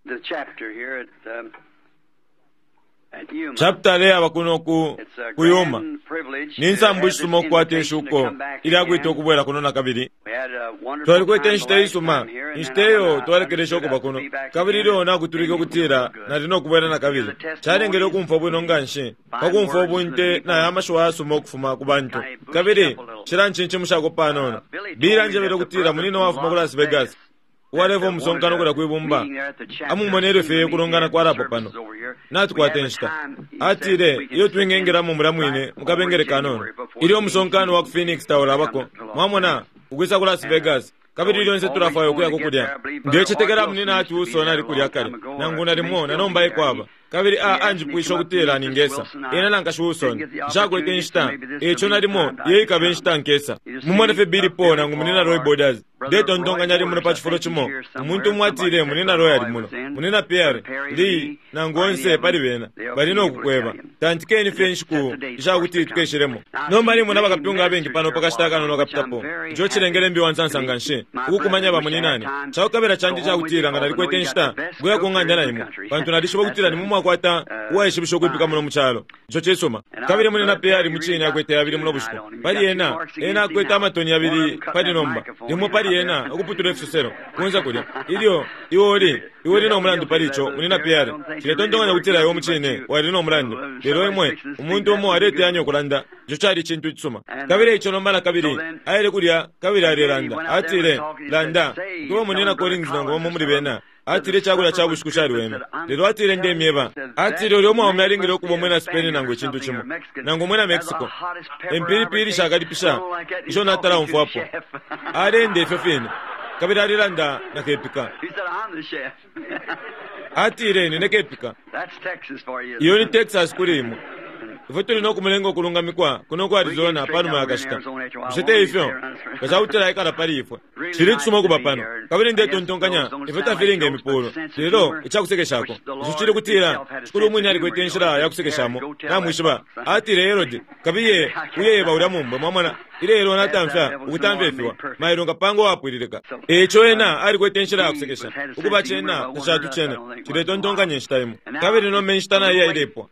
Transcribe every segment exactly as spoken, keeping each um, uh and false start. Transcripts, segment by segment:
The chapter here at, um, at Yuma. Chapter leyaba kuno ku It's a ku Yuma. grand privilege Ni to nsambu have this ishisuma okukwata invitation to eshuko come back ilyakwita again. ukubwera kuno nakabili. We had a wonderful Twalikwete time the inshita last isuma time here, and inshita then eyo when I twalekelesha understood okuba I'd kuno be back kabili again, ilyo nakutulike it made me ukutila feel good. nali nokubwera nakabili calengele ukumfwa bwino nganshi pakumfwa ubunte nayo amashiwi ayasuma ukufuma ku bantu kabili cilancinchimushako panono Billy anjebele ukutila munina wafuma ku Las Vegas uwaleva umusonkano kulya kwibumba amumonele fye ukulongana kwalapo pano natukwata inshita atile iyo twingengelamo mulya mwine mukabengele kanono ilyo umusonkano wa ku Phoenix taulabako mwamona ukwisa ku Las Vegas kabili lyonse tulafwaya ukuyako kulya ndecetekela munina ati usona ali kulya kale nangu nalimo nanomba ekwaba kabili a anjipwisha ukutila ningesa ena nankashi usona nshakwete inshita eco nalimo iyo ikaba inshita nkesa mumone fye Billy Paul nangu munina Roy Borders ndetontonkanya ali muno pa cifulo cimo umuntu umwe atile munina Roy ali muno munina Pierre Lee nangu onse pali bena bali nokukweba tantikeni fye inshiku ishakuti tukeshilemo nomba nimona bakapyunga abengi pano pakashita akanono kapitapo ico cilengele mbi wansansa nganshi ukukumanya bamuninane cakukabela candi cakutila nga nalikwete inshita kuya ku ng'anda na imwe pantu nalishiba ukutila nimwe mwakwata uwaishibisha ukwipika muno mu calo ico cisuma kabili munina Pierre mucine akwete yabili muno bushiku pali ena ena akwete amatoni yabili pali nomba limo pali ena ukuputula ifisoselo kunza kulya ilyo iwe uli iwe uli nomulandu pali ico munina Pierre ciletontonkanya kutila iwe mucine wali nomulandu lelo imwe umuntu umo aleteyanya ukulanda ico cali icintu icisuma kabili ico nomba nakabili aile kulya kabili alelanda atile landa kuba munina Collins nangu bamo muli bena atile icakulya ca bushiku caliweme lelo atile ndemyeba atile ulya umwaume alingile ukuba umwina Spain nangu icintu cimo nangu umwina Mexico empilipili shakalipisha ico natala umfwapo alenda ifyo fine kabili alilanda nakepika He said, I'm the chef. atile nine kepika That's Texas for you. iyo ni Texas kuli imwe ifwe tuli nokumulenga okulungamikwa kuno ku Arizona panuma yakashita bushe te ifyo nga cakutila aikala pali ifwe cili cisuma ukuba pano kabili ndetontonkanya ifwe tafilinga imipulo lelo icakusekeshako ico cili kutila shikulu umwine alikwete inshila yakusekeshamo namwishiba atile Herode kabiye uyeba ulya mumbwe mwamona ilelo natamfya ukutamfya ifiwa mailo ngapanga uwapwililika eco ena alikwete inshila yakusekesha ukuba cena tacatucene ciletontonkanya inshita imo kabili nomba inshita nayo yailepwa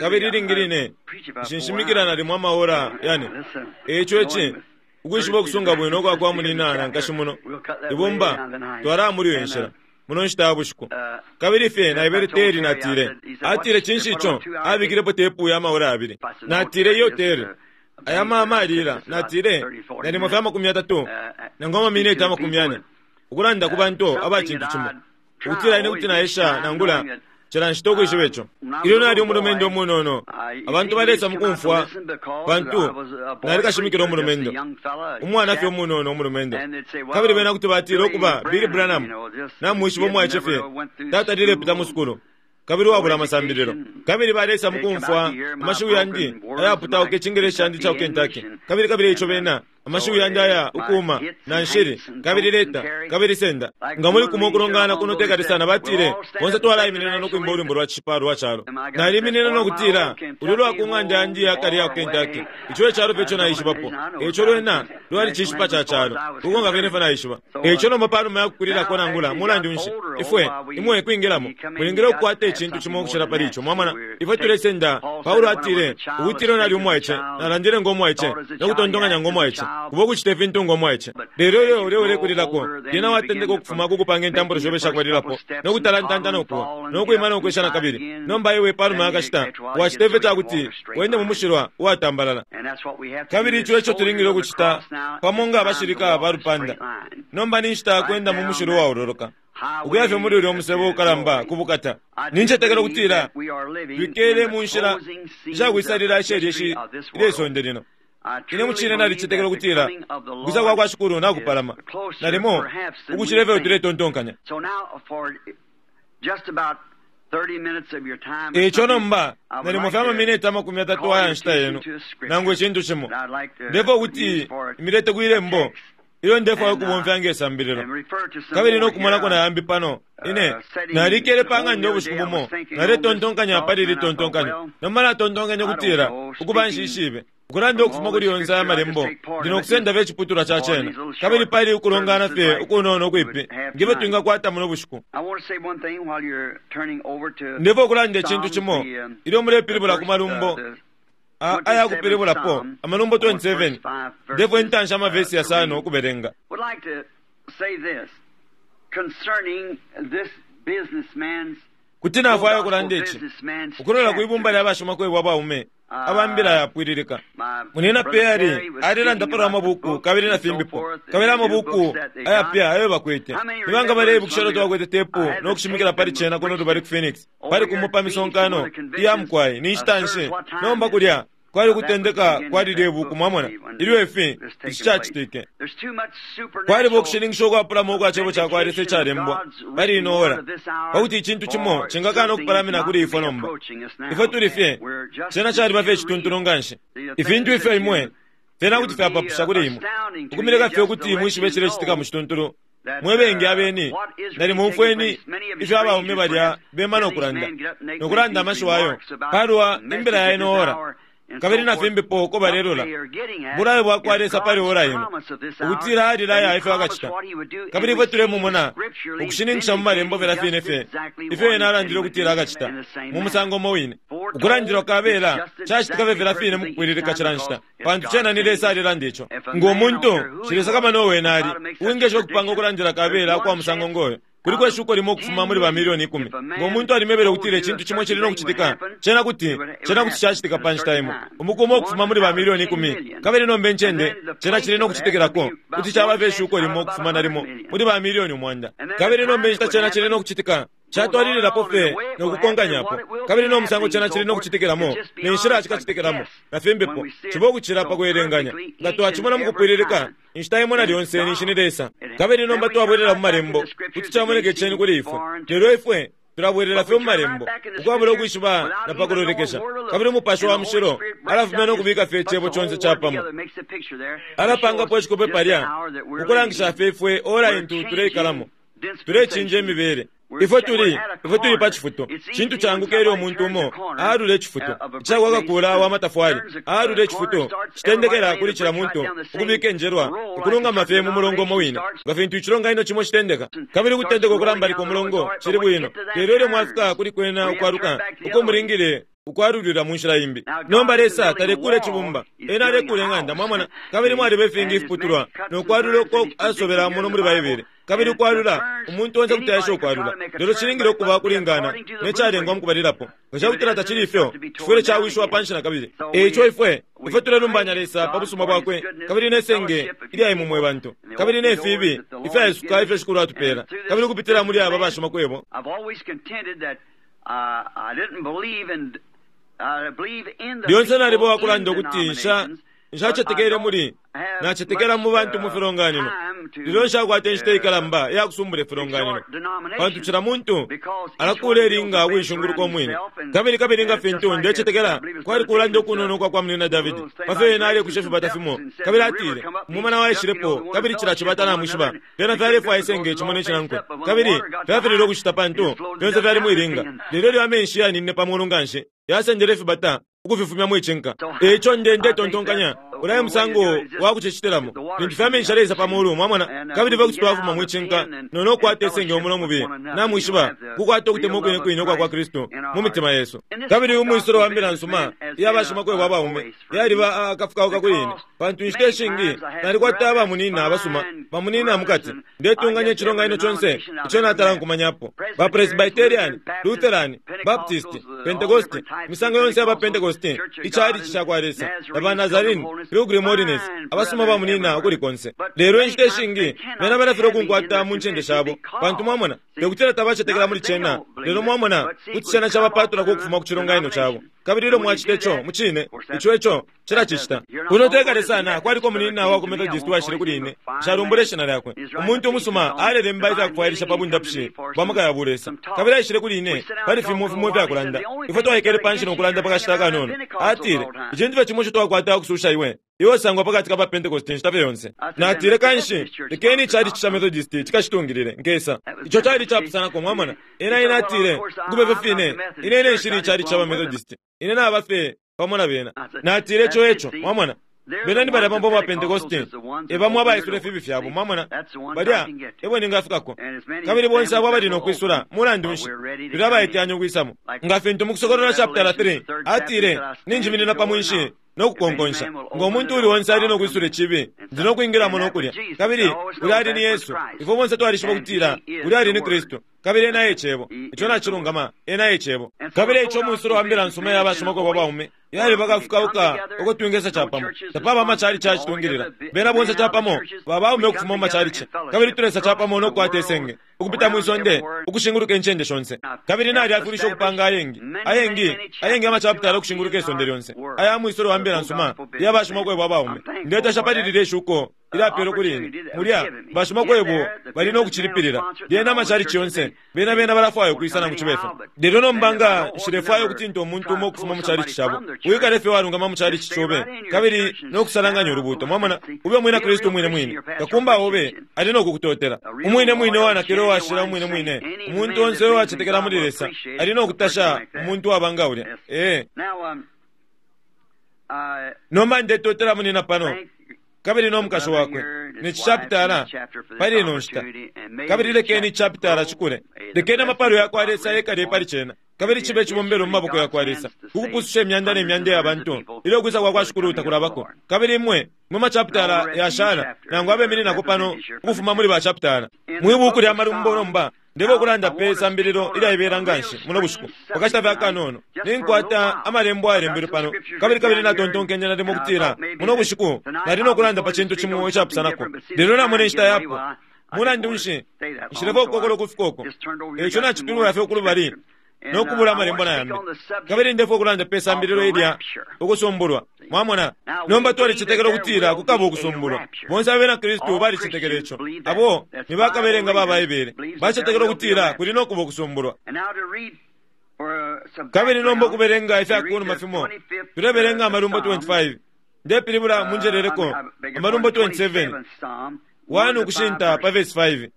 kabili ilingi line nshinshimikila nalimo amaora yane eco eci ukwishiba ukusunga bwino ukwa kwa munina na nkashi muno ibumba twalaya muli iyo nshila muno nshita ya bushiku kabili fye naebele Terry natile atile cinshi ico abikilepo tepu ya amaora abili natile iyo Terry aya mama alila natile nalimo fye amakumi yatatu nangu amamineti amakumi yane ukulanda ku bantu aba cintu cimo ukutila ine kuti naesha nangula cila nshita ukwishiba ico ilyo nali umulumendo umunono abantu balesa mukumfwa pantu nalikashimikila umulumendo umwana fye umunono umulumendo kabili bena kuti batila ukuba Billy Branham namwishiba umwaice fye tata lilepita mu sukulu kabili wabula amasambililo kabili balesa mukumfwa amashiwi yandi ayaputauka icingeleshi candi ca ku Kentucky kabili kabili ico bena amashiwi yandi aya ukuuma na nshili kabili leta kabili senda nga muli kumo ukulongana kuno tekali sana batile bonse twalaiminina nokwimba ulwimbo lwa cishipa lwa calo naliminina nokutila ulu lwa ku ng'anda yandi yakale ya ku Kentucky ico ecalo fye ico naishibapo eco lwena lwali cishipa ca calo uko nga fyene fye naishiba eco nomba panuma yakukulilako nangula mulandu nshi ifwe imwe kwingilamo mulingile ukukwata icintu cimo ukucila pali ico mwamona ifwe tulesenda Paulo atile ukutila nali umwaice nalandile ngo mwaice nokutontonkanya ngo mwaice kuba ukucita ifintu ngo mwaice lelo ilyo ulya ulekulilako lyena watendeka ukufuma kukupanga intambulo shobe shakwalilapo nokutalantanta nokuwa nokwima nokwesha nakabili nomba iwe panuma yakashita wacita ifyo cakuti wende mu mushilwa uwatambalala And that's what we have to kabili do. ico eco tulingile ukucita pamo nga abashilika ba lupanda nomba ni nshita yakwenda mu mushilwa uwaololoka ukuya fye muli ulya umusebo ukalamba ku bukata nincetekela ukutila twikele mu nshila ishakwisalila ishelyeshi ilesonde lino ine mucine nalicetekela ukutila ukusa kwa kwa shikulu nakupalama nalimo ukucila ifyo tuletontonkanya So now for just about thirty minutes of your time. eco nomba nalimo fye amamineti amakumi atatu aya nshita yenu nangu icintu cimo ndefwa ukuti imilete kwilembo Ilyo ndefwaya ukubomfya nge sambililo kabili nokumonako nayambi pano ine nalikele pa ng'anda ubushiku bumo naletontonkanya pali ili tontonkanyo nomba natontonkanya ukutila ukuba nshishibe ukulanda ukufuma kuli yonse aya malembo ndi nokusenda fye iciputulwa ca cena kabili pali ukulongana fye ukunono ukwipi ngefyo twingakwata muno bushiku. Ndefwaya ukulanda icintu cimo ilyo mulepilibula ku malumbo aya kupilibulapo amalumbo twenty-seven ndefwaya intanshi amavesi yasano ukubelenga. Kuti nafwaya ukulanda ici ukulola kwibumba lya bashimakwebo abaume abambila yapwililika. Munina Perry alilanda palwa mabuku kabili na fimbipo kabili amabuku ayapya ayo bakwete. Nibanga baleibukisha ilyo twakwete tepu nokushimikila pali cena kuno lubali ku Phoenix pali kumo pa misonkano iya mukwai ni nshita nshi nomba kulya kwali kutendeka kwali lye buku mwamona ilyo ifi ici cacitike. Kwaliba ukushininkisha ukwapulamo ukwa cebo ca kwa Lesa icalembwa pali ino ora pakuti icintu cimo cingakana ukupalamina kuli ifwe nomba. Ifwe tuli fye cena caliba fye icituntulu nganshi. Ifintu ifyo imwe fyena kuti fyapapusha kuli imwe ukumileka fye ukuti mwishibe icilecitika mu cituntulu. Mwe bengi abeni nalimo umfweni ifyo abaume balya bema nokulanda nokulanda amashiwi ayo palwa imbila ya ino ora kabili na fimbipo uko balelola bulayo bwakwa Lesa pali ora ino ukutila alilaya ifyo akacita kabili ifwe tulemumona ukushininkisha mu malembo fela fine fye ifyo ena alandile ukutila akacita mu musango umo wine. Ukulandilwa kabela cacitika fye fela fine mukupwililika cila nshita pantu cena ni Lesa alilanda ico. Ngo muntu Shilesa kama nowena ali uwingesha ukupanga ukulandila kabela kwa musango ngoyo kuliko ishuko limo ukufuma muli ba milioni ikumi. Ngo muntu alimebele ukutila icintu cimo cili nokucitika cena kuti cena kuti cacitika pa nshita imo umukumo ukufuma muli ba milioni ikumi kabili nomba incende cena cili nokucitikilako kuti caba fye ishuko limo ukufuma nalimo muli ba milioni umwanda kabili nomba inshita cena cili nokucitika catwalililapo fye nokukonkanyapo kabili no musango cena cili nokucitikilamo ne nshila cikacitikilamo na fimbipo ciba ukucila pa kwelenganya nga twacimona mukupwililika inshita imo na lyonse ninshi ni Lesa. Kabili nomba twabwelela mu malembo kuti camoneka iceni kuli ifwe lelo ifwe tulabwelela fye mu malembo ukwabula ukwishiba na pakulolekesha kabili umupashi wa mushilo alafumya nokubika fye icebo conse capamo alapangapo icikope palya ukulangisha fye ifwe ora intu tuleikalamo tulecinja imibele. Ifwe tuli ifwe tuli pa cifuto cintu canguka ilyo umuntu umo aalula icifuto icakwakakula wa matafwali aalula icifuto citendekela kuli cila muntu ukubika enjelwa ukulungama fye mu mulongo umo wine nga fintu icilonganino cimo citendeka kabili ukutendeka ukulambalika umulongo cili bwino lelo ilyo mwafika kuli kwena ukwaluka uko mulingile ukwalulila mu nshila imbi. Nomba Lesa talekula icibumba ena alekula ing'anda mwamona kabili mwaliba ifingi ifiputulwa nokwalula uko asobela muno muli Baibele kabili ukwalula umuntu onse kuti aesha ukwalula lelo cilingile ukuba kulingana necalengwa mukubalilapo nga cakutila tacili ifyo cifwile cawishiwa panshi na kabili. Eico ifwe ifwe tulelumbanya Lesa pa busuma bwakwe kabili nesenge ilya imwe mwe bantu kabili nefibi ifyaisuka ifyo Shikulu atupela kabili ukupitila muli aba bashimakwebo. Lyonse naliba wakulanda ukuti nsha nshacetekele muli nacetekela mu bantu mu filonganino lelo nshakwata inshita ikalamba iyakusumbula ifilonganino pantu cila muntu alakula ilinga ukuishunguluka umwine kabili kabili nga fintu ndecetekela kwali kulanda ukunono kwa kwa munina Davidi pafyo ena alekusha ifibata fimo kabili atile umumana waishilepo kabili cila cibata namwishiba fyena fyalefwaya isenge cimo ne cinankwe kabili fyafilile ukucita pantu fyonse fyali mwilinga lelo ilyo amenshi yaninine pa mulu nganshi yasendele ifibata ukufifumya mwicinka. Eico nde ndetontonkanya ulaye musango wakucicitilamo lintu fyamenshi aleisa pa mulu mwamona kabili fye kuti twafuma mwicinka nono kukwata isenge umulo mubi namwishiba kukwata ukutemwa ukwine kwine ukwa kwa Kristu mu mitima yesu. Kabili umwisolo wa mbila nsuma iya bashimakwebo abaume yaliba akafukauka kuli ine pantu inshita ishingi nalikwata abamunina abasuma bamunina mukati ndetunganya icilonganino conse ico natala nkumanyapo ba Presbyterian, Lutheran, Baptist, Pentecost, imisango yonse yaba Pentecost icalici ca kwa Lesa na ba Nazarene, Pilgrim Holiness abasuma bamunina ukuli konse. Lelo inshita ishingi bena balafilwa ukunkwata mu ncende shabo pantu mwamona tekutila tabacetekela muli cena lelo mwamona kuti cena cabapatulako ukufuma ku cilonganino cabo kabili ilyo mwacita ico mucine ico ico cilacicita. Kuno tekale sana kwaliko munina wa ku Methodist washile kuli ine nshalumbula ishina lyakwe umuntu umusuma alelemba ifyakufwailisha pa bundapushi bwa maka ya bulesa kabili aishile kuli ine pali fimo fimo ifyakulanda ifwe twaikele panshi nokulanda pakashita kanono atile icintu fye cimo ico twakwata ukususha iwe Iwe sangwa pakati ka ba Pentecost inshita fye yonse. Natile kanshi lekeni ichalichi cha Methodist chikashitungilile nkesa. Icho chali chapusanako, mwamona. Ena ine atile kubefe fine ine ine nshili ichalichi cha ba Methodist, ine naba fye pamo na bena. Natile icho echo, mwamona. Bena ni balya pambo ba Pentecost ebamwe abaisula fibi fyabo, mwamona. Balya ebo ningafikako. Kabili bonse abo abali nokwisula mulandu nshi tuli abaiteyanya ukwisamo. Nga fintu mu Kusokolola chapter three atile ninjiminina pa mwinshi nokukonkonsha, ngo muntu uli onse ali nokwisula ichibi ndi nokwingilamo nokulya. Kabili uli ali ni Yesu. Ifwe bonse twalishiba ukutila uli ali ni Kristu. Kabili ena e Cebo. Icho nachilungama, ena e Cebo. Kabili icho mwisuro wa mbila nsuma ya bashimako bwa baume yali bakafukauka ukutwingesa chapamo. Tapaba amachalichi achitungilila bena bonse chapamo babaume ukufuma mu machalichi. Kabili tulesa chapamo nokukwata esenge ukupita mwisonde ukushinguluka enchende shonse. Kabili nali afulisha okupanga ayengi ayengi ayengi amachapitala okushinguluka esonde lyonse aya mwisuro wa mbila nsuma ya bashimako bwa baume. Ndetasha palilile eshuko ilapelo kuli ine mulya bashimakwebo bali nokuchilipilila lyena amachalichi yonse bena bena balafwaya okwisana nangu chibefe. Lelo nomba nga nshilefwaya ukutinta omuntu umo okufuma mu chalichi chabo, wikale fye walungama mu chalichi chobe kabili nokusalanganya ulubuto, mwamona. Ube umwina Kristu umwine mwine, kakumba obe ali nokukutotela umwine mwine wanakile owashila umwine mwine. Umuntu onse owachetekela muli Lesa ali nokutasha umuntu wabanga ulya. Ee, nomba ndetotela munina pano kabili nomukashi wakwe nechi chapitala pali ino nshita. Kabili lekeni chapitala chikule, lekeni amapalo yakwa Lesa yekale pali chena, kabili chibe chibombelo mu maboko yakwa Lesa kukupususha emyanda nemyanda ya bantu ilyo kwisa kwa kwa Shikulu takulabako. Kabili imwe mwe machapitala yashala nangu abemininako pano ukufuma muli bachapitala mwibuku lya Malumbo. Nomba ndebe okulanda pe sambililo ilyaibela nganshi muno bushiku pakashita fye akanono ninkwata amalembo ayalembelwe pano. Kabili kabili natontonkenye nalimo okutila muno bushiku nali nokulanda pa chintu chimo ichapusanako, lelo namona enshita yapo. Mulandu nshi nshilefo okukokola ukufika oko, echo nachipilula fye okulubali nokubula amalembo nayambi. Kabili ndefo okulanda pe sambililo ilya ukusumbulwa, mwamona. Nomba twalichetekela okutila kukaba ukusumbulwa. Bonse abena Kristu balichetekela icho. Abo ni bakabelenga ba Baibele bachetekela okutila kuli nokuba ukusumbulwa. Kabili nomba okubelenga ifyakunuma fimo tulebelenga Amalumbo twenty-five. Ndepilibula munjeleleko Amalumbo twenty-seven one ukushinta pa verse five.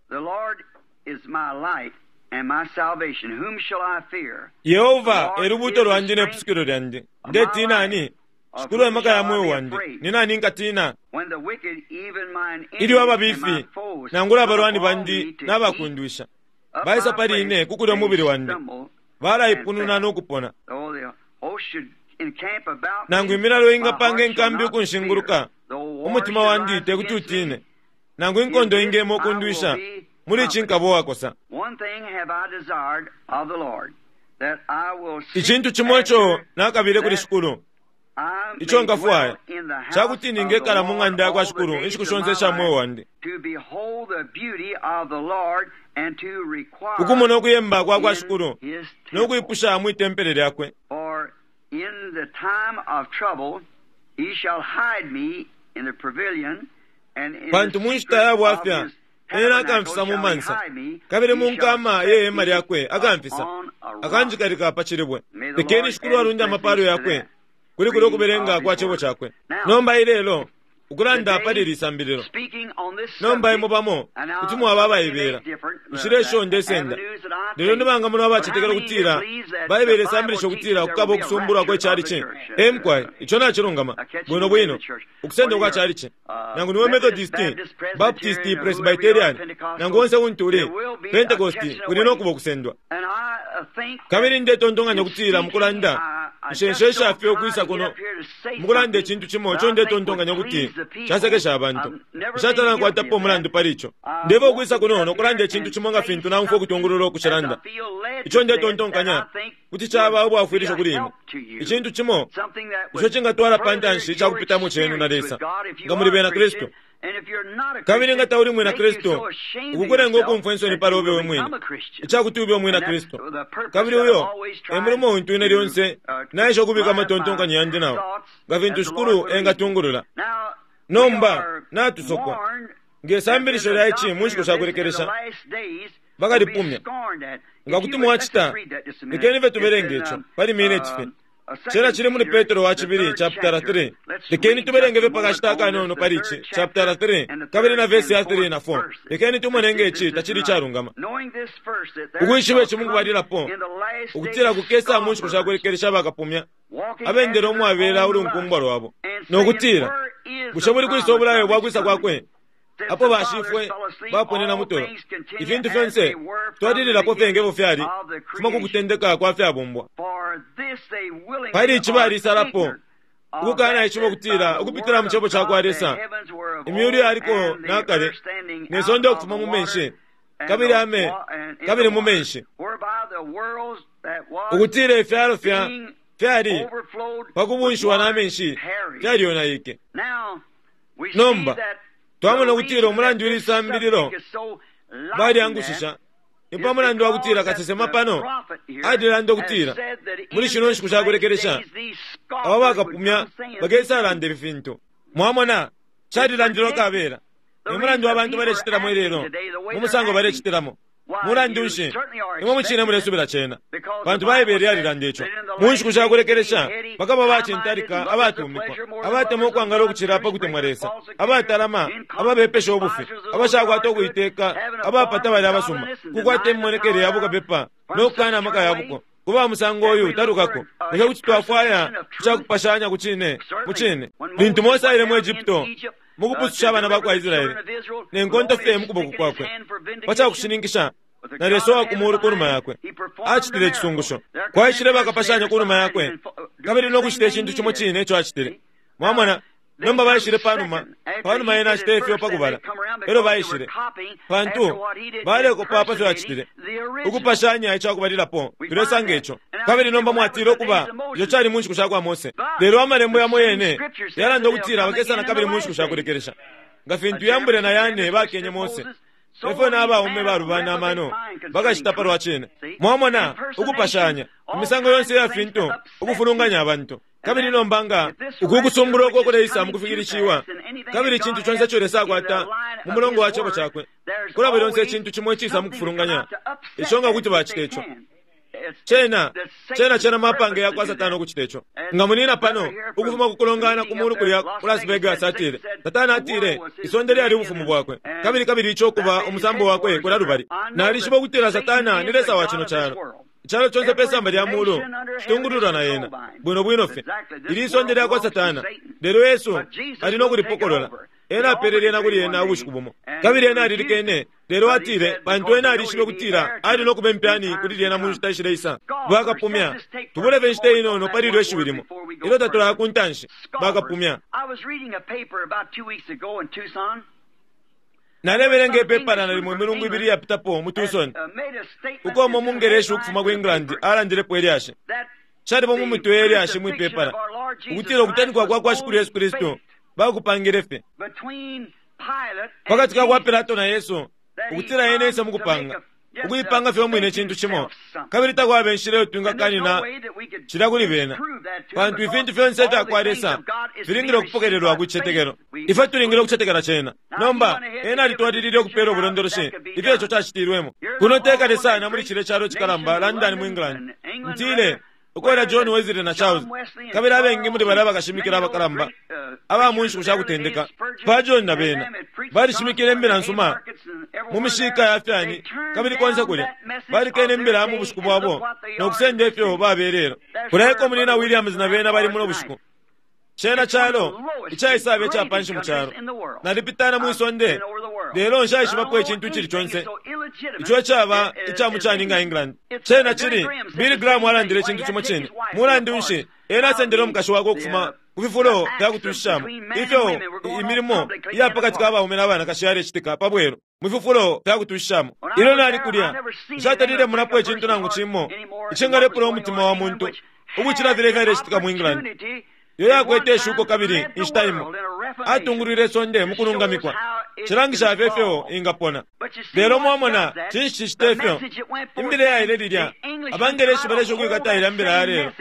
Yehova elubuto lwandi nepusukilo lyandi, ndetina ani? Shikulu emaka ya moyo wandi, ni nani nkatina? Ilyo ababifi nangula abalwani bandi nabakundwisha baisa pali ine kukulya umubili wandi, balaipununa nokupona. Nangu imilalo ingapanga enkambi ukunshinguluka, umutima wandi tekuti utine. Nangu inkondo ingema okundwisha, muli ichi nkaba owakosa. Ichintu chimo icho nakabile kuli Shikulu icho nkafwaya chakuti ningekala mu ng'anda yakwa Shikulu inshiku shonse isha moyo wandi, ukumona okuyemba kwa kwa Shikulu nokwipusha mwitempele lyakwe. Pantu mu nshita ya bwafya ena akamfisa mu mansa, kabili mu nkama ye hema lyakwe akamfisa, akanjikalika pa chilibwe. Lekeni Shikulu alunde amapalo yakwe kuli kuli okubelenga kwa chebo chakwe. Nomba ilelo ukulanda pali lisambililo, nomba imwe bamo kuti mwaba abaibela nshilesho ndesenda. Lelo nibanga muno abachetekela okutila Baibele isambilisha okutila kukaba okusumbulwa kwe chalichi. Emkwai icho nachilungama bwino bwino ukusenda kwa chalichi. Nangu niwe Methodist, Baptist, Presbyterian, nangu onse untu uli Pentecost, kuli nokuba okusendwa. Kabili ndetontonkanya okutila mukulanda nshenshe fye okwisa kuno mukulanda echintu chimo icho ndetontonkanya okuti chasekesha abantu. Nshatala nkwatapo omulandu pali icho. Ndeba okwisa kuno nokulanda echintu chimo nga fintu naumfwa okutungulula okuchilanda. Icho ndetontonkanya kuti chaba obwafwilisho kuli imwe, ichintu chimo icho chingatwala pantanshi ichakupitamo chenu na Lesa nga muli bena Kristu. Kabili nga tauli mwina Kristu, ukukulenga okumfwa ensoni pali obe we mwine ichakuti ube omwina Kristu. Kabili uyo emulimo untu ine lyonse naisha okubika amatontonkanyo yandi nawo nga fintu Shikulu engatungulula. Nomba natusokwa ngesambilisho lya ichi mu nshiku shakulekelesha bakalipumya. Nga kuti mwachita, lekeni fye tubelenge icho pali mineti fye. Cena chili muli Petro wa chibili chapter three. Lekeni tubelenge pakashita akanono pali ichi chapter three kabili na verse ya three na four. Lekeni tumonenge ichi tachili charungama. Ukwishiba ichi mukubalilapo ukutila kukesa mu nshiku shakulekelesha bakapumya abendele umwabela ulunkumbwa lwabo nokutila bushe muli kwisa obulayo bwakwisa kwakwe apo bashifwe baponena mutolo ifintu fyonse twalililapo fyengevo fyali fuma kukutendeka kwa fyabumbwa. Pali ichi balisalapo ukukana ichimo kutila ukupitila mu chebo chakwa Lesa imyulu yaliko nakale ne sonde okufuma mu menshi kabili ame kabili mu menshi ukutila ifyalo fya fyali pakubunshiwa na menshi fyalionaike. Nomba twamona ukutila umulandu wili sambililo baliangushisha ni pamulandu wa kutila kasesema pano alilanda ukutila muli shino nshiku shakulekelesha aba bakapumya bakesalanda ifi fintu. Mwamona calilandilwa kabela ni mulandu wa bantu balecitilamo ilelo mu musango balecitilamo. Mulandu nshi imwe mucine mulesubila cena pantu Baibele yalilanda ico. Mu nshiku shakulekelesha bakaba bacintalika abatumikwa abatemwa ukwangala ukucila pakutemwa Lesa abatalama ababepesha ubufi abashakwata ukuiteka abapata bali abasuma kukwata imimonekele ya bukapepa nokukana amaka yabuko kuba musango uyu talukako. Bushe kuti twafwaya icakupashanya ku cine mu cine lintu Mose aile mu Egypto mukupususha abana bakwa Israeli ne nkonto fye mukuboko kwakwe pacakushininkisha na Lesa wa kumulu kunuma yakwe acitile icisungusho kwaishile bakapashanya kunuma yakwe kabili nokucita icintu cimo cine ico acitile. Mwamona nomba baishile panuma panuma yena acitile ifyo pakubala elo baishile pantu balekopa pafyo acitile ukupashanya icakubalilapo tulesanga ico. Kabili nomba mwatile ukuba ico cali mu nshiku shakwa Mose lelo amalembo yamo yene yalanda ukutila bakesana kabili mu nshiku shakulekelesha nga fintu Yambure na Yane bakenye Mose efyo n'abaume balubana amano bakacita palwa cine. Mwamona ukupashanya imisango yonse ya fintu ukufulunganya abantu. Kabili nomba nga uku kusumbula uko kuleisa mukufikilishiwa kabili icintu conse ico Lesa akwata mu mulongo wa cebo cakwe kulaba lyonse icintu cimo icisa mukufulunganya ico nga kuti bacita ico. Cena cena cena mapange yakwa Satana ukucita ico. Nga munina pano ukufuma kukulongana kumulu kulya ku Las Vegas atile Satana atile isonde lyali ubufumu bwakwe kabili kabili ico kuba umusambo wakwe kula lubali. Nalishiba ukutila Satana ni Lesa wa cino calo. Icalo conse pe samba lya mulu citungululwa na yena bwino bwino fye. Ili isonde lyakwa Satana lelo Yesu ali nokulipokolola. Ena apele lyena kuli ena ubushiku bumo kabili ena alilikene lelo atile pantu ena alishibe kutila ali nokuba impyani kuli lyena mu nshita ishileisa. Bakapumya tubuleve inshita inono pali ilyo ishiwi limo ilyo tatulaya ku ntanshi. Bakapumya. Nalebelenga ipepala nalimo imilungu ibili yapitapo mu Tucson uko umo mungereshi ukufuma ku England alandilepo elyashi. Calipo mu mutwe elyashi mwipepala ukutila ukutanikwa kwa kwa Shikulu Yesu Kristu bakupangile fye pakati ka kwa Pilato na Yesu ukutila yene isa mukupanga ukuipanga fye umwine icintu cimo kabili takwaba inshila iyo twingakanina cila kuli bena pantu ifintu fyonse ifyakwa Lesa filingile ukupokelelwa ku cicetekelo. Ifwe tulingile ukucetekela cena. Nomba ena alitwalilile ukupela ubulondoloshi ifyo ico cacitilwemo. Kuno tekale sana muli cile calo cikalamba London mu England ntile ukwela John Wesley na Charles kabili abengi muli balya bakashimikila abakalamba aba mu nshiku shakutendeka pa John na bena balishimikile imbila nsuma mu mishika ya fyani kabili konse kulya balikene imbila mu bushiku bwabo nokusenda ifyo babelelo. Kuleko munina Williams na bena bali muno bushiku. Cena calo icaisabe icapanshi mu calo nalipitana mwisonde lelo nshaishibapo icintu icili conse ico caba icamucani nga England. Cena cili Billy Graham alandile icintu cimo cine. Mulandu nshi ena asendele umukashi wakwe ukufuma ku fifulo fyakutushishamo ifyo imilimo iya pakati ka baume na banakashi yalecitika pabwelu mu fifulo fyakutushishamo. Ilyo nali kulya nshatalile munapo icintu nangu cimo icingalepula umutima wa muntu ukucila filya ifyalecitika mu England. Iyo yakwete ishuko kabili inshita imo atungulwile isonde mukulungamikwa cilangisha fye ifyo ingapona. Lelo mwamona cinshi cicita ifyo imbila yaile lilya abangeleshi balesha ukwikata ilya mbila ya lelo.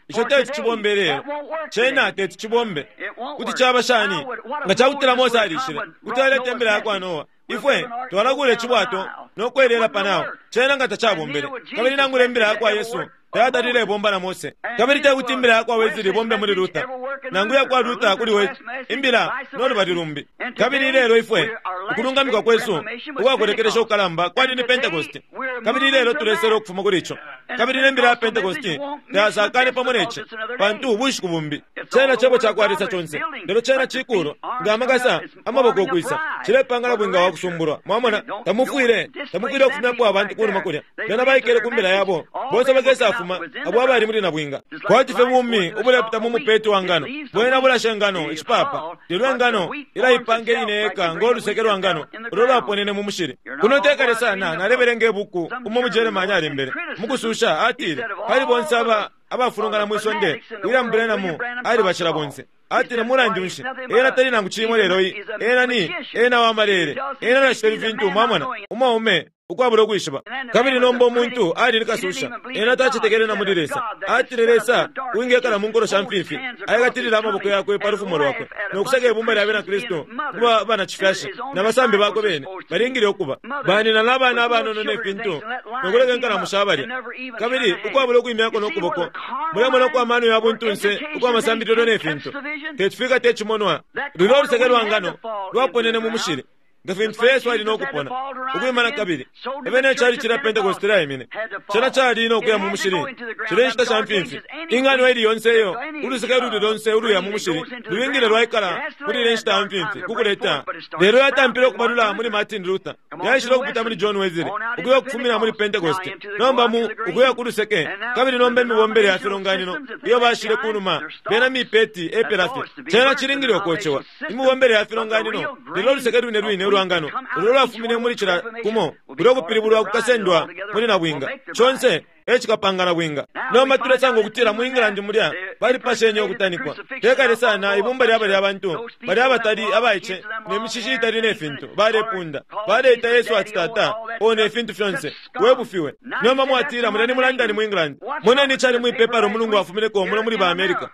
Ico teti cibombe lelo cena teti cibombe. Kuti caba shani nga cakutila Mose alishile kuti aleta imbila yakwa Noa ifwe twalakula icibwato nokwelela panawo cena nga tacabombele. Kabili nangula imbila yakwa Yesu Tayatalile bomba na Mose. Kabili tekuti imbila yakwa Wesley bombe muli Luther, nangu yakwa Luther kuli Wesley, imbila nolubali lumbi. Kabili ilelo ifwe ukulungamikwa kwesu ukwakulekelesha ukukalamba kwali ni Pentecost, kabili ilelo tulesela ukufuma kuli ico. Kabili nembila ya Pentecost tayasakane pamo neci, pantu ubushiku bumbi. Cena cebo cakwa Lesa conse, lelo cena cikulu nga amakasa amaboko ukwisa cilepangala bwinga wa kusumbulwa. Mwamona, tamufwile tamufwile ukufumyapo abantu kunuma kulya. Bena baikele ku mbila yabo bonse bakesafuma abo abali muli na bwinga. Kwati fye bumi ubulepita mu mupeti wa ngano, bwena bulasha engano icipapa, lelo engano ilaipanga ine yeka ngoluseke lwa ngano ulo lwaponene mu mushili. Kuno tekale sana nalebelenga ibuku umo mu Jeremani alembele mukususha, atile pali bonse aba abafulungana mwisonde William Branham alibashila bonse. Atile mulandu nshi ena tali nangu chimo lelo iyi, ena ni ena wamalele, ena nashita ifintu. Mwamona, umwaume ukwabula ukwishiba. Kabili nomba umuntu ali ni kasusha, ena tacetekele na muli Lesa. Atile Lesa wingekala mu nkolo sha mfifi, ayakatilila amaboko yakwe pa lufumo lwakwe nokusaka ibumba lya bena Kristu kuba banacifyashi na basambi bakwe bene balingile ukuba banina n'abana abanono nefintu nokuleka inkalamu shabalya. Kabili ukwabula ukwimyako nokuboko, mulemona ukwa mano ya buntunse ukwa masambililo nefintu tetifika tecimonwa. Lulya oluseke lwa ngano lwaponene mu mushili nga fintu fye Yesu ali nokupona ukwimana kabili ebene cali cila Pentecost laimine cena cali nokuya mu mushili cile nshita sha mfimfi. Ingano ili yonse iyo uluseke luli lonse uluya mu mushili lulingile lwaikala muli ile nshita ya mfimfi kukuleta. Lelo yatampile ukubalula muli Martin Luther, yaishile ukupita muli John Wesley, ukuya ukufumina muli Pentecost, nomba mu ukuya ku luseke. Kabili nomba imibombele ya filonganino iyo bashile kunuma bena mipeti epela fye, cena cilingile ukocewa imibombele ya filonganino. Lelo uluseke lwine lwine ulwangano ulo lwafumine muli cila kumo ulo kupilibulwa kukasendwa muli na bwinga conse ecikapangana bwinga. Nomba tulesanga ukutila mu England mulya balipashenye ukutanikwa tekale sana ibumba lya balya bantu bali abatali abaice ne mishishi itali ne fintu balepunda baleita Yesu ati tata o ne fintu fyonse webufiwe. Nomba mwatila muleni mu London mu England, moneni cali mwipepala umulungu wafumineko muno muli ba America.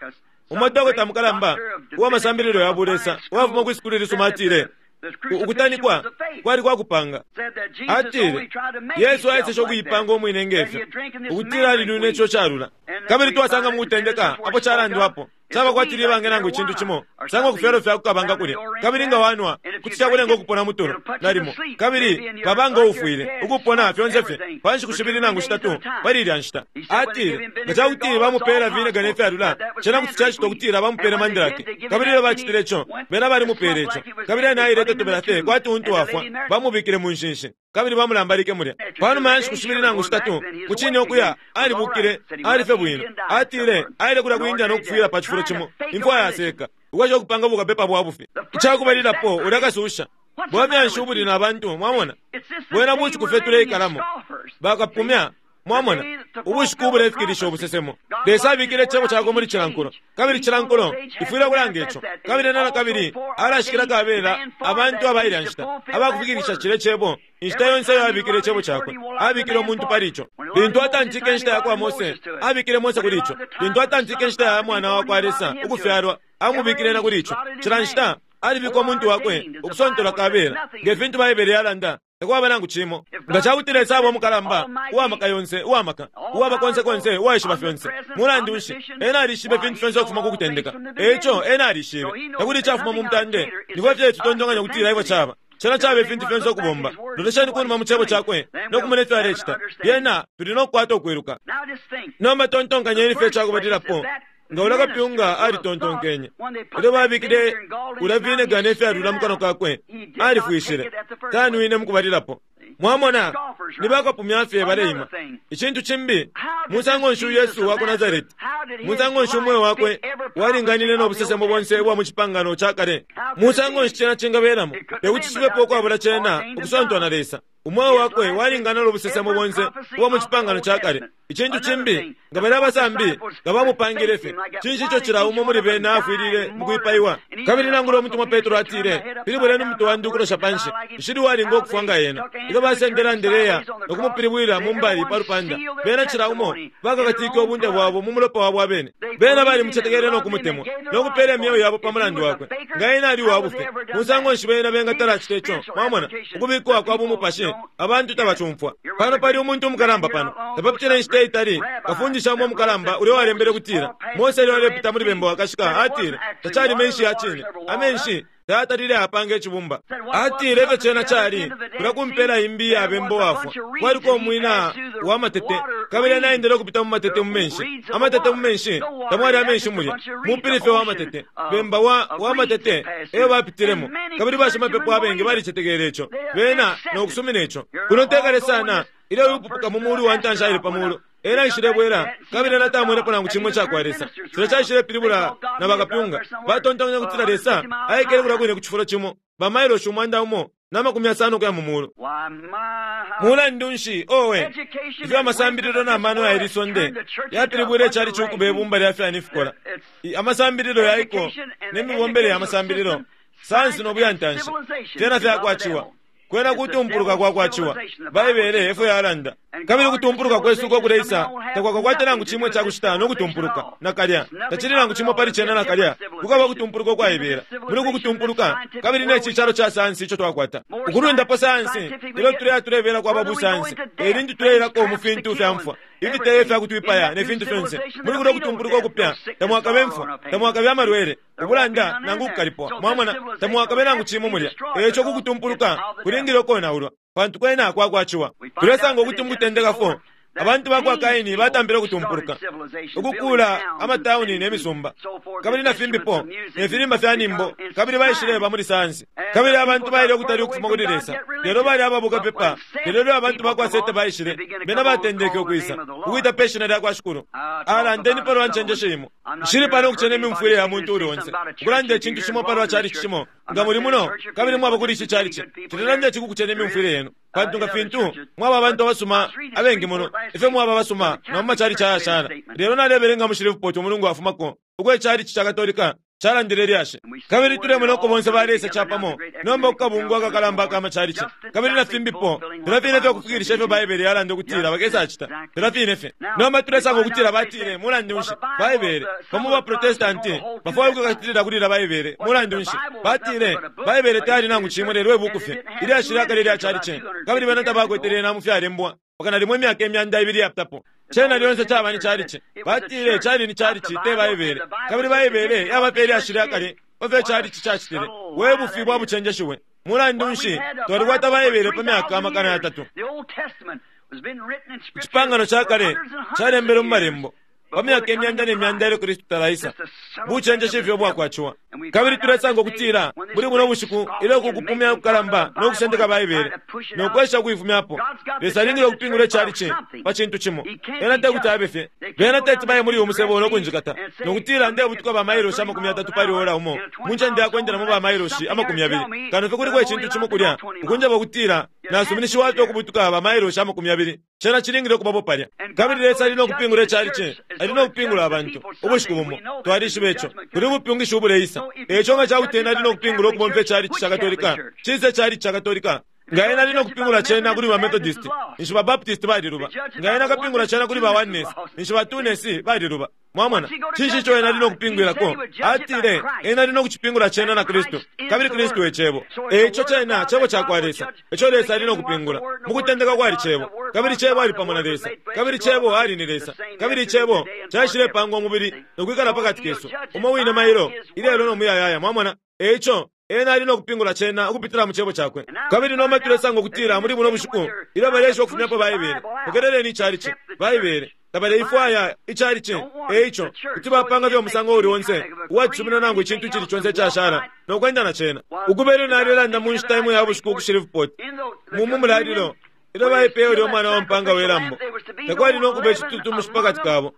Umwadokota mukalamba uwamasambililo ya bulesa uwafuma kwi sukulu lisuma atile ukutanikwa kwali kwakupanga. Atile Yesu aeseshe ukuyipanga umwine ngefyo ukutila alilwine ico calula. Kabili twasanga mukutendeka apo calandwapo caba kwatili ibange nangu icintu cimo sanga okufyalo fya kukabanga kulya, kabili nga wanwa kuti cakulenga ukupona mutulo nalimo, kabili babanga ufwile ukupona fyonse fye pa nshiku shibili nangu shitatu pali ilya nshita. Atile nga cakuti bamupela vinega nefyalula cena kuti cacita ukutila bamupele mandrake. Kabili ilyo bacitile ico bena balimupele ico, kabili ena aile totobela fye kwati untu wafwa, bamubikile mu nshinshi kabili bamulambalike mulya. Panuma ya nshiku shibili nangu shitatu mucine okuya alibukile alife bwino. Atile aile kulya ku India nokufwila pa cifulo cimo imfwa yaseka ukwesha okupanga bukapepa bwa bufi. Icakubalilapo ulya kasusha bwamyanshi ubuli na bantu. Mwamona bwena bushiku fye tuleikalamo bakapumya. Mwamona ubushiku ubulefikilisha ubusesemo. Lesa abikile icebo cakwe muli cilankulo, kabili cilankulo ifwile kulanga ico. Kabili nana kabili alashikila kabela abantu abailya nshita abakufikilisha cile cebo. Inshita yonse iyo abikile icebo cakwe abikile umuntu pali ico. Lintu atantike inshita yakwa Mose abikile Mose kuli ico. Lintu atantike inshita ya mwana wakwa Lesa ukufyalwa amubikile na kuli ico. Cila nshita alibika umuntu wakwe ukusontola kabela nge fintu Baibele yalanda takwaba nangu cimo. Nga cakuti Lesa aba umukalamba uwamaka yonse uwamaka uwaba konse konse uwaishiba fyonse, mulandu nshi ena alishibe fintu fyonse ukufuma ku kutendeka. Eico ena alishibe takuli icafuma mu mutande. Nifwe fye tutontonkanya ukutila ifyo caba cena caba ifintu fyonse ukubomba. Lolesheni kunuma mu cebo cakwe nokumona ifyo alecita, lyena tuli nokukwata ukwiluka. Nomba tontonkanyeni fye icakubalilapo nga ula kapyunga alitontonkenye ilyo babikile ula vinega nefyalula mu kanwa kakwe alifwishile tanwine mukubalilapo. Mwamona ni bakapumya fye baleima. Icintu cimbi musango nshi Yesu wa ku Nazareti, musango nshi umweo wakwe walinganile nobusesemo bonse ubwa mu cipangano ca kale, musango nshi cena cingabelamo tekuti cibepo ukwabula cena ukusontwa na Lesa. Umweo wakwe walingana nobusesemo bonse ubwa mu cipangano ca kale. Icintu cimbi nga bali abasambi nga bamupangile fye cinshi ico cila umo muli bena afwilile mukwipaiwa. Kabili nangula umutumwa Petro atile pilibuleni umutwe wandi ukulosha panshi nshili walinga ukufwa nga ena. Ilyo Ilyo basendele Andereya no kumupilibwila mu mbali pa lupanda, bena cila umo bakakatike ubunte bwabo mu mulopa wabo abene. Bena balimucetekele no kumutemwa no kupela imyeo yabo pa mulandu wakwe. Nga ena ali uwa bufi, musango nshi bena bengatala acita ico? Mwamona, ukubikwa kwa bumupashi, abantu tabacumfwa. Pano pali umuntu umukalamba pano tapapitile inshita itali, kafundisha umo umukalamba ulya walembele kutila Mose ilyo alepita muli bemba wakashika, atile tacali menshi ya cine, amenshi tayatalile apanga icibumba. Atile ifyo cena cali kulya kumpela imbi ya bemba wafwa, kwaliko umwina wa matete, kabili ena aendele ukupita mu matete mu menshi, amatete mu menshi, tamwali amenshi mulya, mupilife wa matete, bemba wa, wa matete eyo bapitilemo. Kabili bashimapepo abengi balicetekele ico, bena no kusumina ico. Kuno tekale sana ilyo upupuka mu mulu wa ntanshi aile pa mulu, ena aishilebwela kabili ena tamwenepo nangu cimwe cakwa Lesa. Cilya caishile-pilibula na bakapyunga batontonkanya kutila Lesa aikele kulya kwine ku cifulo cimo bamailoshi umwanda umo na makumi yasano ukuya mu mulu. Mulandu nshi, owe, ifyo amasambililo na mano ya ili sonde yapilibwile cali cukuba ibumba lya fyani fikola. Amasambililo yaiko ne mibombele ya masambililo, sayansi no buyantanshi, fyena fyakwaciwa. Kwena kutumpuluka kwakwaciwa, Baibele efyo yalanda. Kabili kutumpuluka kwesu uko kuleisa takwakakwata nangu cimwe cakucita no kutumpuluka nakalya, tacili nangu cimo pali cena nakalya. Kukaba kutumpuluka ukwaibela muli uku kutumpuluka, kabili neci calo ca sayansi ico twakwata ukulundapo sayansi. Ilyo tuleya tulebela kwaba busayansi, elintu tuleilako mu fintu fya mfwa, ifiteyo fya kutwipaya ne fintu fyonse. Muli kuno kutumpuluka ukupya tamwakabe mfwa, tamwakabe amalwele, ubulanda nangu kukalipwa. Mwamona, tamwakabe nangu cimo mulya. Eco ku kutumpuluka kulingile ukonaulwa, pantu kwena kwakwaciwa. Tulesanga ukuti mukutendeka four abantu bakwa Kaini batambile ukutumpuluka, ukukula amatauni ne misumba, kabili na fimbipo ne filimba fya nimbo, kabili baishileba muli sayansi. Kabili abantu baile ukutali ukufuma kuli Lesa, lelo bali ababuka pepa. Lelo ilyo abantu bakwa Sete baishile, bena batendeke ukwisa ukwita pe shina lya kwa Shikulu. Alandeni palwa ncenjesho imo. Nshili pano ukucena imimfwile ya muntu uli onse, ukulanda icintu cimo palwa calici cimo. Nga muli muno kabili mwaba kuli ici calici, cilelanda ici kukucena imimfwile yenu, pantu nga fintu mwaba abantu abasuma abengi muno, ifyo mwaba abasuma na mu macalici ayashala. Lelo nalebelenga mu Shreveport umulungu wafumako uko icalici ca Katolika calandile lyashi, kabili tulemona uko bonse balesa capamo nomba kukabungwa akakalamba aka macalici kabili na fimbipo. Filya fine fye ukufikilisha ifyo Baibele yalanda ukutila bakesacita, filya fine fye. Nomba tulesanga ukutila batile, mulandu nshi Baibele bamo ba Protestanti bafwaya ukukakatilila kulila Baibele? Mulandu nshi batile Baibele tayali nangu cimwe lelo ibuku fye ilyashi lyakale lya calici, kabili bena tabakwetele na mu fyalembwa pakana limwe imyaka imyanda ibili yapitapo. Cena lyonse caba ni calici. Batile cali ni calici te Baibele, kabili Baibele yaba ilyashi lyakale pafyo calici cacitile. We bufi bwa bucenjeshiwe! Mulandu nshi twalikwata Baibele pa myaka amakana yatatu? Icipangano ca kale calembelwe mu malembo pa myaka imyanda ne myanda ilyo Kristu talaisa. Bucenjeshi ifyo bwakwaciwa. Kabili tulesanga ukutila muli buno bushiku ilyo kukupumya kukalamba no kusendeka Baibele no kwesha kuifumyapo, Lesa alingile ukupingula icalici pa cintu cimo. Ena tekuti abe fye bena teti baye muli uyu musebo no kunjikata nokutila ndebutuka bamailoshi amakumi yatatu pali ora umo mu ncende yakwendelamo bamailoshi amakumi yabili, kano fye kuliko icintu cimo kulya ukunjeba ukutila nasuminishiwa fye ukubutuka bamailoshi amakumi yabili. Cena cilingile ukubapo palya. Kabili Lesa ali no kupingula icalici, ali no kupingula abantu ubushiku bumo. Twalishiba ico kuli ubupyungishi ubuleisa. Eco nga cakuti ena ali no kupingula ukubomfya icalici ca Katolika, cise calici ca Katolika. Nga ena ali no kupingula cena kuli ba Methodist, ninshi ba Baptist baliluba. Nga ena akapingula cena kuli ba Oneness, ninshi ba Twoness baliluba. Mwamona, cinshi ico ena ali no kupingwilako? Atile ena ali no kucipingula cena na Kristu, kabili Kristu e Cebo. Eco cena Cebo cakwa Lesa, eco Lesa ali no kupingula. Mu kutendeka kwali Cebo, kabili Cebo ali pamo na Lesa, kabili Cebo ali ni Lesa, kabili Cebo caishilepangwa umubili no kwikala pakati kesu, umo wine mailo, ilelo no muyayaya. Mwamona, eco ena ali no kupingula cena ukupitila mu Cebo cakwe. Kabili nomba tulesanga ukutila muli buno bushiku ilyo baleesha ukufumyapo Baibele, pokeleleni icalici Baibele tabaleifwaya icalici. Eico kuti bapanga fye umusango uli onse uwacisumina nangu icintu icili conse icashala no kwenda na cena. Ukubele nalelanda mu nshita imo ya bushiku ku Shreveport mumu mulalilo ilyo baipeye ulya umwana wa mpanga we lambo, takwali no kuba icitutumushi pakati kabo.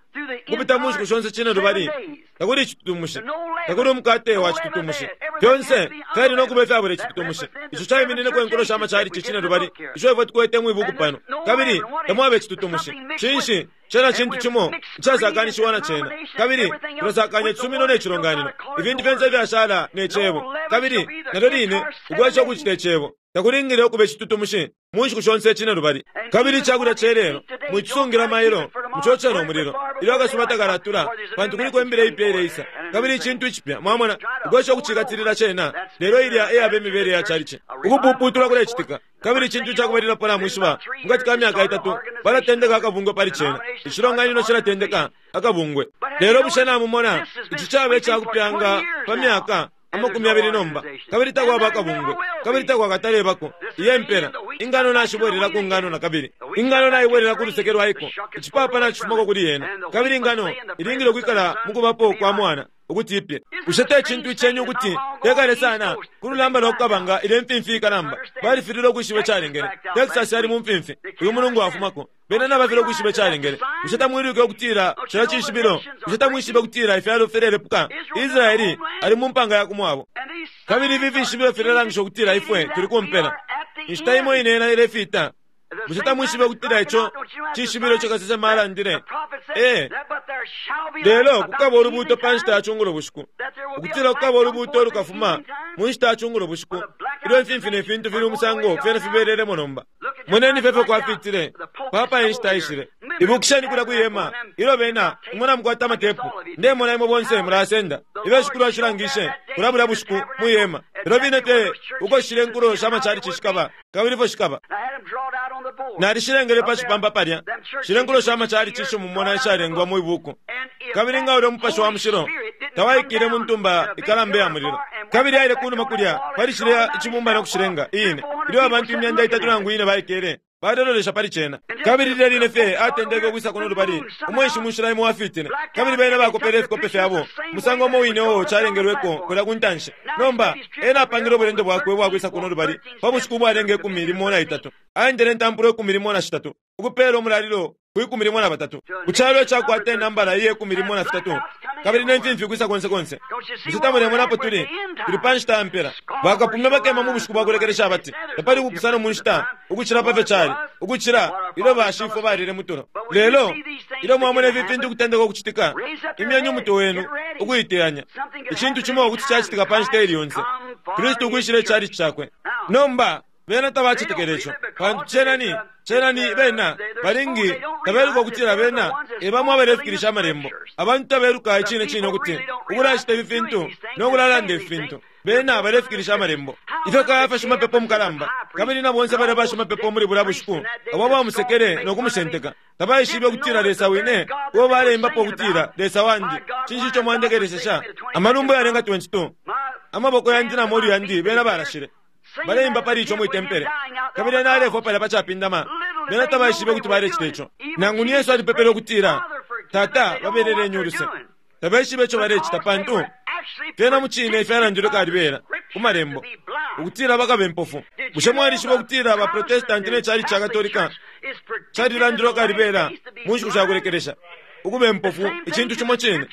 Kupita mu nshiku shonse cine lubali takuli icitutumushi, takuli umukate wa citutumushi, fyonse fyali no kuba ifyabula icitutumushi. Ico caiminineko inkulo sha macalici cine lubali ico ifwe tukwete mwibuku pano, kabili tamwaba icitutumushi. Cinshi cena cintu cimo icasakanishiwa na cena, kabili tulasakanya icisumino ne cilonganino, ifintu fyonse fyashala ne Cebo, kabili nalyo line ukwesha ukucita Icebo. Takulingile ukuba icitutumushi mu nshiku shonse cine lubali. Kabili icakulya celelo mwicisungila mailo, mucocela umulilo ilyo akasuba takalatula, pantu kuliko imbila ipya ileisa kabili icintu icipya. Mwamona, ukwesha ukucikatilila cena, lelo ilya eyaba imibele ya calici. Ukupuputulwa kulecitika, kabili icintu cakubalilapo namwishiba, mukati ka myaka itatu balatendeka akabungwe pali cena. Icilonganino cilatendeka akabungwe. Lelo bushe namumona, ici caba icakupyanga pa myaka amakumi abili nomba, kabili takwaba akabungwe, kabili takwakatalebako. Iye mpela ingano nashibwelela ku ngano na kabili, ingano naibwelela ku luseke lwaiko, icipapa nacifumako kuli yena, kabili ingano ilingile ukwikala mukubapo kwa mwana ukuti ipye. Bushe te cintu icenyu ukuti tekale sana ku lulamba lwa kukabanga ile mfimfi ikalamba? Balifilile ukwishiba icalengele. Texas yali mu mfimfi uyu mulungu afumako, bena nabafile ukwishiba icalengele. Bushe tamwiluke ukutila cila cishibilo? Bushe tamwishibe ukutila ifyalo filelepuka? Israeli ali mu mpanga ya kumwabo, kabili ifi fishibilo filelangisha ukutila ifwe tuli kumpela. Inshita imo ine yena ilefita. Bushe tamwishibe ukutila ico cishibilo ico kasesema alandile? Ee, lelo kukaba ulubuuto pa nshita ya cungulo bushiku, ukutila kukaba ulubuuto lukafuma mu nshita ya cungulo bushiku, ilyo imfimfi ne fintu fili umusango fyena fibelelemo nomba. Moneni fye fyo kwafitile papa inshita ishile. Ibukisheni kulya kwihema ilyo bena imwe namukwata amatepu, ndemona imwe bonse mulasenda ilyo shikulu ashilangishe kulya bulya bushiku mwihema. Lelo bine te uko shile nkulo sha machalichi shikaba, kabili fyo shikaba. Nalishilengele pa cipampa palya shile nkulo sha machalichi isho mumona ishalengwa mu ibuku, kabili nga ulya mupashi wa mushilo tawaikile mu ntumba ikalamba ya mulilo, kabili aile kunuma kulya pali shilya icibumba no kushilenga ine, ilyo abantu imyanda itatu nangu ine baikele balelolesha pali cena. Kabili lilya line fye atendeke ukwisa kuno lubali, umwenshi munshila imo wafitile, kabili bena bakopele ifikope fyabo musango umo wine uwo calengelweko kulya ku ntanshi. Nomba ena apangile ubulendo bwakwe ubwakwisa kuno lubali pa bushiku ubwalenga ikumi limo na itatu, aendele intampulo ikumi limo na shitatu ukupeela umulalilo ku ikumi limo na batatu ku calo icakwata inambala iye ikumi limo na fitatu, kabili ne mfimfi ukwisa konse konse. Bushe tamulemonapo tuli tuli pa nshita ya mpela? Bakapumya bakema mu bushiku bwakulekelesha abati tapali kupusana mu nshita ukucila pa fyo cali ukucila ilyo bashifwe balile mutulo. Lelo ilyo mwamona ifi fintu kutendeka ukucitika, imyeni umutwe wenu ukuiteyanya. Icintu cimo kuti cacitika pa nshita ili yonse, Kristu ukwishila icalici cakwe. Nomba bena tabacetekele ico, pantu cena ni cena ni bena balingi tabeluka ukutila bena ebamwe abalefikilisha amalembo. Abantu tabeluka icine cine ukuti ukulacita ifi fintu no kulalanda ifi fintu, bena balefikilisha amalembo. Ifyo Kayafa shimapepo mukalamba kabili na bonse bali bashimapepo muli bulya bushiku abo bamusekele no kumushenteka, tabaishibe ukutila Lesa wine uwo baleimbapo ukutila Lesa wandi, cinshi ico mwandekelesesha? Amalumbo yalenga twenty two, amaboko yandi na molu yandi bena balashile baleimba pali ico mwitempele, kabili ena alefwa palya pacapindama. Bena tabaishibe kuti balecita ico. Nangu ni Yesu alipepele ukutila Tata babeleleni uluse, tabaishibe ico balecita, pantu fyena mucine ifyalandilwe kalibela ku malembo ukutila bakabe impofu. Bushe mwalishiba ukutila ba Protestanti ne cali ca Katolika calilandilwe kalibela mu nshiku shakulekelesha ukuba impofu, icintu cimo cine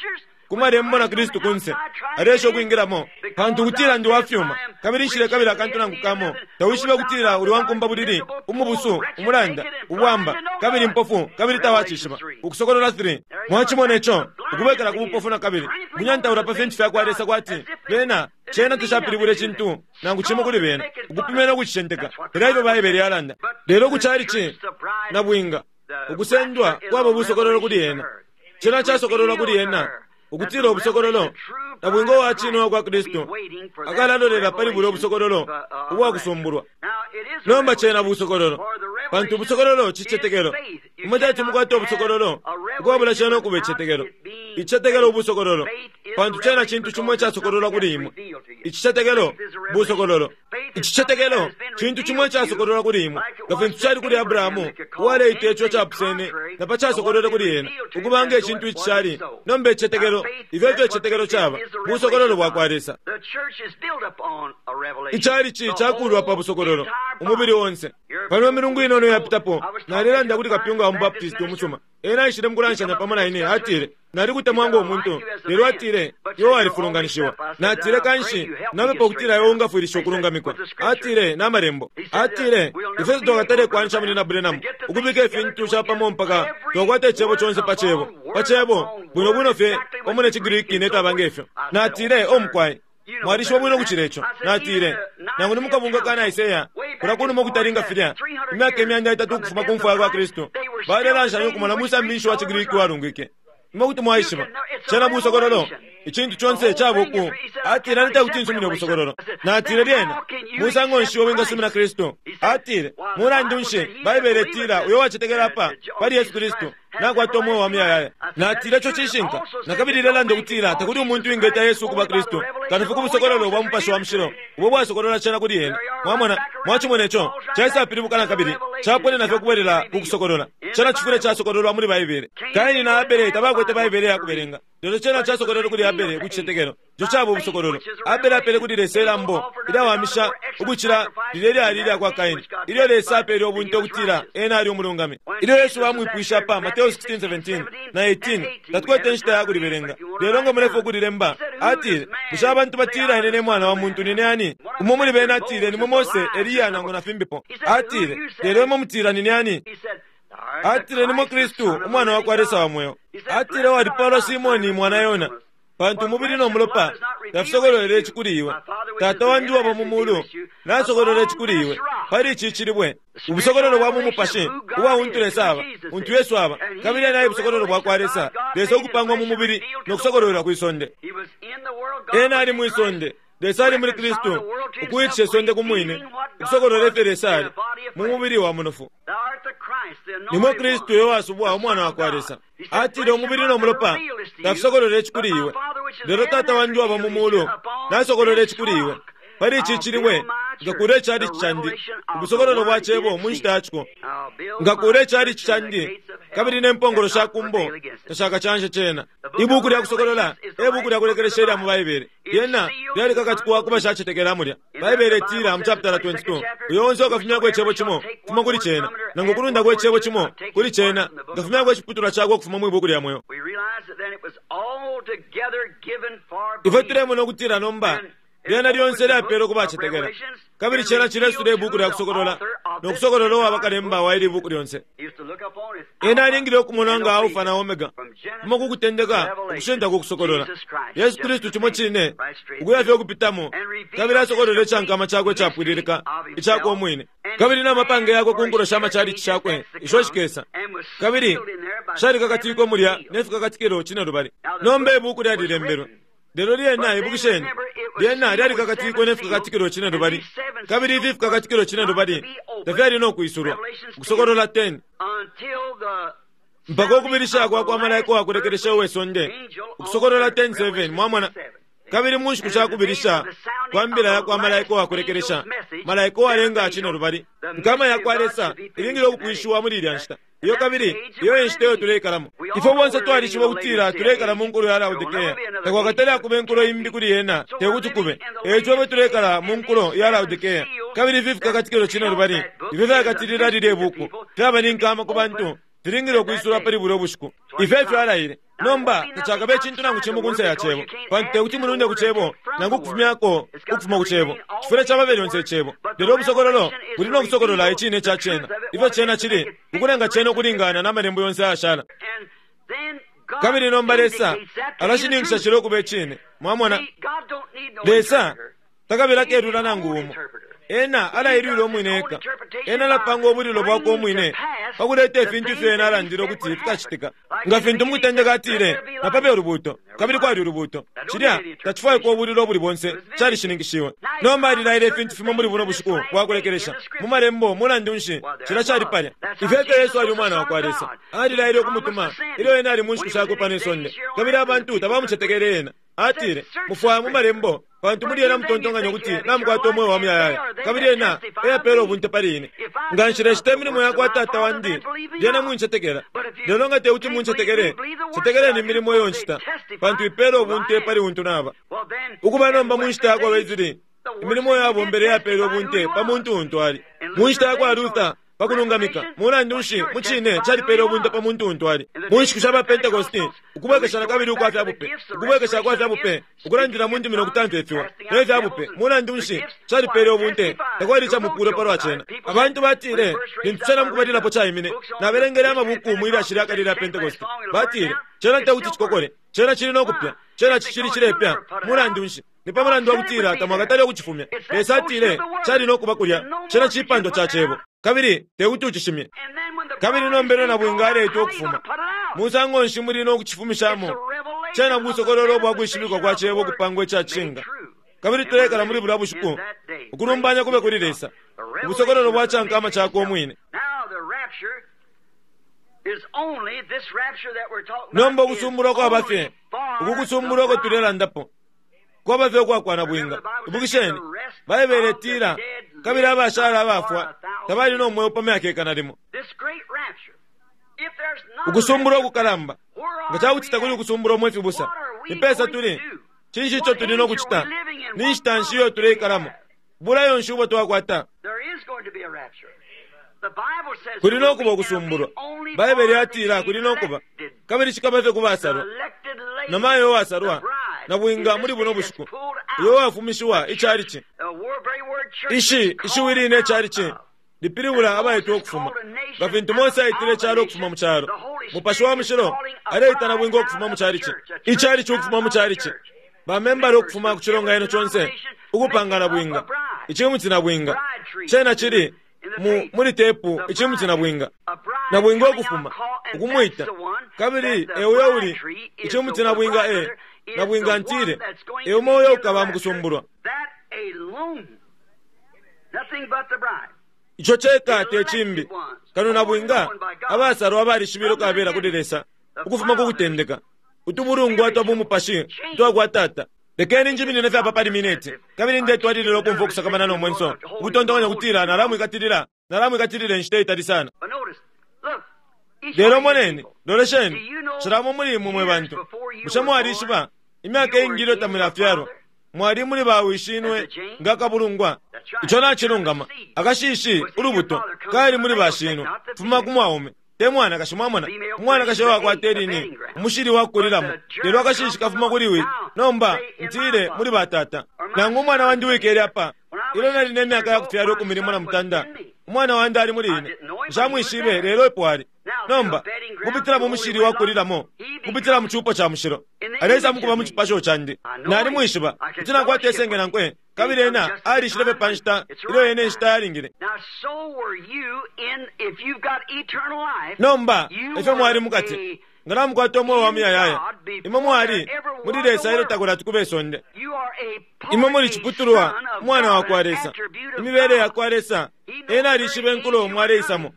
ku malembo na Kristu kunse alesha ukwingilamo, pantu ukutila ndi wafyuma kabili nshile kabili akantu nangu kamo. Tawishibe ukutila uli wankumba bulili, umubusu, umulanda, ubwamba, kabili mpofu, kabili tawacishiba. Ukusokolola three mwacimona ico ukubwekela ku bupofu na kabili munyantaula pa fintu fyakwa Lesa kwati bena cena tashapilibula icintu nangu cimo kuli bena, ukupimena no kucishenteka. Lelo ifyo Baibele yalanda. Lelo ku calici na bwinga ukusendwa kwaba busokololo kuli ena, cena casokololwa kuli ena ukutila ubusokololo na bwinga uwa cine wa Kristu akalalolela pali bulya ubusokololo ubwakusumbulwa. Nomba cena busokololo, pantu ubusokololo cicetekelo. Imwe tati mukwate ubusokololo ukwabula cena ukuba icicetekelo. Icicetekelo ubusokololo, pantu cena cintu cimo icasokololwa kuli imwe. Icicetekelo busokololo. Icicetekelo cintu cimo icasokololwa kuli imwe, nga fintu cali kuli Abrahamu uwaleita ico capusene na pa casokololwe kuli ena ukuba nge cintu icishali. Nomba icicetekelo, ifyo ifyo icicetekelo caba busokololo bwakwa Lesa. Icalici cakulwa pa busokololo umubili onse. Pano milungu inono yapitapo nalelanda kuli kapyunga wa mubaptisti umusuma. Ena aishile mukulanshanya pamo na ine, atile nalikutemwa ngo muntu, lelo atile iwe walifulunganishiwa. Natile kanshi napepa ukutila iwe ungafwilisha ukulungamikwa. Atile na malembo, atile ifwe twakatale kwanisha muli na Branham ukubika ifintu shapamo mpaka twakwata icebo conse pa cebo pa cebo bwino bwino fye pamo ne ciGriki ne twaba ngefyo. Natile omukwai Mwalishiba bwino ukucila ico. Natile, nangu ni mukabunga ka Nicaea, kulya kunuma ukutalinga filya, imyaka imyanda itatu ukufuma ku mfwa yakwa Kristu, balelanshanya ukumona musambi wa ciGriki walungike. Imwe kuti mwaishiba cena busokololo, icintu conse caba uku. Atile, ane tekuti nsumine ubusokololo. Natile, lyena musango nshi wingasumina Kristu? Atile, mulandu nshi Baibele itila uyo wacetekela apa pali Yesu Kristu nakwata umweo wa muyayaya. Natile, ico cishinka. Nakabili ilelanda ukutila takuli umuntu wingeta Yesu ukuba Kristu kano fye ku busokololo bwa Mupashi wa Mushilo ubo bwasokolola cena kuli ena. Mwamona, mwacimona ico caisapilibuka nakabili, caponena fye ukubwelela ku kusokolola. Cena cifwile casokololwa muli Baibele. Kaini na Abele tabakwete Baibele ya kubelenga, lelo cena casokololwe kuli Abele ku cicetekelo. Ico caba ubusokololo. Abele apele kuli Lesa ilambo ilyawamisha ukucila lilya lyali ilya kwa Kaini, ilyo Lesa apele ubunte ukutila ena ali umulungami. Ilyo Yesu bamwipwishe apa Mateo sixteen seventeen na eighteen, tatukwete inshita ya kulibelenga, lelo nga mulefwa ukulilemba. Atile, bushe abantu batila ine ne mwana wa muntu nine ani? Umo muli bena atile, nimwe Mose, Eliya nangu na fimbipo. Atile, lelo imwe mutila nine ani? Atile, nimwe Kristu, umwana wa kwa Lesa wa mweo. Atile, walipalwa Simoni mwana Yona, pantu umubili no mulopa tafisokololele ici kuli iwe. Tata wandi waba mu mulu nasokolole ici kuli iwe. Pali ici cilibwe, ubusokololo bwa mu mupashi ubwa untu Lesa aba, untu Yesu aba, kabili ena ubusokololo bwa kwa Lesa, Lesa ukupangwa mu mubili no kusokololelwa kwi sonde. Ena ali mwi sonde, Lesa ali muli Kristu, ukuwitisha isonde ku mwine, ukusokolola ifyo Lesa ali mu mubili wa munofu. Nimwe Kristu uyo wasubwa, umwana wa kwa Lesa. Atile, umubili no mulopa tafisokolole ici kuli iwe, lelo Tata wandi waba mu mulu nasokolole ici kuli iwe. Pali ici cilibwe ngakula icalici candi, ubusokololo bwa cebo mu nshita yaciko. Ngakula icalici candi, kabili ne mpongolo sha kumbo tashakacanshe cena. Ibuku lya kusokolola e buku lya kulekelesha ilya mu Baibele. Lyena lyalikakatikwa ku bashacetekela mulya. Baibele itila mu chapter twenty-two, uyo onse ukafumyako icebo cimo kufuma kuli cena, nangu ukulundako icebo cimo kuli cena, ngafumyako iciputulwa cakwe ukufuma mwi buku lya mweo. Ifwe tulemona ukutila nomba lyena lyonse lyapelwe ku bacetekela, kabili cena cilesula ibuku lya kusokolola no kusokolola uwaba kalemba wa ili buku lyonse. Ena alingile ukumona nga Alfa na Omega, kuma ku kutendeka ukushinta ku kusokolola. Yesu Kristu cimo cine, ukuya fye ukupitamo, kabili asokolola icankama cakwe icapwililika icakwe umwine, kabili n'amapange yakwe ku nkulo sha macalici shakwe isho shikesa, kabili shalikakatikwe mulya ne fikakatikilo cinelubali. Nomba ibuku lyalilembelwe, lelo lyena ibukisheni, lyena lyalikakatikwe ne fikakatikilo cinelubali, kabili ifi fikakatikilo cinelubali tafyali no kwisulwa. Ukusokolola ten, mpaka ukubilisha kwa kwa malaika wakulekelesha uwe sonde. Ukusokolola ten seven, mwamona. Kabili mu nshiku sha kubilisha kwa mbila ya kwa malaika wakulekelesha, malaika uwalenga cinelubali, nkama ya kwa Lesa ilingile ukupwishiwa muli ilya nshita. Iyo kabili iyo enshita iyo tuleikalamo. Ifwe bonse twalishiba ukutila tuleikala mu nkulo ya Laodikea. Takwakatale akuba inkulo imbi kuli yena, tekuti kube. Eico ifwe tuleikala mu nkulo ya Laodikea. Kabili ifi fikakatikilo cinelubali ifyo fyakatilila lilye buku fyaba ni nkama ku bantu, filingile ukwisula pali bulya bushiku. Ifyo efyo alaile. Nomba tacakabe icintu nangu cimo kunse ya cebo, pantu tekuti mulunde ku cebo nangu ukufumyako ukufuma ku cebo. Cifwile caba lyonse icebo, lelo ubusokololo buli no kusokolola icine ca cena, ifyo cena cili, ukulenga cena ukulingana na malembo yonse ayashala. Kabili nomba Lesa alashininkisha cilo ukuba icine. Mwamona, Lesa takabila kelula nangu umo. Ena alailwile umwine eka. Ena alapanga ubulilo bwakwe umwine pakuleta ifintu ifyo ena alandile ukuti fikacitika. Nga fintu mukutendeka atile, napabe ulubuuto, kabili kwali ulubuuto. Cilya tacifwaikwa ubulilo ubuli bonse, calishininkishiwe. Nomba alilaile ifintu fimo muli buno bushiku bwakulekelesha mu malembo. Mulandu nshi cilya cali palya? Ifyo efyo Yesu ali umwana wa kwa Lesa. Alilaile ukumutuma ilyo ena ali mu nshiku shakwe pano isonde, kabili abantu tabamucetekele ena. Atile, mufwaya mu malembo, pantu muli ena mutontonkanya ukuti namukwata umweo wa muyayaya, kabili ena eyapela ubunte pali ine. Nga nshileshita imilimo ya kwa Tata wandi, lyena muncetekela. Lelo nga tekuti muncetekele, cetekeleni imilimo iyo nshita, pantu ipela ubunte pali untu naba. Ukuba nomba mu nshita yakwa Wesley, imilimo yabombele yapela ubunte pa muntu untu ali. Mu nshita yakwa Luther, pakulungamika, mulandu nshi mu cine calipele ubunte pa muntu untu ali. Mu nshiku sha ba Pentecosti, ukubwekesha nakabili ukwa fya bupe, ukubwekesha kwa fya bupe, ukulandila mu ndimi no kutamfya ifiwa ne fya bupe, mulandu nshi calipele ubunte, takwali icamupulo palwa cena. Abantu batile, lintu cena mukubalilapo caimine, nabelengele amabuku mu ilyashi lya kale lya Pentecosti, batile, cena tekuti cikokole, cena cili no kupya, cena cicili cilepya. Mulandu nshi? Ni pa mulandu wa kutila tamwakatale ukucifumya. Lesa atile cali no kuba kulya, cena cipandwa ca cebo, kabili tekuti ucishimye. Kabili nombelo na bwinga aletwa ukufuma, musango nshi muli no kucifumishamo? Cena busokololo bwa kwishibikwa kwa cebo kupangwa ica cishinka. Kabili tulekala muli bulya bushiku, ukulumbanya kube kuli Lesa, ubusokololo bwa cankama cakwe umwine. Nomba ukusumbulwa kwaba fye, uku kusumbulwa uko tulelandapo kwaba fye ukwakwana bwinga. Ibukisheni, Baibele itila, kabili abashala abafwa tabali no mweo pa myaka ikana limo. Ukusumbulwa ukukalamba, nga cakuti takuli ukusumbulwa mwe fibusa, ni pesa tuli? Cinshi ico tuli no kucita? Ni nshita nshi iyo tuleikalamo? Bulayo nshi ubo twakwata? Kuli no kuba ukusumbulwa. Baibele yatila kuli no kuba, kabili cikaba fye kubasalwa. Namayo uwasalwa na bwinga muli buno bushiku, uyo wafumishiwa icalici. Ishi ishiwi line icalici lipilibula abaitwa ukufuma, nga fintu Mose aitile icalo ukufuma mu calo. Mupashi wa Mushilo aleita na bwinga ukufuma mu calici, icalici ukufuma mu calici, bamembala ukufuma ku cilonganino conse, ukupanga na bwinga, icimuti na bwinga. Cena cili mu muli tepu, icimuti na bwinga, na bwinga ukufuma ukumwita, kabili euyo uli icimuti na bwinga e na bwinga ntile eumo uyo ukaba mu kusumbulwa. Ico ceka te cimbi kano na bwinga abasalwa abalishibile ukabela kuli Lesa ukufuma ku kutendeka, utubulungwa twa bumupashi twakwa Tata. Lekeni njiminine fye apa pali mineti, kabili ndetwalilila ukumfwa ukusakamana no mwenso, ukutontonkanya kutila nalamwikatilila, nalamwikatilila inshita itali sana. Lelo moneni, lolesheni, cilamo muli imwe mwe bantu, bushe mwalishiba imyaka iingi ilyo tamulafyalwa mwali muli bawishinwe nga kabulungwa? Ico nacilungama. Akashishi ulubuto kali muli bashinwe, fuma ku mwaume te mwanakashi. Mwamona, umwanakashi wakwata elini umushili wakukulilamo, lelo akashishi kafuma kuli wi. Nomba ntile muli batata, nangu umwana wandi wikele apa, ilyo nali ne myaka yakufyalwa ikumi limo na mutanda, umwana wandi ali muli ine, nshamwishibe, lelo epo ali. Nomba kupitila mu mushili wakulilamo, kupitila mu cupo ca mushilo, alesa mukuba mu cipasho candi. Nalimwishiba kuti nakwata isenge nankwe, kabili ena alishile fye pa nshita ilyo ene inshita yalingile. Nomba efyo mwali mukati, nga namukwata umweo wa muyayaya, imwe mwali muli Lesa ilyo takulati kube isonde. Imwe muli ciputulwa umwana wa kwa Lesa, imibele ya kwa Lesa. Ena alishibe nkulo mwaleisamo,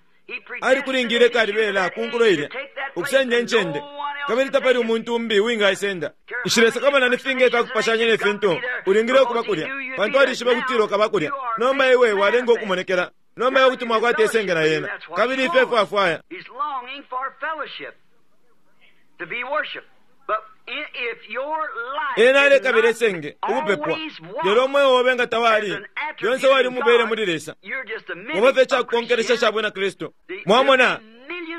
alikulingile kalibela ku nkulo ilya ukusenda incende, kabili tapali umuntu umbi uwingaisenda. Nshilesakamana ni finga ifyakupashanya ne fintu, ulingile ukuba kulya, pantu alishiba kutila ukaba kulya. Nomba iwe walenga ukumonekela, nomba iwe kuti mwakwata isenge na yena, kabili ife efwafwaya. Ena alekabila isenge ukupepwa, lelo umweo obe nga tawali lyonse wali mubele muli Lesa, muba fye icakukonkelesha ca bwina Kristu. Mwamona,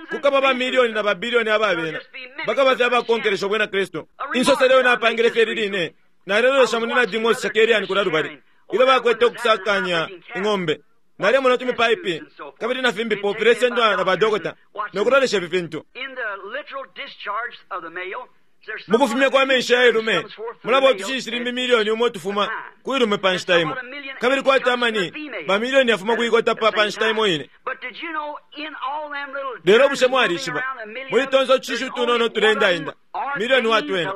kukaba bamilioni na babilioni ababena bakaba fye abakonkelesha bwina Kristu. Insoselo yo napangile fye liline, nalelolesha munina Demos Shakerian kula lubali ilyo bakwete ukusakanya ing'ombe. Nalemona tumipaipi kabili na fimbipo filesendwa na badokota nokulolesha ifi fintu. Mukufumya kwa menshi ya ilume mulaba utushishi limbi milioni umo tufuma ku ilume pa nshita imo, kabili kwati amani bamilioni yafuma kuikota pa pa nshita imo ine. Lelo bushe mwalishiba muli tonse utushishi utunono tulendaenda milioni watwena,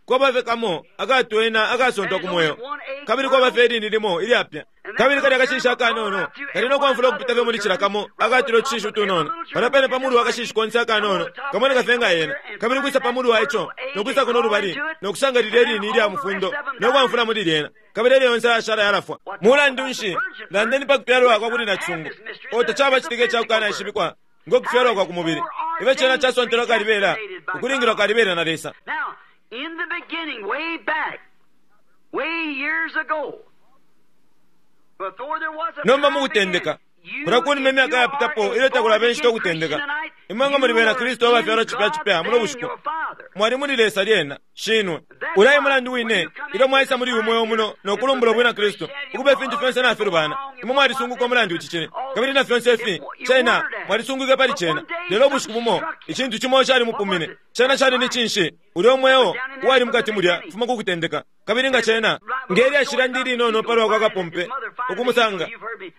kwaba fye kamo akatwena akasontwa ku mweo, kabili kwaba fye ilini limo ilyapya, kabili kali akashishi akanono kali nokwamfula ukupita fye muli cila kamo akatile utushishi utunono. Pano pene pa mulu wa kashishi konse akanono kamoneka fye nga yena, kabili kwisa pa mulu wa ico nokwisa kuno lubali nokusanga lilya ilini ilya mufundo nokwamfula muli lyena, kabili elyo yonse ayashala yalafwa. Mulandu nshi landeni pa kufyalwa kwa kuli nacisungu? O tacaba citika icakukanaishibikwa ngo kufyalwa kwa ku mubili, ife cena casontelwa kalibela ukulingilwa kalibela na Lesa. In the beginning, way back, way years ago, before there was a Nomba mukutendeka, kula kunuma imyaka yapitapo ilyo takulaba inshita ukutendeka, imwe nga muli bena Kristu abafyalwa cipya cipya muno bushiku, Mwali muli Lesa lyena, shinwe. Ulayi mulandu wine, ilyo mwaisa muli uyu mweo muno no kulumbula bwina Kristu, ukuba ifintu fyonse nafilubana. Imwe mwalisunguka umulandu ici kabili na fyonse ifi, cena, mwalisunguke pali cena. Lelo ubushiku bumo, icintu cimo cali mupumine. Cena cali ni cinshi? Ulyo mweo uwali mukati mulya kufuma ku kutendeka. Kabili nga cena, ngelya shila ndili inono palwa kwa kapumpe, ukumusanga,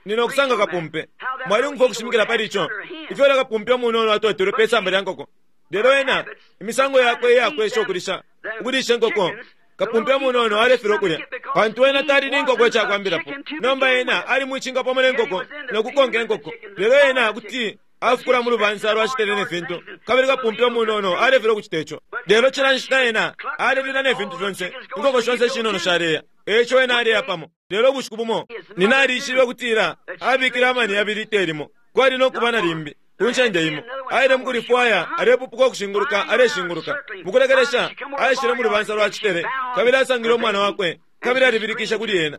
nino kusanga kapumpe. Mwali ukushimikila pali ico. Ifyo ulya kapumpe umunono atotelwe pe samba lya nkoko. Lelo ena, imisango yakwe iyakwesha ukulisha, ukulisha inkoko, kapumpe umunono alefilwa ukulya. Pantu ena tali ni nkoko icakwambilapo. Nomba ena ali mwicinga pamo ne nkoko, no kukonka inkoko. Lelo ena kuti afukula mu lubansa lwacitele ne fintu, kabili kapumpe umunono alefilwa ukucita ico. Lelo cila nshita ena alelila ne fintu fyonse, inkoko shonse shinono shaleya. Eco ena aleya pamo. Lelo ubushiku bumo, nina alishibe ukutila abikile amani yabili itelimo. Kwali no kuba na limbi ku ncende imo. Aile mukulifwaya, alepupuka ukushinguluka, aleshinguluka. Mukulekelesha, aishile mu lubansa lwa citele, kabili asangile umwana wakwe, kabili alibilikisha kuli ena.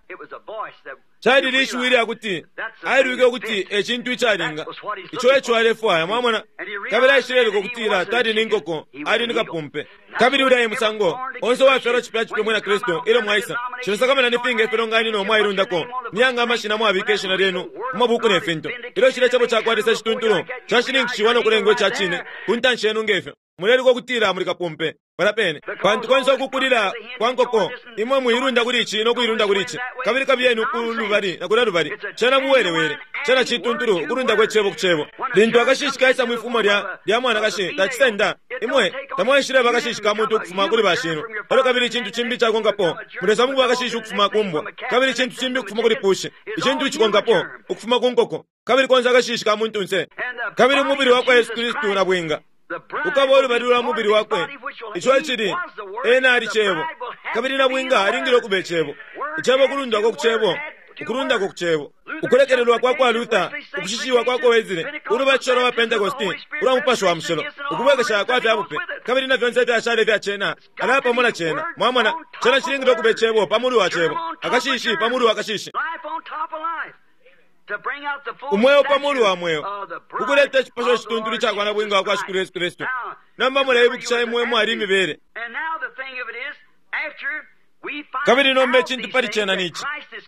Cali lishiwi lya kuti ailwike ukuti ecintu icalinga. Ico eco alefwaya, mwamona. Kabili aishileleka ukutila tali ni nkoko, ali ni kapumpe. Kabili ulya musango onse uwafyalwa cipya cipya mwina Kristu ilyo mwaisa. Cilesakamana ni finga ifilonganino mwailundako, niyanga amashina mwabika ishina lyenu mu mabuku ne fintu. Ilyo cilya cebo cakwa Lesa cituntulu cashininkishiwa no kulengwa ica cine ku ntanshi yenu ngefyo. Muleleka ukutila muli kapumpe pala pene. Pantu konse ukukulila kwa nkoko, imwe muilunda kuli ici no kuilunda kuli ici. Kabili kabiyeni ku lubali na kulya lubali. Cena buwelewele, cena cituntulu ukulunda kwe cebo ku cebo. Lintu akashishi kaisa mwifumo lya lya mwanakashi tacisenda, imwe tamwaishileba akashishi ka muntu ukufuma kuli bashinwe. Elyo kabili icintu cimbi cakonkapo, mulesa mukuba akashishi ukufuma ku mbwa. Kabili icintu cimbi ukufuma kuli pushi. Icintu icikonkapo ukufuma ku nkoko. Kabili konse akashishi ka muntunse. Kabili umubili wa kwa Yesu Kristu na bwinga ukaba ulubali lwa mubili wakwe. Ico ecili, ena ali cebo. Kabili na bwinga alingile ukuba icebo. Icebo ukulundwako ku cebo, ukulundako ku cebo. Ukulekelelwa kwa kwa Luther, ukushishiwa kwa kwa Wesley, ulubatisho lwa Pentecost, ulwa Mupashi wa Mushilo, ukubwekesha kwa fya bupe, kabili na fyonse ifyashala ifya cena, alaya pamo na cena. Mwamona, cena cilingile ukuba icebo pa mulu wa cebo, akashishi pa mulu wa kashishi. Umweo pa mulu wa mweo, ukuleta icipasho cituntulu cakwa na bwinga wa kwa Shikulu Yesu Kristu. Nomba muleibukisha imwe mwali imibele. Kabili nomba icintu pali cena nici.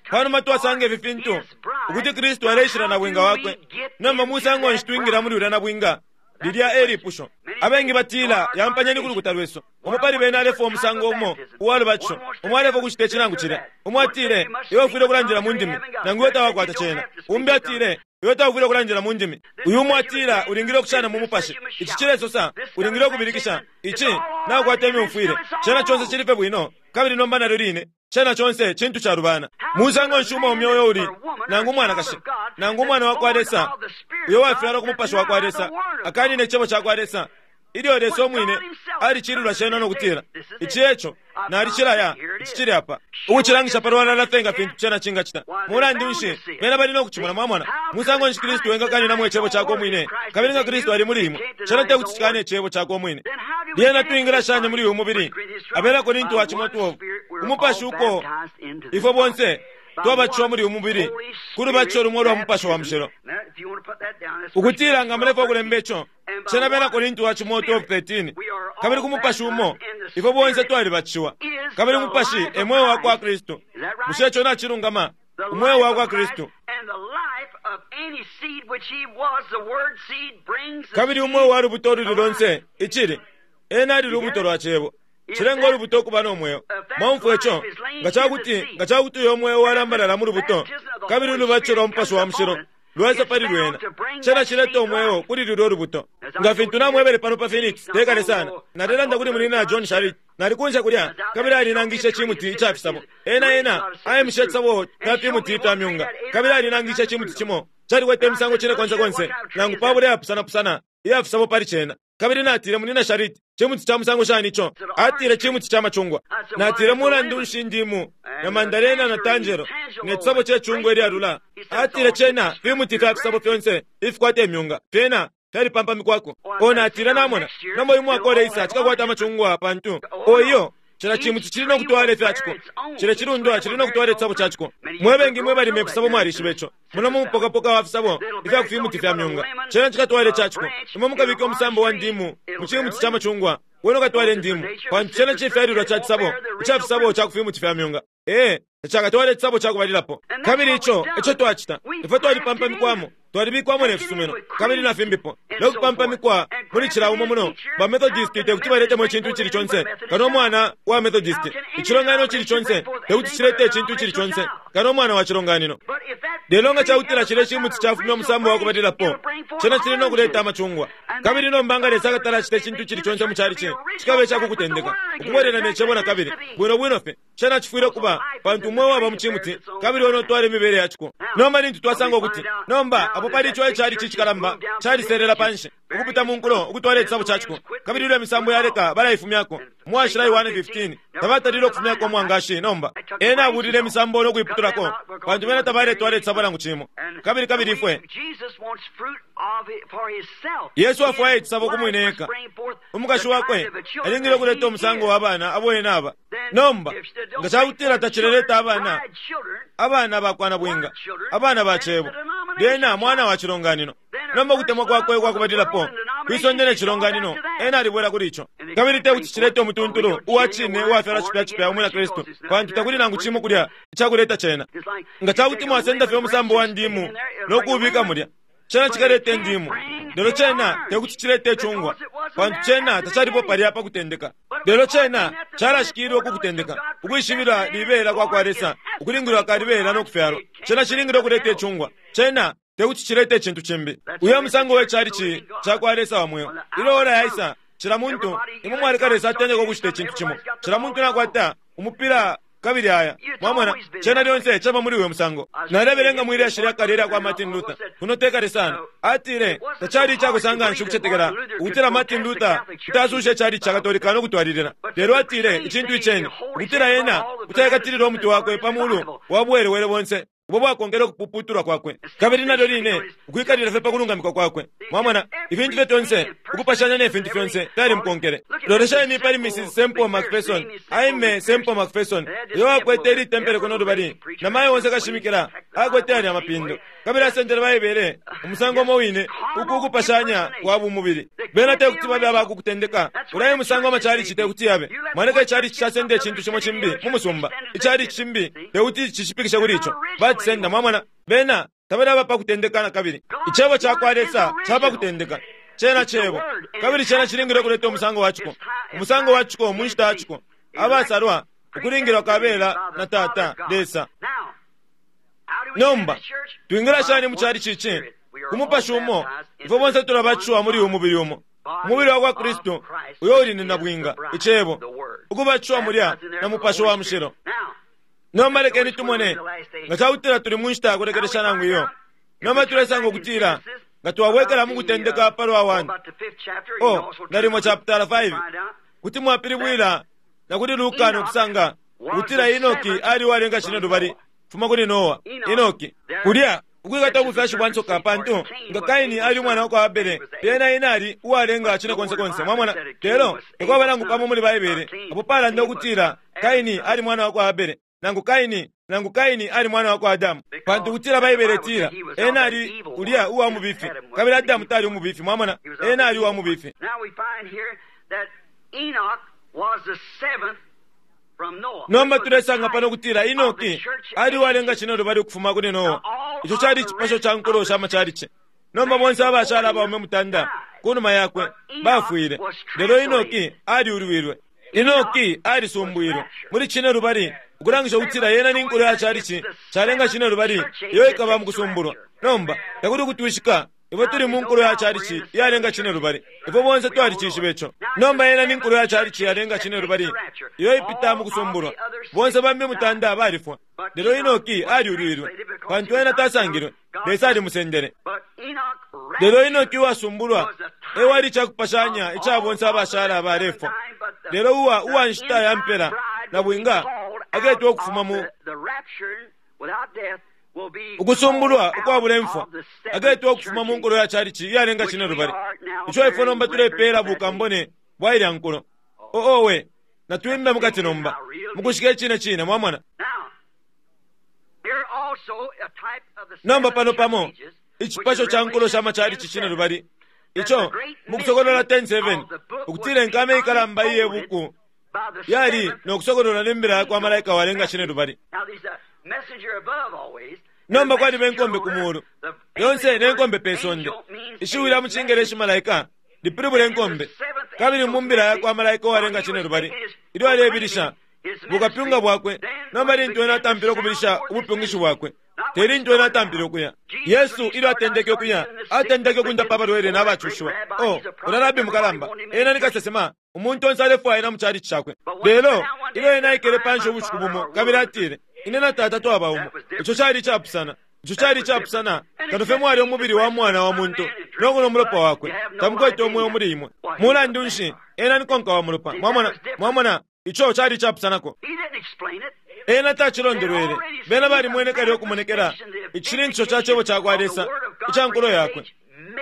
Panuma twasanga ifi fintu, ukuti Kristu aleishila na bwinga wakwe. Nomba musango nshi twingila muli ulya na bwinga? Lilya e lipusho. Abengi batila yampanyeni ku lukuta lwesu. Umo pali bena alefwa umusango umo uwa lubatisho. Umo alefwa ukucita ici nangu cilya. Umo atile, iwe ufwile ukulandila mu ndimi, nangu iwe tawakwata cena. Umbi atile, iwe taufwile ukulandila mu ndimi. Uyu umo atila, ulingile ukushana mu mupashi. Ici cilesosa, ulingile ukubilikisha. Ici, nakukwata imyumfwile. Cena conse cili fye bwino, kabili nomba nalyo line, cena conse cintu calubana. Musango nshi umwaume uyo uli, nangu umwanakashi, nangu umwana wa kwa Lesa, uyo wafyalwa ku mupashi wa kwa Lesa, akanine icebo ca kwa Lesa, ilyo Lesa umwine alicilulwa cena no kutila, ici eco, nalicilaya, ici cili apa. Ukucilangisha palwalala fye nga fintu cena cingacita. Mulandu nshi, bena bali no kucimona, mwamona. Musango nshi Kristu engakanina icebo cakwe umwine, kabili nga Kristu ali muli imwe, cena te kuti cikane icebo cakwe umwine. Lyena twingila shani muli uyu mubili? Abena Korinto wa cimo twelve. Umupashi uko ifwe bonse twabatishiwa muli uyu mubili, ku lubatisho lumo lwa Mupashi wa Mushilo. Ukutila nga mulefwa ukulemba ico, cena Bena Korinto wa cimo twelve thirteen. Kabili ku mupashi umo ifwe bonse twalibatishiwa. Kabili umupashi e mweo wa kwa Kristu. Bushe ico nacilungama? Umweo wa kwa Kristu. Kabili umweo wa lubuto ululi lonse, icili, ena ali lubuto lwa cebo. Cilenga ulubuto ukuba no mweo. Mwaumfwa ico, nga cakuti, nga cakuti uyo mweo walambalala mu lubuto, kabili ulubatisho lwa Mupashi wa Mushilo lwaisa pali lwena, cena cileta umweo kuli lulyo lubuto. Nga fintu namwebele pano pa Phoenix, tekale sana, nalelanda kuli munina John Sharit, nalikunja kulya, kabili alinangishe cimuti ica fisabo. Ena ena, ayemishe cisabo fya fimuti ifya myunga, kabili alinangishe cimuti cimo, calikwete imisango cine konse konse, nangu pabula yapusana-pusana, iya fisabo pali cena. Kabili natile munina Sharit, cimuti ca musango shani ico? Atile cimuti ca macungwa. Natile mulandu nshi ndimu, na mandarena na tanjelo, ne cisabo ce cungwa ilyalula. Atile cena fimuti fya fisabo fyonse ifikwata imyunga, fyena fyalipampamikwako. O natile namona, nomba uyu mwaka uleisa cikakwata amacungwa pantu. O iyo, cila cimuti cili no kutwala ifya ciko. Cila cilundwa cili no kutwala icisabo ca ciko. Mwe bengi mwe balima ifisabo mwalishiba ico. Muno mu mupokapoka wa fisabo ifya ku fimuti fya myunga, cena cikatwala ica ciko. Imwe mukabika umusambo wa ndimu mu cimuti ca macungwa, Wena ukatwala indimu, pantu cena cifyalilwa ca cisabo ica fisabo ca kufimuti fya myunga. Ee, tacakatwale icisabo cakubalilapo. Kabili ico eco twacita, ifwe twalipampamikwamo, twalibikwamo ne fisumino kabili na fimbipo, no kupampamikwa muli cila umo muno. Ba Methodist tekuti baletemo icintu icili conse kano umwana wa Methodist. Icilonganino cili conse tekuti cilete icintu icili conse kano umwana wa cilonganino. Lelo nga cakutila cile cimuti cafumya umusambo wa kubalilapo, cena cili no kuleta amacungwa. Kabili nomba nga Lesa akatala acita icintu icili conse mu calici, cikaba icakukutendeka ukubwelela ne cebo na kabili bwino bwino fye. Cena cifwile kuba, pantu umwe waba mu cimuti kabili wena utwala imibele ya ciko. Nomba lintu twasanga ukuti nomba apo pali ico icalici icikalamba caliselela panshi ukupita mu nkulo ukutwala icisabo ca ciko, kabili ilyo imisambo yaleka balaifumyako. Mwashila Yohane fifteen tabatalile ukufumyako umwangashi. Nomba ena abulile imisambo no kuiputulako, pantu bena tabaletwala icisabo nangu cimo. Kabili kabili ifwe Yesu afwaya icisabo ku mwine eka. Umukashi wakwe alingile ukuleta umusango wa bana abo ena aba. Nomba nga cakutila tacileleta abana, abana bakwana bwinga, abana ba cebo, lyena mwana wa cilonganino. Nomba ukutemwa kwakwe kwakubalilapo kwisonde ne cilonganino, ena alibwela kuli ico. Kabili tekuti cilete umutuntulu uwa cine uwafyalwa cipya cipya umwina Kristu, pantu takuli nangu cimo kulya icakuleta cena. Nga cakuti mwasenda fye umusambo wa ndimu no kuubika mulya, cena cikaleta indimu, lelo cena tekuti cilete icungwa, pantu cena tacalipo palya pa kutendeka. Lelo cena calashikilwe ku kutendeka, ukwishibila libela kwa kwa Lesa, ukulingilwa ka libela no kufyalwa. Cena cilingile ukuleta icungwa, cena tekuti cilete icintu cimbi. Uyo musango we calici ca kwa Lesa wa mweo. Ilyo ora yaisa, cila muntu imwe mwaleka Lesa atendeka ukucita icintu cimo, cila muntu nakwata umupira kabili aya. Mwamona, cena lyonse caba muli uyo musango. Nalebelenga mwili ashili akale ilya kwa Martin Luther kuno tekale sana. Atile tacali icakusanga nshi ukucetekela ukutila Martin Luther kuti asusha icali ca Katolika no kutwalilila. Lelo atile icintu iceni ukutila ena kuti aikatilila umutwe wakwe pa mulu wa buwelewele bonse ubo bwakongele ukupuputulwa kwakwe, kabili nalyo line ukwikalila fye pa kulungamikwa kwakwe. Mwamona, ifintu fye fyonse ukupashanya ne fintu fyonse fyalimukonkele. Lolesheni pali Missus Semple McPherson, Aime Semple McPherson, uyo akwete ili tempele kuno lubali, na mayo onse kashimikila akwete ali amapindo, kabili asendele Baibele umusango umo wine uku ukupashanya kwa bumubili. Bena tekuti babe abakukutendeka ulaye musango amachalichi tekuti yabe. Mwaneka icalichi casenda icintu cimo cimbi mu musumba, icalichi cimbi tekuti cishipikishe kuli ico. Bacisenda, mwamona, bena tabali abapa kutendeka na kabili. Icebo ca kwa Lesa caba kutendeka, cena cebo, kabili cena cilingile kuleta umusango wa ciko, umusango wa ciko mu nshita ya ciko, abasalwa ukulingilwa kabela na Tata Lesa. Nomba twingila shani mu calichi ici? Ku mupashi umo ifwe bonse tulabatishiwa muli uyu mubili umo, umubili wa kwa Kristu uyo uli ni nabwinga, icebo, ukubatishiwa mulya na mupashi wa mushilo. Nomba lekeni tumone nga cakutila tuli mu nshita yakulekelesha nangu iyo. Nomba tulesanga ukutila nga twabwekela mu kutendeka palwa one o nalimo chapter five, kuti mwapilibwila na kuli Luka no kusanga ukutila Enoki ali walenga cine lubali fuma kuli Noa. Enoki kulya ukwikata ubufyashi bwa nsoka, pantu nga Kaini ali umwana wa kwa Abele, lyena ena ali uwalenga cine konse konse. Mwamona, lelo takwaba nangu pamo muli Baibele apo palanda ukutila Kaini ali mwana wa kwa Abele, nangu Kaini nangu Kaini ali mwana wa kwa Adamu, pantu kutila Baibele itila ena ali ulya uwa mubifi, kabili Adamu tali umubifi. Mwamona, ena ali uwa mubifi. Nomba tulesanga pano kutila Enoki ali uwalenga cine lubali ukufuma kuli Noa. Ico cali icipasho ca nkulo sha macalici. Nomba bonse abashala abaume mutanda kunuma yakwe bafwile, lelo Enoki aliulwilwe. Enoki alisumbwilwe muli cine lubali, ukulangisha ukutila yena ni nkulo ya calici calenga cine lubali iyo ikaba mu kusumbulwa. Nomba takuli ukutwishika ifwe tuli mu nkulo ya calici iyalenga cine lubali, ifwe bonse twalicishiba ico. Nomba yena ni nkulo ya calici iyalenga cine lubali iyo ipita mu kusumbulwa. Bonse bambi mutanda balifwa, lelo Enoki aliulwilwe, pantu ena tasangilwe, Lesa alimusendele. Lelo Enoki uwasumbulwa ewali icakupashanya ica bonse abashala abalefwa. Lelo uwa uwa nshita ya mpela na bwinga aketwa ukufuma mu ukusumbulwa ukwabula imfwa, aketwa ukufuma mu nkulo ya calici iyalenga cine lubali. Ico ifwe nomba tulepeela bukambone bwa ilya nkulo. Oowe, natwimbe mukati nomba mukushika icine cine. Mwamona, nomba pano pamo icipasho ca nkulo sha macalici cine lubali Ico mukusokolola ten seven ukutila inkame ikalamba iye buku yali nokusokolola nembila yakwa malaika walenga shine lubali. Nomba kwaliba enkombe ku mulu yonse nenkombe pe sonde. Ishiwi lya mu Cingeleshi malaika lipilibula enkombe, kabili mu mbila yakwa malaika walenga shine lubali ilyo alebilisha bukapyunga bwakwe. Nomba lintu ena atampile ukubilisha ubupyungishi bwakwe, te lintu ena atampile ukuya. Yesu ilyo atendeke ukuya, atendeke ukundapa abalwele n'abacushiwa. Oh, ulya rabi mukalamba, ena ni kasesema, umuntu onse alefwaya ena mu chalichi cakwe. Lelo ilyo ena aikele panshi ubushiku bumo kabili atile, ine na tata twaba umo, ico cali icapusana. Ico cali icapusana kano fye mwali umubili wa mwana wa muntu nokunwa umulopa wakwe, tamukwete umweo muli imwe. Mulandu nshi, ena ni konka wa mulopa. Mwamona, mwamona, ico cali icapusanako. Ena tacilondolwele. Bena balimwene kale ukumonekela icishininkisho ca cebo cakwa Lesa ica nkulo yakwe,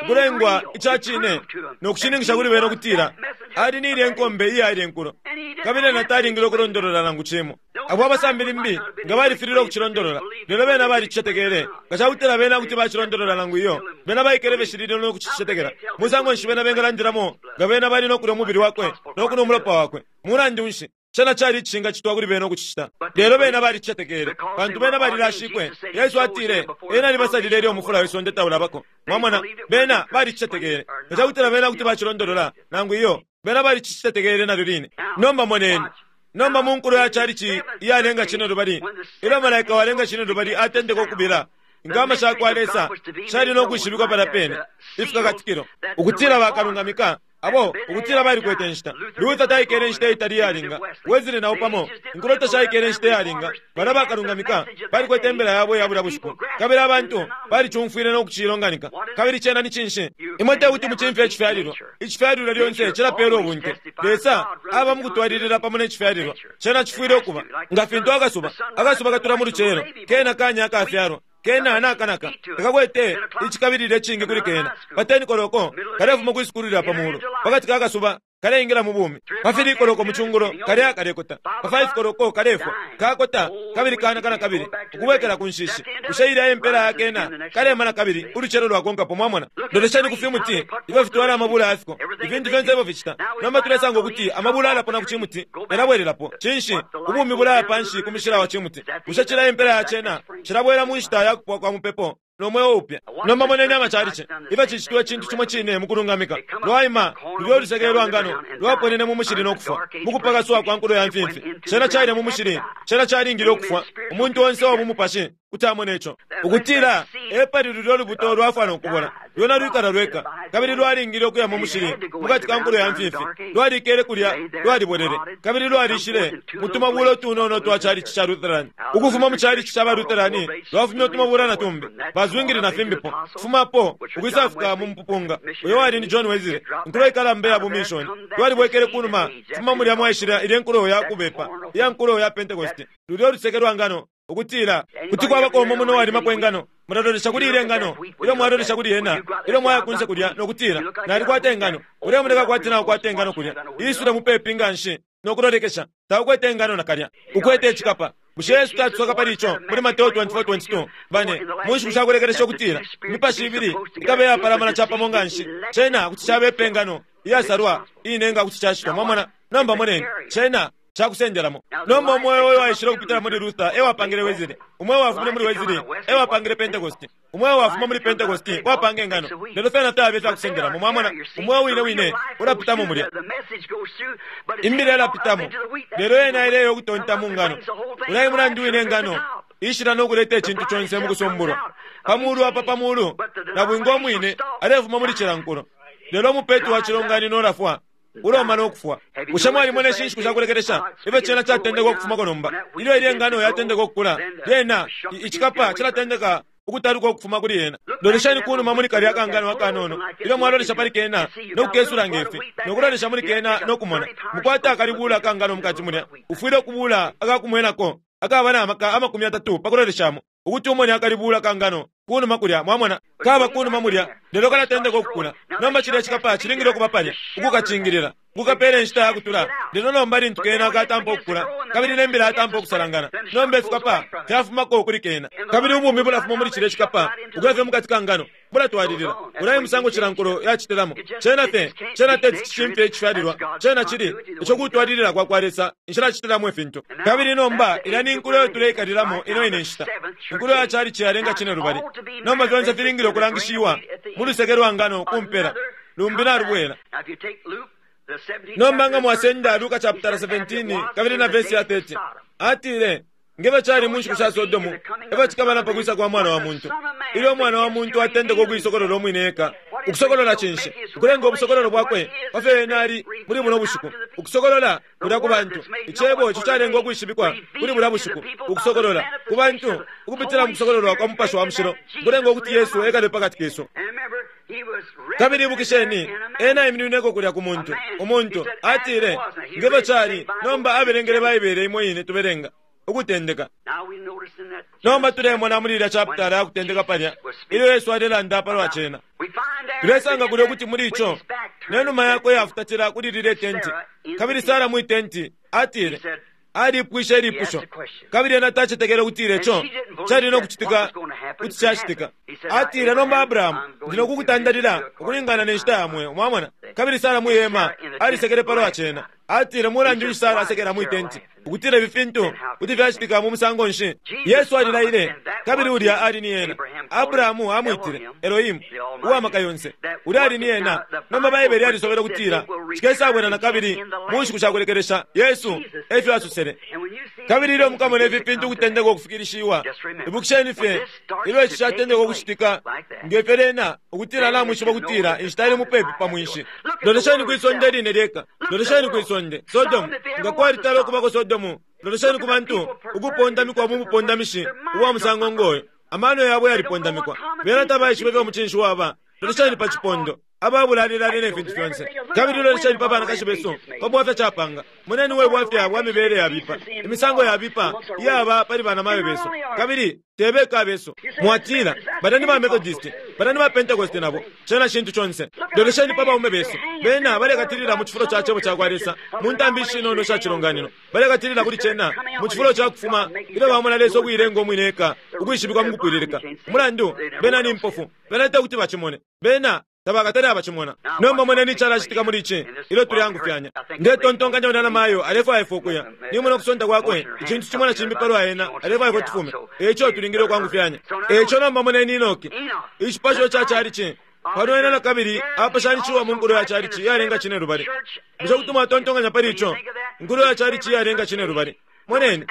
ukulengwa ica cine nokushininkisha kuli bena ukutila ali ni ilya enkombe iya ilya enkulo, kabili ena talingile ukulondolola nangu cimo. Abo abasambili mbi nga balifilile ukucilondolola, lelo bena balicicetekele. Nga cakutila bena kuti bacilondolola nangu iyo, bena baikele beshilile nokucicetekela. Musango nshi bena bengalandilamo nga bena bali nokulya umubili wakwe nokunwa umulopa wakwe? Mulandu nshi, cena cali icishingacitwa kuli bena ukucicita. Lelo bena balicicetekele pantu bena balilashikwe. Yesu atile ena alibasalile ilyo umufula wesonde taulabako. Mwamona, bena balicicetekele. Nga cakutila bena kuti bacilondolola nangu iyo, bena balicicetekele nalyo line. Nomba moneni, nomba mu nkulo ya chalichi iyalenga shine lubali, ilyo malaika walenga shine lubali atendeka ukubila inkama shakwa Lesa shali nokwishibikwa palya pene ifikakatikilo, ukutila bakalungamika abo ukutila balikwete nshita. Luther taikele nshita itali iyalinga, Wesley nao pamo, inkulo tashaikele nshita iyalinga. Balya bakalungamika balikwete imbela yabo iya bulya bushiku, kabili abantu balicumfwile nokucilonganika. Kabili cena ni cinshi? Imwe tekuti mucimfye icifyalilwa. Icifyalilwa lyonse cilapela ubunte. Lesa aba mukutwalilila pamo necifyalilwa. Cena cifwile ukuba nga fintu akasuba. Akasuba katula mu lucelo, kena kanya akafyalwa, kena nakanaka takakwete icikabilila icingi kuli kena. Pateni koloko kalefuma kwisukulu lya pamulu, pakati kakasuba kaleingila mu bumi. Pa fili koloko mu cungulo kaleya kalekota, pa five koloko kalefwa kakota kabili kanakana kabili ukubwekela ku nshishi. Bushe ilya impela yakena kalemana kabili ulucelo lwakonkapo. Mwamona, lolesheni ku fimuti ifyo fitwala amabula yafiko, ifintu fyonse ifyo ficita. Nomba tulesanga ukuti amabula alapona ku cimuti yalabwelelapo. Cinshi? Ubumi bulaya panshi ku mishila wa cimuti. Bushe cila impela yacena cilabwela mu nshita ya kupwa kwa mupepo nomweo upya. Nomba moneni amachalichi ifyo cicitwa cintu cimo cine mukulungamika. Lwaima lulyo luseke lwa ngano lwaponene mu mushili nokufwa mukupakaswa kwa nkulo ya mfimfi. Cena caile mu mushili, cena calingile ukufwa. Umuntu onse wa bumupashi kuti amone ico, ukutila epali lulyo lubuto lwafwa nokubola. Lwena lwikala lweka kabili lwalingile ukuya mu mushili mukati ka nkulo ya mfimfi. Lwalikele kulya, lwalibolele kabili lwalishile mutumabula utunono twa chalichi cha Lutheran. Ukufuma mu chalichi cha ba Lutheran lwafumye utumabula na tumbi bazwingili na fimbipo, kufumapo ukwisafika mu mpupunga uyo wali ni John Wesley, nkulo ikalamba ya bumishoni. Lwalibwekele kunuma fuma mulya mwaishila ilye nkulo ya kubepa iya nkulo ya Pentecost, lulyo luseke lwa ngano, ukutila kuti kwabako umo muno walimapo engano. Mulalolesha kuli ile ngano ilyo mwalolesha kuli yena, ilyo mwaya kunse kulya nokutila nalikwata engano. Ulemoneka kwati naukwata engano kulya, isule mupepi nga nshi nokulolekesha, taukwete engano nakalya, ukwete icikapa. Bushe Yesu tatusoka pali ico muli Mateo twenty-four twenty-two? Bane mu nshiku shakulekelesha ukutila imipashi ibili ikabe yapalamana capamo nga nshi, cena kuti cabepa engano iyasalwa iine nga kuti cashitwa. Mwamona? Nomba moneni, cena cakusendelamo. Nomba umweo uyo waishile ukupitila muli Luther ewapangile Wesley, umweo wafumine muli Wesley ewapangile Pentecost, umweo wafuma muli Pentecost wapanga engano. Lelo fyena tabe fyakusendelamo. Mwamona, umweo wine wine ulapitamo mulya, imbila yalapitamo, lelo yena ileyo ukutonta mu ngano. Ulai mulandu wine engano ishila nokuleta icintu conse mukusumbulwa pamulu apa pamulu na bwinga omwine alefuma muli cila nkulo. Lelo umupetu wa cilonganino ulafwa, uloma nokufwa. Bushe mwalimona ishi nshiku shakulekelesha ifyo cena catendeka ukufumako nomba? Ilyo ilye ngano yatendeka ukukula, lyena icikapa cilatendeka ukutaluka ukufuma kuli yena. Lolesheni kunuma muli kalya kangano akanono ilyo mwalolesha pali kena nokukesula ngefi, nokulolesha muli kena nokumona mukwata akalibula akangano mukati mulya. Ufwile ukubula akakumwenako akaba na maka amakumi atatu pakuloleshamo ukuti umone akalibula kangano kunuma kulya. Mwamona, kaba kunuma mulya, lelo kalatendeka ukukula. Nomba cilya cikapa cilingile ukuba palya ukukacingilila, kukapela inshita yakutula. Lelo nomba lintu kena katampa ukukula, Kabili ne mbila yatampa ukusalangana. Nomba ifikapa fyafumako kuli kena. Kabili ubumi bulafuma muli cilya cikapa ukuya fye mukati ka ngano. Bulatwalilila. Ulaye musango cilankulo yacitilamo. Cena fye, cena teti cishimfye icifyalilwa. Cena cili ico kutwalilila kwa kwa Lesa inshila acitilamo ifintu. Kabili nomba ilya ni nkulo tuleikalilamo ino ine nshita. Inkulo ya chalichi yalenga cine lubali. Nomba fyonse filingile okulangishiwa mu luseke lwa ngano kumpela. Lumbi nalubwela. Nomba nga mwasenda Luka chapter seventeen kabili na verse ya thirty. Atile ngeva chali mu nshiku sha Sodomu eva chikabana pakwisa kwa mwana wa muntu. Ilyo mwana wa muntu atendeka okuisokolola omwine eka. Ukusokolola chinshi? Ukulenga obusokololo bwakwe pafyo ena ali muli buno bushiku. Ukusokolola kulya ku bantu. Icebo ico calenga okwishibikwa kuli bulya bushiku. Ukusokolola ku bantu ukupitila mu kusokololwa kwa Mupashi wa Mushilo. Kulenga okuti Yesu ekale pakati kesu. Kabili ibukisheni ena iminineko kulya ku muntu. Umuntu atile ngeva chali nomba abelengele Baibele imo ine tubelenga. Ukutendeka. Nomba tulemona muli ilya chapter ya kutendeka palya ilyo Yesu alelanda palwa cena. Tulesanga kulya kuti muli ico nenuma yakwe yafutatila kuli lile tenti. Kabili Sara mwi tenti atile alipwishe ilipusho. Kabili ena tacetekele ukutila ico cali nokucitika kuti cacitika. Atile nomba Abrahamu ndi nokukutandalila ukulingana ne nshita ya mweo. Mwamona? Kabili Sara mwi hema alisekele palwa cena. Atile mulandu nshi Sara asekela mwi tenti ukutila ifi fintu kuti fyacitika mu musango nshi. Yesu alilaile kabili ulya ali ni ena. Abrahamu amwitile Elohimu uwamaka yonse. Ulya ali ni ena. Nomba Baibele yalisobele ukutila cikesabwela na kabili mu nshiku shakulekelesha. Yesu efyo asosele. Kabili ilyo mukamona ifi fintu ukutendeka ukufikilishiwa, ibukisheni fye ilyo ici catendeka ukucitika ngefyo lena ukutila namwishiba ukutila inshita ili mupepi pa mwinshi. Lolesheni kwisonde line lyeka. Lolesheni kwisonde Sodomu. Nga kwalitala okubako Sodomu, lolesheni ku bantu ukupondamikwa mu bupondamishi ubwa musango ngoyo. Amano yabo yalipondamikwa. Bena tabaishiba ifyo mucinshi waba. Lolesheni pa cipondo ababulalilale ne fintu fyonse. Kabili lolesheni pa banakashi besu pa bwafya capanga. Moneni we bwafya bwa mibele yabipa, imisango yabipa iyaba pali banamayo besu. Kabili tebeka besu. Mwatila banani ba Methodist, banani ba Pentecost nabo cena shintu chonse. Lolesheni pa baume besu. Bena balekatilila mu cifulo ca cebo ca kwa Lesa mu ntambi ishinono sha cilonganino. Balekatilila kuli cena mu cifulo ca kufuma ilyo bamona Lesa ukuilenga omwine eka ukwishibikwa mu kupwililika. Umulandu bena ni mpofu. Bena tekuti bacimone. Bena tabakatale abachimona. Nomba moneni chalachitika muli ichi ilyo tuliyangufyanya. Ndetontonkanya unana mayo alefwaya ifwe ukuya. Nimona okusonta kwakwe icintu chimona chimbi palwa ena alefwaya ifwe tufume. Eco tulingile okwangufyanya. Eco nomba moneni Enoki. Icipasho ca chalichi pano ena na kabili apashanishiwa mu nkulo ya chalichi yalenga cine lubali. Bushe kuti mwatontonkanya pali ico? Nkulo ya chalichi yalenga cine lubali. Moneni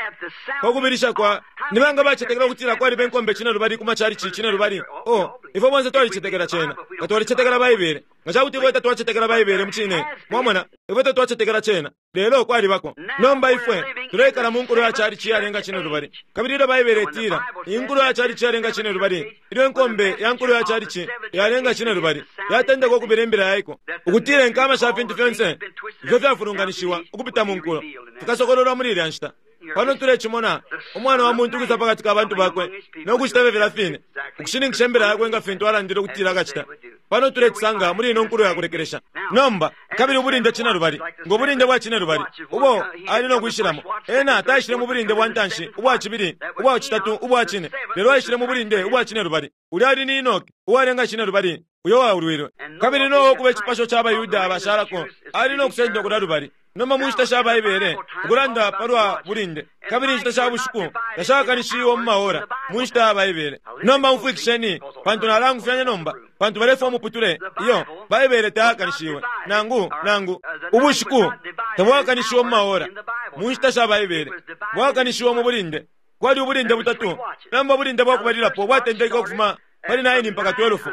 pakubilisha kwa nibanga bacetekela ukutila kwaliba enkombe cine lubali ku machalichi cine lubali. Oh, ifwe bonse twalicetekela cena. Nga twalicetekela Baibele. Nga cakuti ifwe tatwacetekela Baibele mucine. Mwamona, ifwe tatwacetekela cena. Lelo kwalibako. Nomba ifwe tuleikala mu nkulo ya chalichi yalenga cine lubali. Kabili ilyo Baibele itila inkulo ya chalichi yalenga cine lubali, ilyo enkombe ya nkulo ya chalichi yalenga cine lubali yatendeka okubila imbila yaiko ukutila enkama sha fintu fyonse ifyo fyafulunganishiwa ukupita mu nkulo fikasokololwa muli ilya nshita. Pano tulecimona umwana wa muntu ukwisa pakati ka bantu bakwe nokucita fye filya fine ukushininkisha imbila yakwe nga fintu alandile ukutila akacita. Pano tulecisanga muli ino nkulo yakulekelesha. Nomba kabili ubulinde cine lubali ngo bulinde bwa cine lubali ubo ali nokwishilamo. Ena taishile mu bulinde bwa ntanshi, ubwa cibili, ubwa citatu, ubwa cine, lelo aishile mu bulinde ubwa cine lubali. Ulya ali ni Enoki uwalenga cine lubali uyo waulwilwe. Kabili Noa okuba icipasho ca Bayuda abashalako ali nokusenda kulya lubali. Nomba mu nshita sha Baibele ukulanda palwa bulinde, kabili inshita sha bushiku tashakanishiwe mu maora mu nshita ya Baibele. Nomba umfwikisheni pantu nalangufyanya nomba pantu balefwa muputule iyo Baibele tayakanishiwe nangu nangu ubushiku tabwakanishiwe mu maora mu nshita sha Baibele bwakanishiwe mu bulinde. Kwali ubulinde butatu. Nomba ubulinde bwakubalilapo bwatendeke ukufuma pali nine mpaka twelve.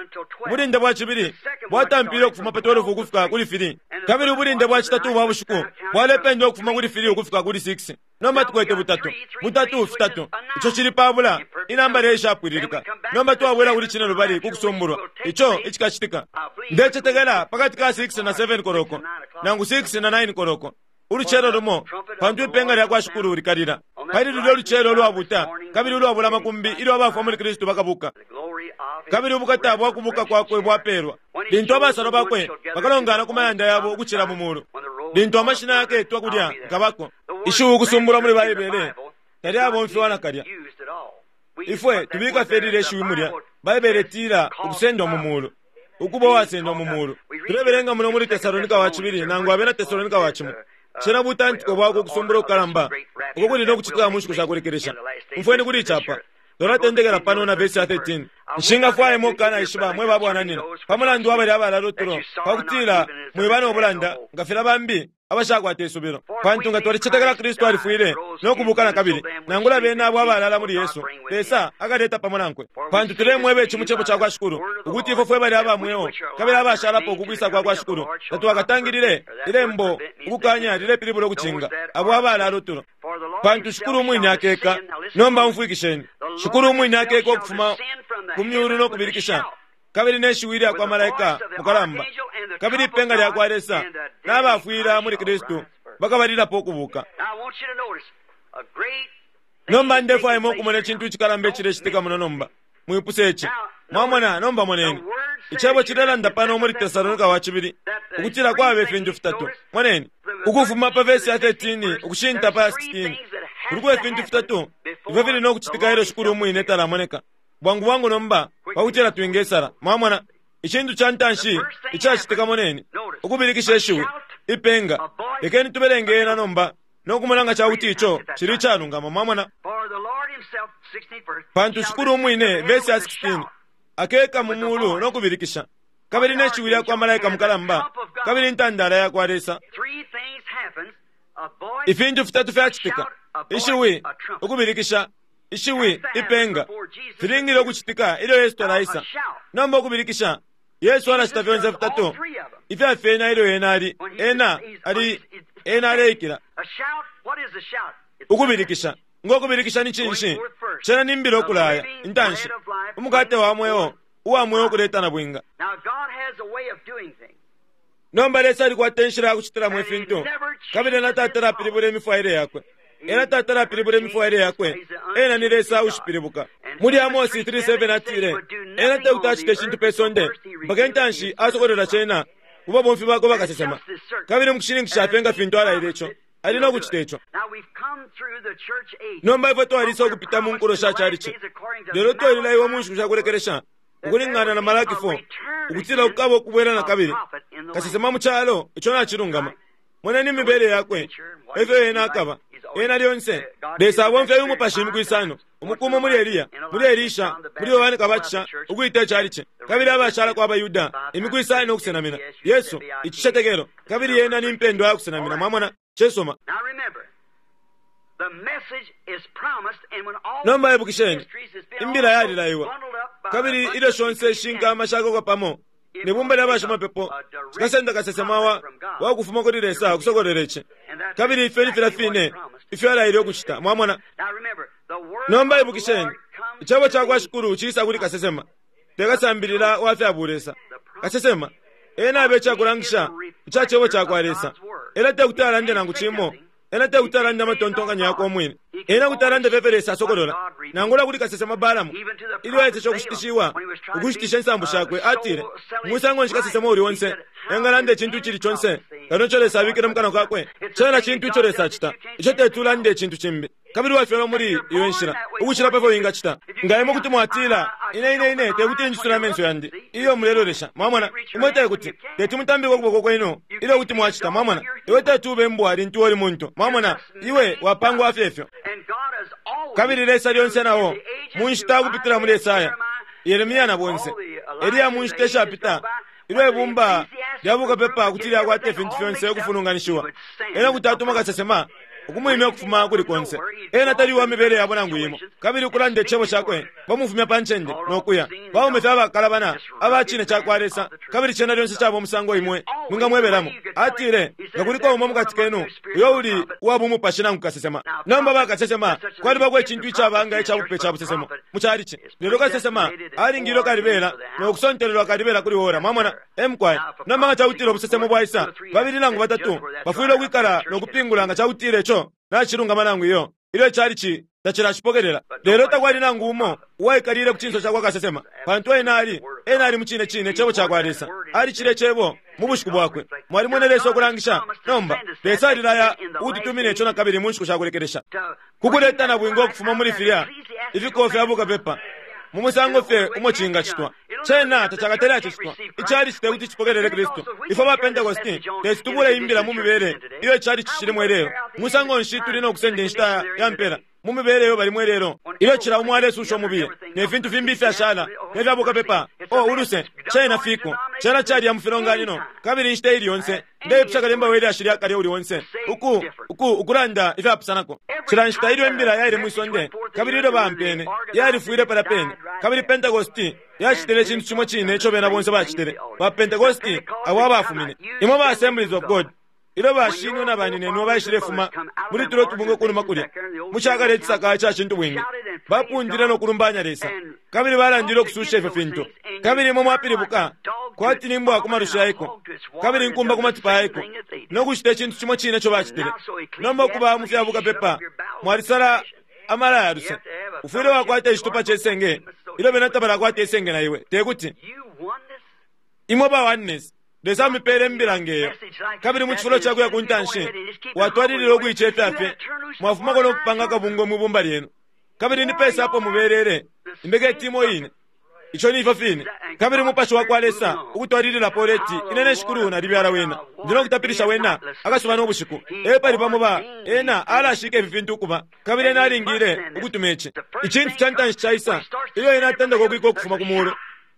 Ubulinde bwa cibili bwatampile ukufuma pa twelve ukufika kuli three. Kabili ubulinde bwa citatu bwa bushiku bwalependwa ukufuma kuli three ukufika kuli six. Nomba tukwete butatu butatu fitatu. Ico cili pabula inamba leyishapwililika. Nomba twabwela kuli cine lubali kukusumbulwa ico icikacitika. Ndecetekela pakati ka six na seven koloko nangu six na nine koloko ulucelo lumo pantu ipenga lya kwa Shikulu likalila. Pali lulyo lucelo ulwabuta kabili ulwabula makumbi ilyo abafwa muli Kristu bakabuka. Kabili ubukata bwa kubuka kwakwe bwapelwa lintu abasalwa bakwe bakalongana ku mayanda yabo ukucila mu mulu. Lintu amashina yaketwa kulya nkabako. Ishiwi ukusumbulwa muli Baibele talyabomfiwa nakalya. Ifwe tubika fye lile ishiwi mulya. Baibele itila ukusendwa mu mulu, ukuba uwasendwa mu mulu. Tulebelenga muno muli Tesalonika wa cibili nangu abena Tesalonika wa cimo. Cena butantiko bwako ukusumbula ukukalamba uko kuli no kucitika mu nshiku sha kulekelesha. Umfweni kuli icapa. Tolatendekela pano na vesi ya thirteen. Nshingafwayemo ukukanaishiba mwe babwananina pa mulandu wa balya abalala utulo, pakutila mwiba no bulanda nga filya bambi abashakwata isubilo. Pantu nga twalicetekela Kristu alifwile no kubuka na kabili, nangula bena abo abalala muli Yesu, Lesa akaleta pamo nankwe. Pantu tulemweba ici mu cebo ca kwa Shikulu, ukuti ifwe fwe balya aba mweo kabili abashalapo ukukwisa kwa kwa Shikulu, tatwakatangilile ilembo ukukanya lilepilibula ukucinga abo abalala utulo. Pantu Shikulu umwine akeka. Nomba umfwikisheni, Shikulu umwine akeka ukufuma ku myulu no kubilikisha, kabili ne shiwi lya kwa malaika mukalamba, kabili ipenga lya kwa Lesa, n'abafwila muli Kristu bakabalilapo ukubuka. Nomba ndefwayemo ukumona icintu icikalamba icilecitika muno nomba. Mwipuse ici. Mwamona, nomba moneni. Icebo cilelanda pano muli Tesalonika wa cibili ukutila kwaba ifintu fitatu. Moneni, ukufuma pa vesi ya thirteen ukushinta pa ya sixteen, kuliko ifintu fitatu ifyo fili no kucitika ilyo Shikulu umwine talamoneka. Bwangu bwangu nomba pakutila twingesala. Mwamona, icintu ca ntanshi icacitika, moneni, ukubilikisha ishiwi, ipenga. Lekeni tubelenge ena nomba no kumona nga cakuti ico cili icalungama. Mwamona, pantu Shikulu umwine, vesi ya sixteen, akeka mu mulu no kubilikisha, kabili ne shiwi lya kwa malaika mukalamba, kabili intandala ya kwa Lesa. Ifintu fitatu fyacitika: ishiwi, ukubilikisha, ishiwi, ipenga. Filingile ukucitika ilyo Yesu talaisa. Nomba ukubilikisha, Yesu alacita fyonse fitatu ifyafyena ilyo ena ali ena ali ena aleikila. Ukubilikisha, ngo kubilikisha ni cinshi? Cena ni mbila ukulaya intanshi, umukate wa mweo uwa mweo ukuleta na bwinga. Nomba Lesa alikwata inshila ya kucitilamo ifintu, kabili ena tatala apilibula imifwaile yakwe. Ena tatala apilibula imifwaile yakwe. Ena ni Lesa ushipilibuka. Muli Amosi three seven atile, ena tekuti acite icintu pe sonde mpaka intanshi asokolola cena ku babomfi bakwe bakasesema. Kabili mukushininkisha fye nga fintu alaile ico, ali no kucita ico. Nomba ifwe twalisa ukupita mu nkulo sha calici, lelo twalilaiwa mu nshiku sha kulekelesha ukulingana na Malaki four, ukutila kukaba ukubwela na kabili kasesema mu calo ico nacilungama. Moneni imibele yakwe, efyo ena akaba. Ena lyonse Lesa abomfya umupashi imiku isano, umukumo muli Eliya, muli Elisha, muli Yohane Kabatisha, ukuita icalici, kabili abashalako abaYuda imiku isano ukusenamina Yesu icicetekelo, kabili ena ni mpendwa ya kusenamina. Mwamona, cesoma. Nomba ibukisheni, imbila yalilaiwa, kabili ilyo shonse ishinkama shakokwa pamo ne bumba lya bashimapepo cikasenda kasesema wa wakufuma kuli Lesa ukusokolera ici, kabili ifyo ni filya fine ifyo alaile ukucita. Mwamona, nomba ibukisheni, icebo ca kwa Shikulu ciisa kuli kasesema, te kasambilila wa fya bulesa. Kasesema ena abe icakulangisha ica cebo ca kwa Lesa. Ena tekuti alande nangu cimo, ena tekuti alande amatontonkanyo yakwe umwine, ena kuti alande fyefyo Lesa asokolola. Nangula kuli kasesema Balamu, ilyo aeteshe ukushitishiwa ukushitisha insambu shakwe, atile, musango nshi kasesema uli onse engalanda icintu icili conse kano ico Lesa abikile mu kanwa kakwe? Cena cintu ico Lesa acita, ico tetulande icintu cimbi. Kabili wafyalwa muli iyo nshila ukucila pefyo wingacita. Nga imwe kuti mwatila, ine ine ine tekuti njisule amenso yandi iyo mulelolesha. Mwamona, imwe tekuti teti mutambike ukuboko kwenu ilyo kuti mwacita. Mwamona, iwe teti ube mbwa lintu uli muntu. Mwamona, iwe wapangwa fyefyo. Kabili Lesa lyonse nao mu nshita ukupitila muli Esaya, Yeremia na bonse, Eliya mu nshita ishapita, ilyo ibumba lya bukapepa kuti lyakwata ifintu fyonse ukufulunganishiwa, ena kuti atuma kasesema ukumwimya ukufuma kuli konse. Ena tali uwa mibele yabo nangu imo, kabili ukulanda icebo cakwe bamufumya pa ncende no kuya. Baume fye abakalabana aba cine ca kwa Lesa, kabili cena lyonse caba umusango imwe mwingamwebelamo. Atile, nga kuliko umo mukati kenu uyo uli uwa bumupashi nangu kasesema. Nomba bakasesema kwalibako icintu icabanga ica bupe ca busesemo mu calici, lelo kasesema alingilwe kalibela no kusontelelwa kalibela kuli ora. Mwamona, emkwai. Nomba nga cakutila ubusesemo bwaisa, babili nangu batatu bafwile ukwikala no kupingula nga cakutila ico nacilungama nangu iyo ilyo icalici tacilacipokelela. Lelo takwali nangu umo uwaikalile ku cinso cakwa kasesema, pantu ena ali ena ali mucine cine cebo cakwa Lesa. Ali cile cebo mu bushiku bwakwe. Mwalimwene Lesa ukulangisha. Nomba Lesa alilaya ututumine ico nakabili mu nshiku shakulekelesha, kukuleta na bwingo ukufuma muli filya ifikofi abukapepa mu musango fye umo cingacitwa. Cena tacakatele acicitwa. Icali cite kuti cipokelele Kristu. Ifwe ba Pentecosti tetutubule imbila mu mibele iyo icali cishilimo ilelo. Musango nshi tuli no kusenda inshita ya mpela mu mibele iyo balimo ilelo, ilyo cila umo alesusha umubiye ne fintu fimbi ifyashala ne fya bukapepa? O uluse, cena fiko cena caliya mu filonganino, kabili inshita ili yonse ndeipusha kalemba we lyashi lya kale uli onse uku uku ukulanda ifyapusanako. Cila nshita ilyo imbila yaile mwisonde kabili ilyo bampene yalifwile pala pene, kabili Pentecosti yacitile icintu cimo cine ico bena bonse bacitile. Ba Pentecosti abo abafumine imwe ba Assemblies of God, ilyo bashinwe na baninenwe baishilefuma muli tulo tubungwe kunuma kulya mucakale icisaka ica cintu bwingi, bapundile no kulumbanya Lesa kabili balandile ukususha ifyo fintu. Kabili imwe mwapilibuka kwati ni mbwa ku malusha yaiko kabili nkumba ku matipa yaiko no kucita icintu cimo cine ico bacitile. Nomba ukuba mu fya bukapepa mwalisala amala ya luse. Ufwile wakwata icitupa cesenge ilyo bena tabalakwata isenge na iwe, tekuti imwe ba Oneness. Lesa amipele imbila ngeyo, kabili mu cifulo cakuya ku ntanshi watwalilila ukuicefya fye, mwafumako no kupanga akabungwe mwibumba lyenu. Kabili ni pesa apo mubelele imbeke timo ine ico ni ifyo fine. Kabili umupashi wa kwa Lesa ukutwalililapo uleti, ine ne shikulu nalibyala wena, ndi no kutapilisha wena akasuba no bushiku. Epali pamo ba ena alashika ifi fintu ukuba, kabili ena alingile ukutuma ici icintu ca ntanshi caisa ilyo ena atendeka ukwika ukufuma ku mulu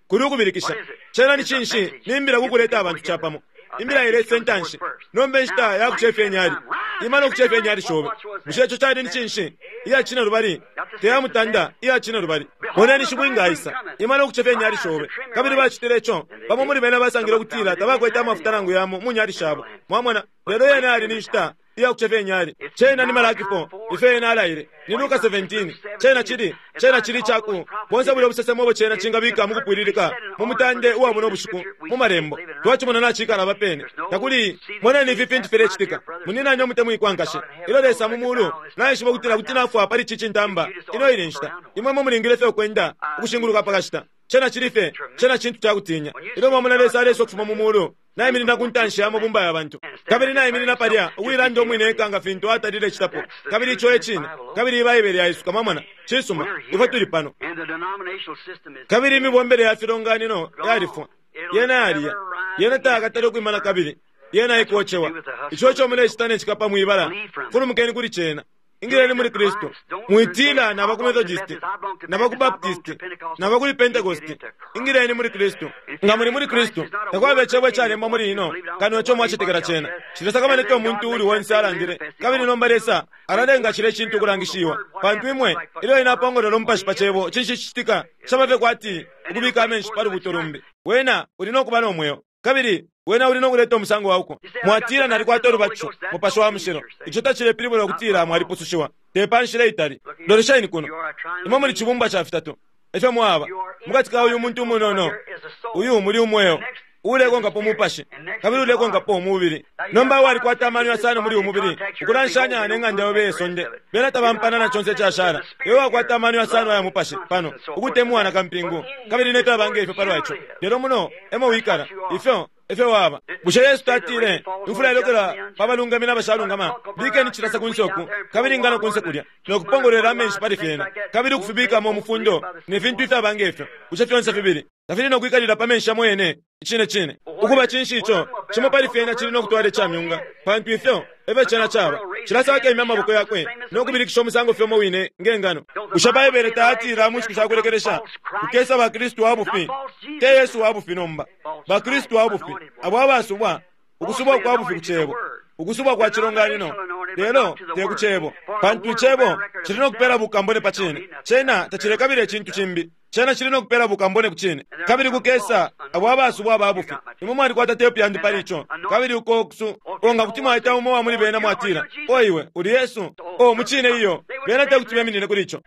kuli ukubilikisha. Cena ni cinshi? Ni imbila kukuleta abantu capamo. Imbila ilesa intanshi. Nomba inshita ya kucefya inyali, ima no kucefya inyali shobe. Bushe ico cali ni cinshi? Iya cine lubali, teya mutanda, iya cine lubali. Moneni shibwinga aisa, ima no kucefya inyali shobe. Kabili bacitile ico bamo muli bena basangile ukutila tabakwete amafuta nangu yamo mu nyali shabo. Mwamona? Lelo yena ali ni nshita iya kucefya inyali. Cena ni Malaki four, ifyo ena alaile ni Luka seventeen. Cena chili cena chili chaku bonse buli obusesemo obo cena chingabika mu kupwililika mu mutande uwa buno bushiku mu malembo. Twachimona nachikala bapene takuli. Moneni ifi fintu filecitika. Muninanye umutemwikwa nkashe, ilyo Lesa mu mulu naishiba ukutila kuti nafwa pali ici cintamba ino ili nshita, imwe mwe mulingile fye ukwenda ukushinguluka pakashita. Cena chili fye cena cintu cakutinya ilyo mwamona Lesa alesa ukufuma mu mulu naiminina ku ntanshi ya mabumba ya bantu, kabili naiminina palya ukuilanda umwine eka nga fintu atalile citapo. Kabili ico e cine, kabili Ibaibele yaisuka. Mwamona? Cisuma, ifwe tuli pano. Kabili imibombele ya filonganino yalifwa, yena yaliya, yena tayakatale ukwimana kabili yena ikocewa. Ico ico mulecita ne cikapa mwibala, fulumukeni kuli cena. Ingileni muli Kristu. Mwitila naba ku Methodist, naba ku Baptist, naba kuli Pentecost. Ingileni muli Kristu. Nga muli muli Kristu, takwaba icebo icalembwa muli ino kano ico mwacetekela cena. Cilesakamana umuntu uli wonse alandile. Kabili nomba Lesa alalenga cile cintu ukulangishiwa, pantu imwe ilyo ena apongolola umupashi pa cebo, cinshi cicitika? Caba fye kwati ukubika amenshi pa lubuto lumbi. Wena uli no kuba no mweo, kabili wena uli no kuleta umusango wauko. Mwatila nalikwata ulubatisho mupashi wa mushilo. Ico tacilepilibula ukutila mwalipusushiwa, te pa nshila itali. Lolesheni kuno, imwe muli cibumbwa ca fitatu efyo mwaba mukati ka uyu muntu umunono. Uyu muli umweo ulekonkapo umupashi kabili ulekonkapo umubili. Nomba walikwata amano yasano muli umubili ukulanshanya neng'anda yobe yesonde, bena tabampana na conse icashala. Iwe wakwata amano yasano aya mupashi pano ukutemwa na kampingu kabili nefyabanga ifyo palwa ico. Lelo muno emo wikala ifyo efyo waba. Bushe Yesu tatile imfula ilokela pa balungami n'abashalungama? Bikeni cilasa kunse uku kabili ingano kunse kulya no kupongolwela amenshi pali fyena kabili ukufibikamo umufundo ne fintu ifyabanga ifyo. Bushe fyonse fibili tafili no kwikalila pa menshi yamo yene? Icine cine ukuba cinshi ico cimo pali fyena cili no kutwala icamyunga, pantu ifyo efyo cena caba. Cilasa akemya amaboko yakwe no kubilikisha umusango fye umo wine ngengano. Bushe Baibele tayatila mu nshiku shakulekelesha kukesa bakristu wa bufi? Te Yesu wa bufi nomba, bakristu wa bufi abo abasubwa, ukusubwa kwa bufi ku cebo, ukusubwa kwa cilonganino, lelo te ku cebo, pantu icebo cili no kupela bukambone pa cine. Cena tacilekabila icintu cimbi, cena cili no kupela bukambone ku cine. Kabili kukesa abo abasubwa aba bufi. Imwe mwalikwata tepu yandi pali ico. Kabili uko kusu onga kuti mwaita umo wa muli bena mwatila, o iwe uli Yesu? O mucine iyo bena tekuti beminine kuli ico.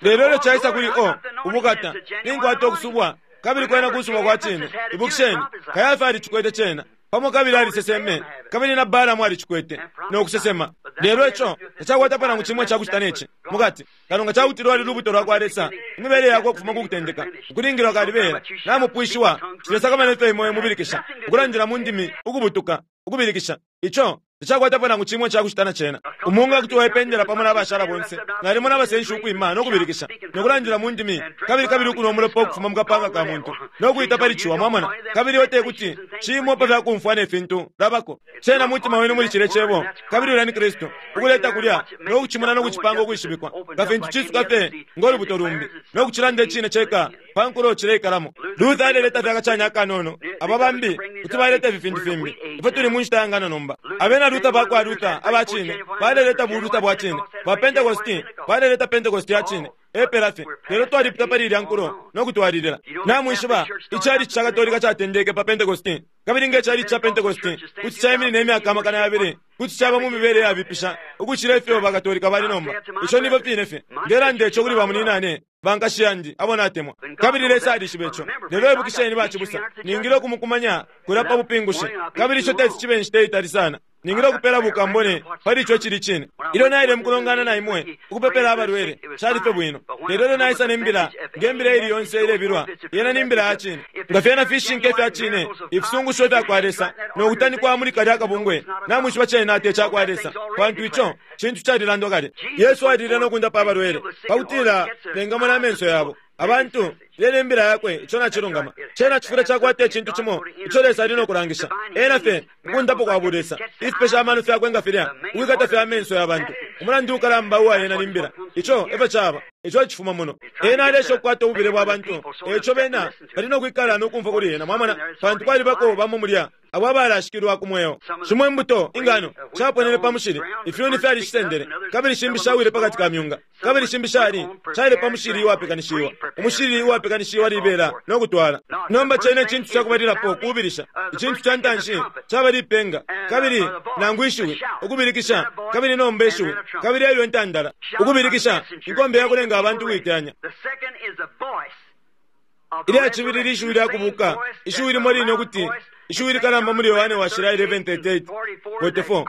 Lelo ilyo caisa kuli o ubukata ninkwata ukusubwa kabili kwena kusubwa kwa cine. Ibukisheni, Kayafa alicikwete cena pamo kabili aliseseme, kabili na Balamu alicikwete no kusesema. Lelo ico tacakwatapo nangu cimwe cakucita neci. mukati. Kano nga cakuti lwali lubuto lwakwa Lesa, imibele yakwe ukufuma ku kutendeka, ukulingilwa kalibela, namupwishiwa, cilesakamana ifyo imwe mubilikisha, ukulandila mu ndimi, ukubutuka, ukubilikisha. Ico tacakwatapo nangu cimwe cakucita na cena. Umunga kuti waipendela pamo n'abashala bonse, nalimo n'abasenshi ukwima no kubilikisha, nokulandila mu ndimi, kabili kabili ukunwa umulopa ukufuma mu kapanga ka muntu, nokuita pali ciwa, mwamona. Kabili ote kuti cimo pa fyakumfwa ne fintu labako. Cena mutima wenu muli cile cebo, kabili ulya ni Kristu, ukuleta kulya, nokucimona nokucipanga ukwishibikwa, nga fintu cisuka fye ng'olubuto lumbi, nokucilanda icine ceka pa nkulo cileikalamo. Luther aleleta fye akacanya akanono, aba bambi kuti baleta ifi fintu fimbi. Ifwe tuli mu nshita ya ngano nomba. Abena Luther bakwa Luther aba cine baleleta buluta bwa cine, ba Pentecosti baleleta Pentecosti ya cine, epela fye. Lelo twalipita pali ilya nkulo nokutwalilila. Namwishiba icalici ca Katolika catendeke pa Pentecosti, kabili nge calici ca Pentecosti kuti caiminina imyaka amakana yabili, kuti caba mu mibele yabipisha ukucila ifyo bakatolika bali nomba. Ico nibo fine fye ndelanda ico kuli bamuninane bankashi yandi abo natemwa, kabili Lesa alishiba ico. Lelo ibukisheni bacibusa, ningile ukumukumanya kulya pa bupingushi, kabili ico teti cibe inshita itali sana. Ningile ukupela bukambone pali ico cili cine. Ilyo naile mukulongana na imwe ukupepela abalwele, cali fye bwino. Lelo ilyo naisa ne mbila, nge mbila ili yonse ilebilwa, yena ni mbila ya cine. Nga fyena fishinka ifya cine, ifisungusho ifya kwa Lesa, nokutanikwa muli kalya akabungwe, namwishiba cena te cakwa Lesa, pantu ico cintu calilandwa kale. Yesu alile nokundapa abalwele pakutila bengamona amenso yabo. Abantu lelo imbila yakwe ico nacilungama. Cena cifwile cakwata icintu cimo ico Lesa ali nokulangisha. Ena fye ukundapo kwa bulesa, ifipesha amano fyakwe nga filya, ukwikata fye amenso ya bantu. Umulandu ukalamba uwa yena ni mbila. Ico efyo caba, ico cifuma muno. Ena alesha ukukwata ububile bwa bantu, eco bena bali nokwikala nokumfwa kuli ena, mwamona, pantu kwalibako bamo mulya abo abalashikilwa ku mweo. Shimo imbuto ingano shaponene pa mushili, ifyuni fyalishisendele, kabili shimbi shawile pakati ka myunga, kabili shimbi shali shaile pa mushili uwapekanishiwa. Umushili uwapekanishiwa libela nokutwala. Nomba cene icintu cakubalilapo kubilisha. Icintu ca ntanshi caba lipenga, kabili nangu ishiwi, ukubilikisha, kabili nomba ishiwi, kabili elyo intandala, ukubilikisha, inkombe yakulenga abantu ukuiteyanya. Ilya cibili lishiwi lya kubuka, ishiwi limo line ukuti ishiwi likalamba muli Yohane washila eleven thirty-eight forty-four,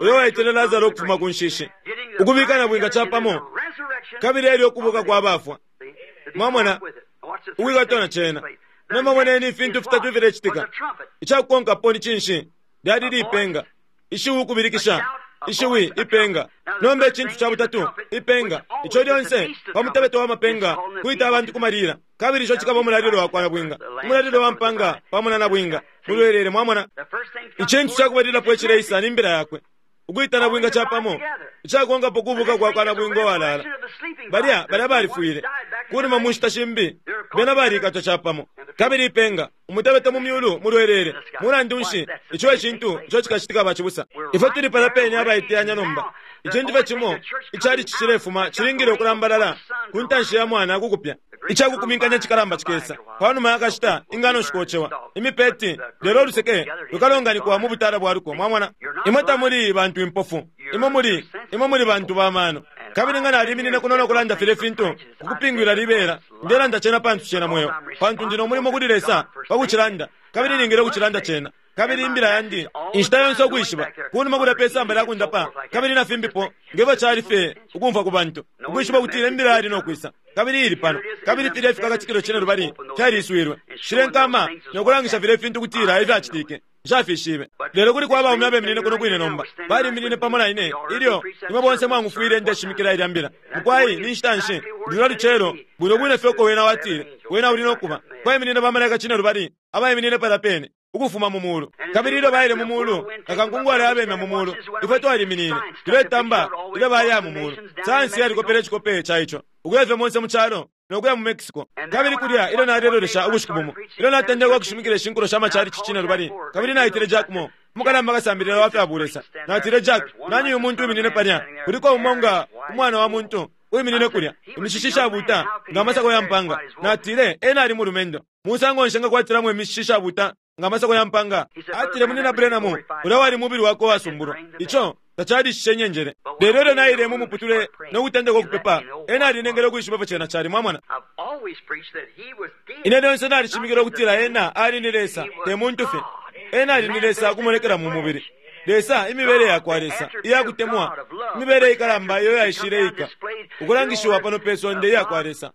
uyo waitile Lazaro ukufuma ku nshishi, ukubika na bwinga capamo, kabili elyo ukubuka kwa bafwa. Mwamona ukwikatwa na cena. Nomba moneni ifintu fitatu ifilecitika. Icakukonkapo ni cinshi? Lyali lipenga, ishiwi ukubilikisha, ishiwi ipenga. Nomba icintu ca butatu ipenga, ico lyonse pa mutebeto wa mapenga kwita abantu kumalila, kabili ico cikaba umulalilo wakwa nabwinga, umulalilo wa mpanga pamo na nabwinga mulwelele. Mwamona icintu cakubalilapo icileisa ni mbila yakwe, ukwita nabwinga capamo. Icakukonkapo kubuka kwakwa nabwinga uwalala. Balya balya balifwile kunuma mu nshita shimbi, bena balikatwa capamo. Kabili ipenga umutebeto mu myulu mulwelele. Mulandu nshi ico icintu ico cikacitika bacibusa? Ifwe tuli pala pene abaiteyanya nomba. Icintu fye cimo icali cicilefuma cilingile ukulambalala ku ntanshi ya mwana kukupya. Icakukuminkanya cikalamba cikesa panuma yakashita, ingano shikocewa imipeti, lelo oluseke lukalonganikwa mu butala bwa luko. Mwamona, imwe tamuli bantu impofu, imwe muli imwe muli bantu ba mano. Kabili nga naliminine kuno nokulanda file fintu kukupingwila libela, ndelanda cena pantu cena mweo, pantu ndi nomulimo kuli Lesa pakucilanda, kabili ningile ukucilanda cena. Kabili imbila yandi inshita yonse ukwishiba kunuma kulya pe samba lya kundapa, kabili na fimbipo ngefyo cali fye ukumfwa ku bantu, ukwishiba kutila imbila yali nokwisa, kabili ili pano, kabili filya ifikakatikilo cine lubali fyaliswilwe. Shile nkama nokulangisha filya ifintu kutila ifyacitike nshafishibe. Lelo kuli kwa baume abeminine kuno kwine nomba, baliminine pamo na ine ilyo imwe bonse mwangufwile ndeshimikila ilya mbila. Mukwai ni nshita nshi lulya lucelo bwino bwine fye uko wena watile wena uli nokuba. Kwaiminine bamalaika cine lubali abaiminine palya pene ukufuma mu mulu, kabili ilyo baile mu mulu akankungwala yabemya mu mulu. Ifwe twaliminine tuletamba ilyo baya mu mulu. Sayansi yalikopele icikope ca ico ukuya fye monse mu calo nokuya mu Mexico. Kabili kulya ilyo nalelolesha ubushiku bumo, ilyo natendeka ukushimikila ishinkulo sha machalichi cine lubali, kabili naitile Jack Moore, umukalamba kasambilila wa fya bulesa. Natile, Jack, nani uyu muntu uwiminine palya? Kuliko umo nga umwana wa muntu uwiminine kulya, imishishi shabuta nga amasako ya mpanga. Natile, ena ali mulumendo, musango nshi ngakwatilamo imishishi shabuta nga amasako ya mpanga? Atile, munina Branham, ulya wali mubili wakwe wasumbulwa. Ico tacalishishe nyenjele. Lelo ilyo naile mu muputule nokutendeka ukupepa, ena alinengele ukwishiba ifyo cena cali. Mwamona, ine lyonse nalishimikila ukutila ena ali ni Lesa, te muntu fye. Ena ali ni Lesa ukumonekela mu mubili. Lesa, imibele yakwa Lesa iyakutemwa, imibele ikalamba iyo yaishile ika ukulangishiwa pano pe sonde iyakwa Lesa.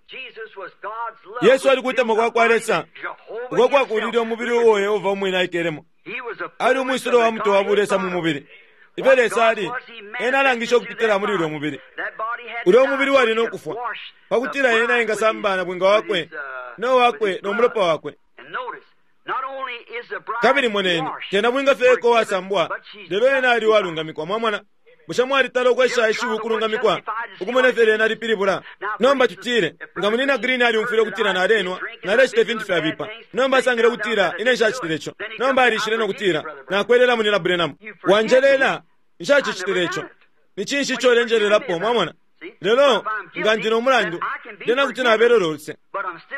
Yesu ali kutemwa kwa kwa Lesa uko kwakulile umubili uo Yehova umwine aikelemo. Ali umwisilo wa mutwe wa bulesa mu mubili. Ifyo Lesa ali, ena alangisha ukupitila muli ulyo mubili. Ulyo mubili wali no kufwa pakutila ena engasamba na bwinga wakwe no wakwe no mulopa wakwe. Kabili moneni, tena bwinga fye eko wasambwa, lelo ena ali walungamikwa. Mwamona, bushe mwalitala ukwesha ishiwi ukulungamikwa ukumona ifyo lyena lipilibula? Nomba tutile nga munina Green aliumfwile ukutila nalenwa, nalecita ifintu fyabipa. Nomba asangile ukutila ine nshacitile ico. Nomba alishile nokutila nakwelela munina Branham, wanjelela, nshacicitile ico. Ni cinshi ico ulenjelelapo? Mwamona? Lelo nga ndi no mulandu, lyena kuti nabelelo luse,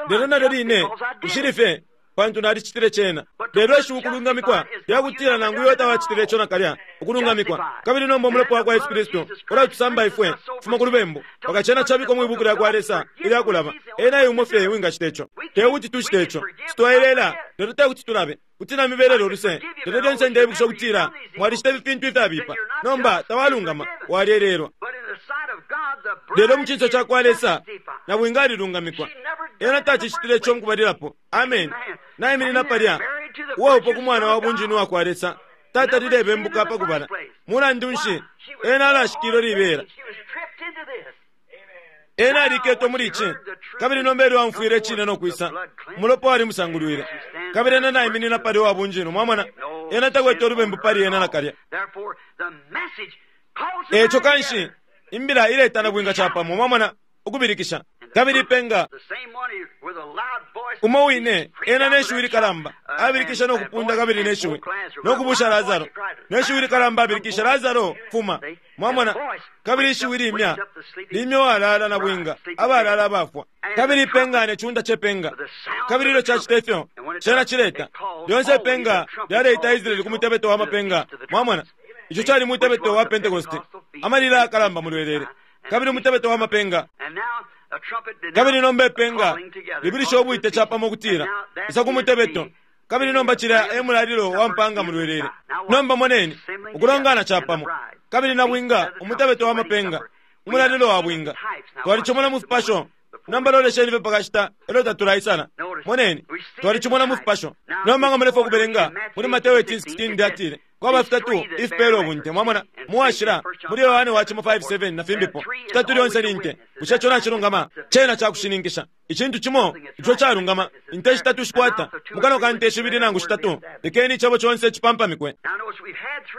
lelo nalyo line nshili fye pantu nalicitile cena. Lelo ishiwi ukulungamikwa lyakutila nangu iyo tawacitile ico nakalya ukulungamikwa. Kabili nomba umulopa wakwa Yesu Kristu ulatusamba ifwe kufuma ku lubembu, paka cena cabikwa mwi buku lyakwa Lesa ilyakulaba. Ena yumo fye wingacita ico. Tekuti tucite ico, sitwailela, lelo tekuti tulabe kuti namibelele uluse. Lelo lyonse ndeibukisha ukutila mwalicita ifi fintu ifyabipa, nomba tawalungama, walyelelwa. Lelo mu cinso cakwa Lesa nabwinga alilungamikwa. Ena tacicitile ico mukubalilapo. Amen. Naiminina palya uwaupa ku mwana wa bunjinu wakwa Lesa, tatalilebembuka pakubala. Mulandu nshi ena alashikilo libela? Ena aliketwe muli ici, kabili nomba elyo amfwile icine no kwisa, umulopa walimusangulwile. Kabili ena naiminina palya uwa bunjinu. Mwamona, ena takwete ulubembu pali ena nakalya. Eco kanshi imbila iletana bwinga capamo. Mwamona, ukubilikisha kabili ipenga umo wine ena neshiwi likalamba abilikisha nokupunda kabili neshiwi nokubusha Lazaro neshiwi likalamba abilikisha Lazaro fuma. Mwamona, kabili ishiwi limya limya walala na bwinga abalala abafwa. Kabili ipenga neciunda cepenga, kabili ilyo cacita ifyo cena cileta lyonse ipenga lyaleita Israeli ku mutebeto wa mapenga. Mwamona, ico cali mutebeto wa Pentekoste, amalila akalamba mulwelele, kabili umutebeto wa mapenga. Kabili nomba ipenga libilisha ubwite capamo ukutila isa ku mutebeto, kabili nomba cilya e mulalilo wa mpanga mulwelele. Nomba moneni ukulongana capamo, kabili na bwinga umutebeto wa mapenga, umulalilo wa bwinga. Twalicimona mu fipasho. Nomba lolesheni fye pakashita elyo tatulaisana. Moneni, twalicimona mu fipasho. Nomba nga mulefwa ukubelenga muli Mateo eighteen sixteen lyatile kwaba fitatu ifipela ubunte. Mwamona, muwashila muli Yohane wacimo five seven na fimbipo fitatu lyonse ni nte. Bushe ico nacilungama? Cena cakushininkisha icintu cimo ico calungama. Inte shitatu shikwata mukano ka nte shibili nangu shitatu, lekeni icebo conse cipampamikwe.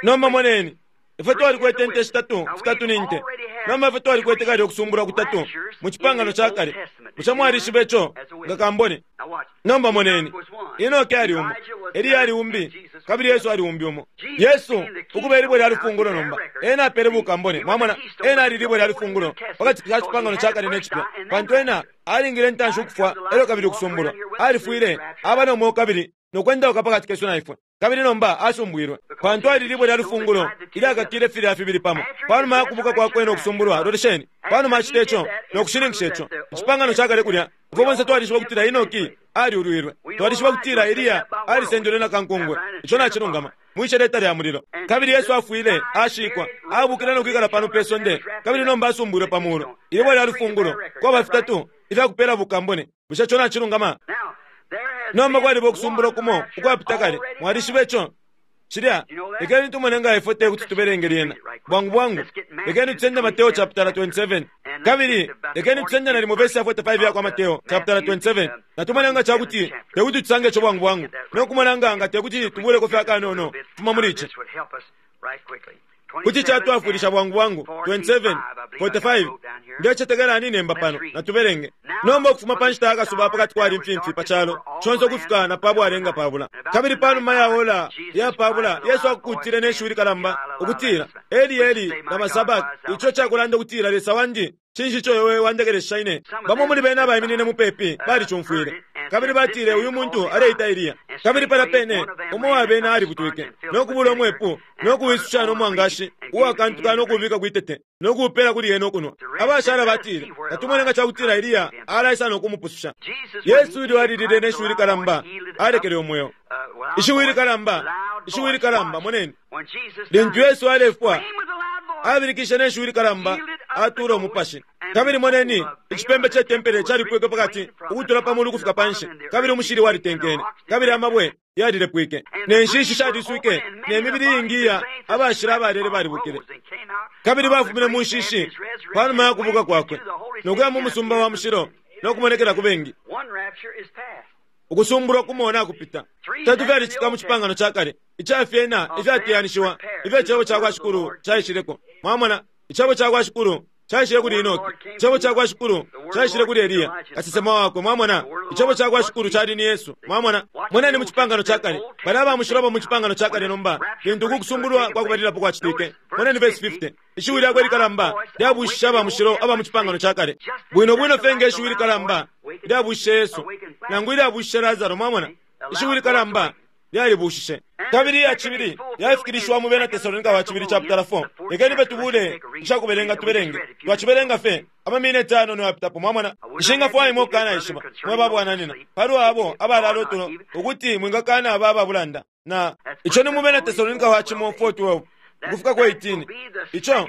Nomba moneni, ifwe twalikwete nte shitatu, fitatu ni nte. Nomba ifwe twalikwete kale ukusumbulwa kutatu mu cipangano ca kale. Bushe mwalishiba ico nga kambone? Nomba moneni, Enoke ali umo, Eliya ali umbi, kabili Yesu ali umbi umo. Yesu ukuba ilibwe lya lufungulo. Nomba ena apele bukambone. Mwamona, ena ali libwe lya lufungulo pakati ka cipangano ca kale ne cipya, pantu ena alingile intanshi ukufwa elyo kabili ukusumbulwa. Alifwile aba no mweo kabili nokwendauka pakati kesu na ifwe, kabili nomba asumbwilwe pantu ali libwe lya lufungulo ilyakakile filya fibili pamo. Panuma ya kubuka kwakwe nokusumbulwa, lolesheni, panuma acita ico nokushininkisha ico icipangano ca kale kulya, ifwe bonse twalishiba ukutila Enoki aliulwilwe, twalishiba ukutila Eliya alisendelwe na kankungwe. Ico nacilungama mwisheleta lya mulilo. Kabili Yesu afwile, ashikwa, abukile nokwikala pano pe sonde, kabili nomba asumbwilwe pa mulu, ilibwe lya lufungulo. Kwaba fitatu ifyakupela bukambone. Bushe ico nacilungama? Nomba kwaliba ukusumbulwa kumo ukwapita kale. Mwalishiba ico? Cilya lekeni tumone nga ifwe tekuti tubelenge lyena bwangu bwangu. Lekeni tusende Mateo chapter twenty-seven, kabili lekeni tusende nalimo vesi ya forty-five yakwa Mateo chapter twenty-seven, natumone nga cakuti tekuti tusange ico bwangu bwangu nokumona nga nga tekuti tubuleko fye akanono fuma muli ici kuti catwafwilisha bwangu bwangu. twenty-seven forty-five ndecetekela ninemba pano natubelenge. Nomba ukufuma pa nshita yakasuba pakati kwali mfimfi pa calo conse ukufika na pabwalenga pabula. Kabili panuma ya ola ya pabula Yesu akukutile neshiwi likalamba ukutila Eli Eli lama sabaki, ico cakulanda ukutila Lesa wandi cinshi ico iwe wandekelesha ine. Bamo muli bena abaiminine mupepi balicumfwile. Kabili batile uyu muntu aleita Eliya. Kabili pala pene umo wabena alibutwike no kubula umwepu no kuwisusha no mwangashi uwakantuka no kubika kwitete no kuupela kuli yena okunwa. Abashala batile tatumone nga cakutila Eliya alaisa no kumupususha. Yesu ilyo alilile ne shiwi likalamba alekele umweo. Ishiwi likalamba, ishiwi likalamba, moneni lintu Yesu alefwa abilikishe ne shiwi likalamba atula umupashi. Kabili moneni icipembe ce tempele calipwike pakati ukutula pamulu kufika panshi, kabili umushili walitenkene, kabili amabwe yalilepwike, ne nshishi shaliswike, ne mibili iingi abashila abalele balibukile. Kabili bafumine mu nshishi panuma ya kubuka kwakwe no kuya mu musumba wa mushilo no kumonekela ku bengi. Ukusumbulwa kumona kupita tatu fyalicika mu cipangano ca kale icafyena ifyateyanishiwa ifyo icebo ca kwa Shikulu caishileko. Mwamona, icebo ca kwa Shikulu caishile kuli Enoki, icebo ca kwa Shikulu caishile kuli Eliya kasesema wakwe. Mwamona, icebo ca kwa Shikulu cali ni Yesu. Mwamona, moneni mu cipangano ca kale bali abamushilo mu cipangano ca kale. Nomba lintu uku kusumbulwa kwa kubalilapo kwacitike, moneni verse fifty, ishiwi lyakwe likalamba lyabushishe abamushilo aba mu cipangano ca kale bwino bwino fye nge ishiwi likalamba lyabushishe Yesu nangu ilyabushishe Lazaro. Mwamona, ishiwi likalamba lyalibushishe. Kabili iya cibili yafikilishiwa mu bena Tesalonika wa cibili chapter four. Lekeni betubule icakubelenga tubelenge twacibelenga fe amamineti anono yapitapo. Mwamona, nshingafwaya imwe okukana ishiba mwe babwananina palwa abo abalala otulo ukuti mwingakana aba ababulanda na ico ni mu bena Tesalonika wa cimo four twelve ukufika ku eighteen. Ico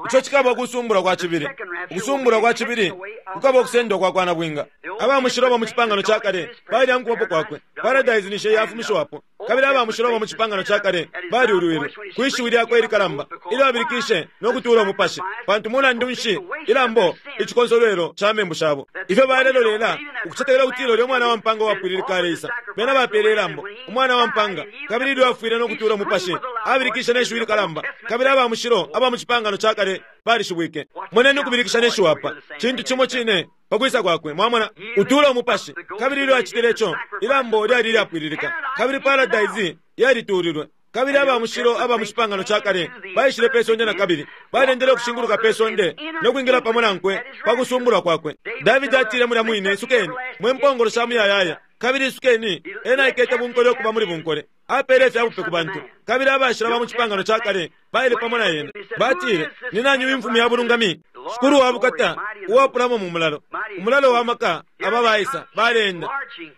ico cikaba ukusumbulwa kwa cibili. Ukusumbulwa kwa cibili kukaba ukusendwa kwa kwana bwinga. Abamushilo ba mu cipangano ca kale bali ankubapo kwakwe. Paradise nishe yafumishiwapo. Kabili abamushilo ba mu cipangano ca kale baliulwilwe kwishiwi lyakwe ilikalamba ilyo abilikishe no kutuula umupashi, pantu mulandu nshi ilambo icikonsolwelo ca membu shabo. Ifyo balelolela ukucetekela kutila ulya umwana wa mpanga wapwililika aleisa, bena bapele ilambo umwana wa mpanga. Kabili ilyo afwile no kutuula umupashi abilikishe ne shiwi likalamba, kabili abamushilo aba mu cipangano ca kale balishibwike. Moneni ukubilikisha ne shiwi apa cintu cimo cine pakwisa kwakwe. Mwamona, utuula umupashi. Kabili ilyo acitile ico, ilambo lyali lyapwililika, kabili paradise yalituulilwe. Kabili abamushilo aba mu cipangano ca kale baishile pe sonde na kabili balendele ukushinguluka pe sonde no kwingila pamo nankwe pa kusumbulwa kwakwe. Davidi atile mulya mwine, isukeni mwe mpongolo sha muyayaya, kabili isukeni. Ena aikete bunkole okuba muli bunkole, apele ifyabupe ku bantu. Kabili abashila ba mu cipangano ca kale baile pamo na yena, batile ni nani uyu mfumu ya bulungami, Shikulu wa bukata uwapulamo mu mulalo, umulalo wa maka. Aba baisa balenda.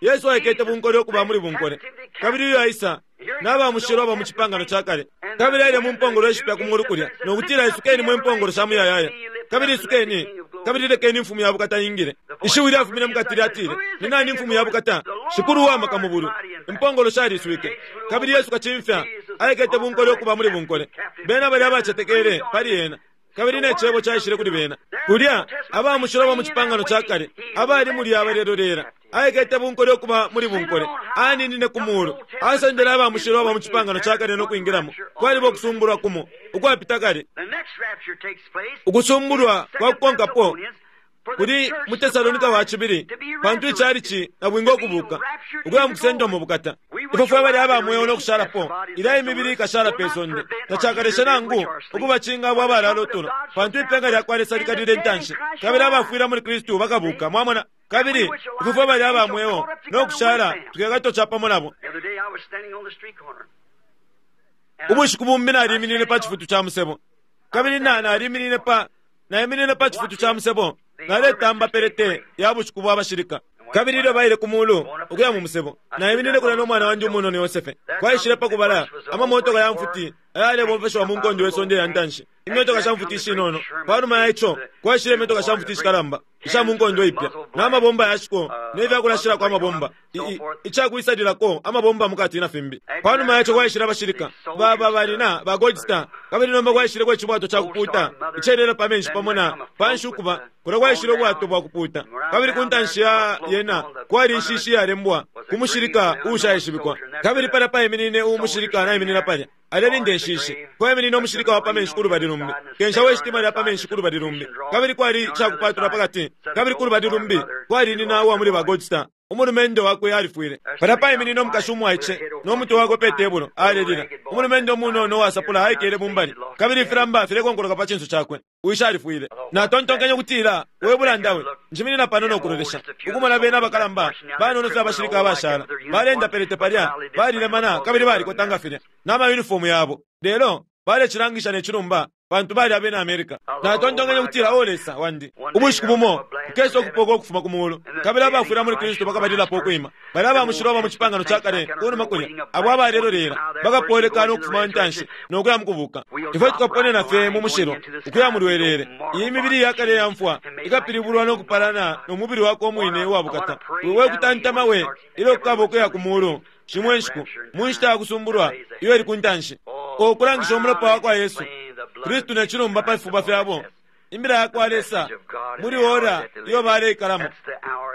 Yesu aikete bunkole okuba muli bunkole, kabili uyu aisa n'abamushilo aba mu cipangano ca kale. Kabili aile mu mpongolo ishipya ku mulu kulya no kutila isukeni mwe mpongolo sha muyayaya, kabili isukeni, kabili lekeni imfumu ya bukata ingile. Ishiwi lyafumine mukati lyatile ni nani imfumu ya bukata, Shikulu wa maka mu bulu. Impongolo shaliswike, kabili Yesu kacimfya aikete bunkole okuba muli bunkole. Bena bali abacetekele pali ena, kabili ne cebo caishile kuli bena. Kulya abamushilo ba mu cipangano ca kale abali mulya abalelolera aikete bunkole okuba muli bunkole, aninine ku mulu asendele abamushilo aba mu cipangano ca kale no kwingilamo. Kwaliba ukusumbulwa kumo ukwapita kale. Ukusumbulwa kwa kukonkapo kuli mu Tesalonika wa cibili, pantu icalici na bwinga okubuka ukuya mu kusendwa mu bukata. Ifwe fwe bali abamweo no kushalapo ilya imibili ikashala pe sonde tacakaleshe nangu ukubacinga abo abalala otulo, pantu ipenga lya kwa Lesa likalile intanshi, kabili abafwila muli Kristu bakabuka. Mwamona, kabili ifwe fwe bali abamweo no kushala tukekato ca pamo nabo. Ubushiku bumbi naliminine pa cifutu ca musebo, kabili na naliminine pa naiminine pa cifutu ca musebo naletamba pelete ya bushiku bwa bashilika. Kabili ilyo baile ku mulu ukuya mu musebo, naiminine kulya n'omwana wandi umunono Yosefe. Kwaishile pa kubala amamotoka ya mfuti ayalebomfeshiwa mu nkondo ye sonde ya ntanshi, imyotoka sha mfuti ishinono. Panuma ya ico kwaishile imyotoka sha mfuti ishikalamba isha mu nkondo ipya, n'amabomba yashiko n'ifyakulashilako amabomba, icakwisalilako amabomba mukati na fimbi. Panuma ya ico kwaishile abashilika baba balina ba Gold Star, kabili nomba kwaishileko icibwato ca kupuuta icelela pa menshi pamo na panshi ukuba kulya kwaishile ubwato bwa kupuuta. Kabili ku ntanshi ya yena kwali inshishi iyalembwa ku mushilika uushaishibikwa, kabili palya paiminine umushilika naiminina palya alelinda inshishi. Kwaiminine umushilika wa pa menshi ku lubali lumbi, kensha we shitima lya pa menshi ku lubali lumbi, kabili kwali icakupatula pakati, kabili ku lubali lumbi kwali nina uwa muli ba Gold Star. Umulumendo wakwe alifwile. Palya paiminine umukashi umwaice no mutwe wakwe pe tebulo alelila. Umulumendo umunono uwasapula aikele mumbali, kabili ifilamba filekonkoloka pa cinso cakwe. Wishi alifwile. Natontonkenye ukutila, we bulanda we, njiminina pano no kulolesha ukumona bena abakalamba banono fye abashilika abashala balenda pelete palya, balilemana kabili balikotanga filya n'amayunifomu yabo, lelo balecilangisha ne cilumba pantu bali abena America. Natontonkenye ukutila, o Lesa wandi, ubushiku bumo kukesa ukupoka ukufuma ku mulu, kabili abafwila muli Kristu bakabalilapo ukwima. Bali abamushilo ba mu cipangano ca kale kunuma kulya, abo abalelolera bakapolekana ukufuma ntanshi nokuya mukubuka. Ifwe tukaponena fye mu mushilo ukuya mu lwelele. Iyi mibili ya kale ya mfwa ikapilibulwa no kupalana no mubili wako umwine uwa bukata. We kutantama we ilyo kukaba ukuya ku mulu shimwe nshiku mu nshita ya kusumbulwa iyo ili ku ntanshi, okulangisha umulopa wa kwa Yesu Kristu ne cilumba pa fifuba fyabo, imbila ya kwa Lesa muli ora iyo baleikalamo.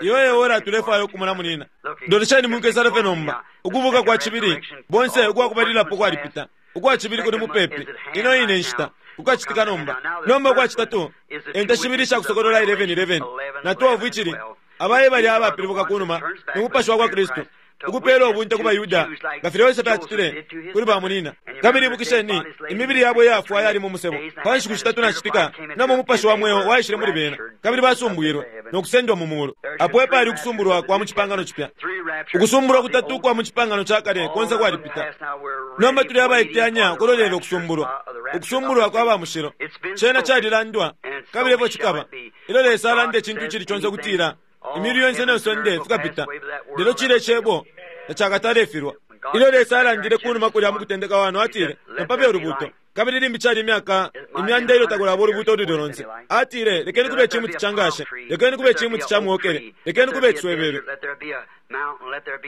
Iyo e ora tulefwaya ukumona munina. Ndolesheni munkesale fye nomba ukubuka kwa cibili bonse ukwakubalilapo kwalipita, ukwa cibili kuli mupepi. Ino ine nshita kukacitika nomba. Nomba ukwa citatu enta shibili sha kusokolola eleven eleven na twelve icili abaye bali abapilibuka kunuma no mupashi wa kwa Kristu ukupela ubunte ku baYuda nga filya Yosefe acitile kuli bamunina. Kabili ibukisheni imibili yabo iyafwa yali mu musebo pa nshiku shitatu na citika, namo umupashi wa mweo waishile muli bena, kabili basumbwilwe no kusendwa mu mulu. Apo epali ukusumbulwa kwa mu cipangano cipya. Ukusumbulwa kutatu kwa mu cipangano ca kale konse kwalipita. Nomba tuli abaiteyanya kulolela ukusumbulwa, ukusumbulwa kwa ba mushilo. Cena calilandwa kabili efyo cikaba. Ilyo Lesa alanda icintu icili conse ukutila imili yonse ne sonde fikapita, lelo cile cebo tacakatalefilwa. Ilyo Lesa alandile kunuma kulya mu kutendeka wano, atile napabe ulubuto, kabili limbi cali imyaka imyanda ilyo takulaba ulubuto ululi lonse. Atile, lekeni kube icimuti ca ngashe, lekeni kube icimuti ca muokele, lekeni kube iciswebebe,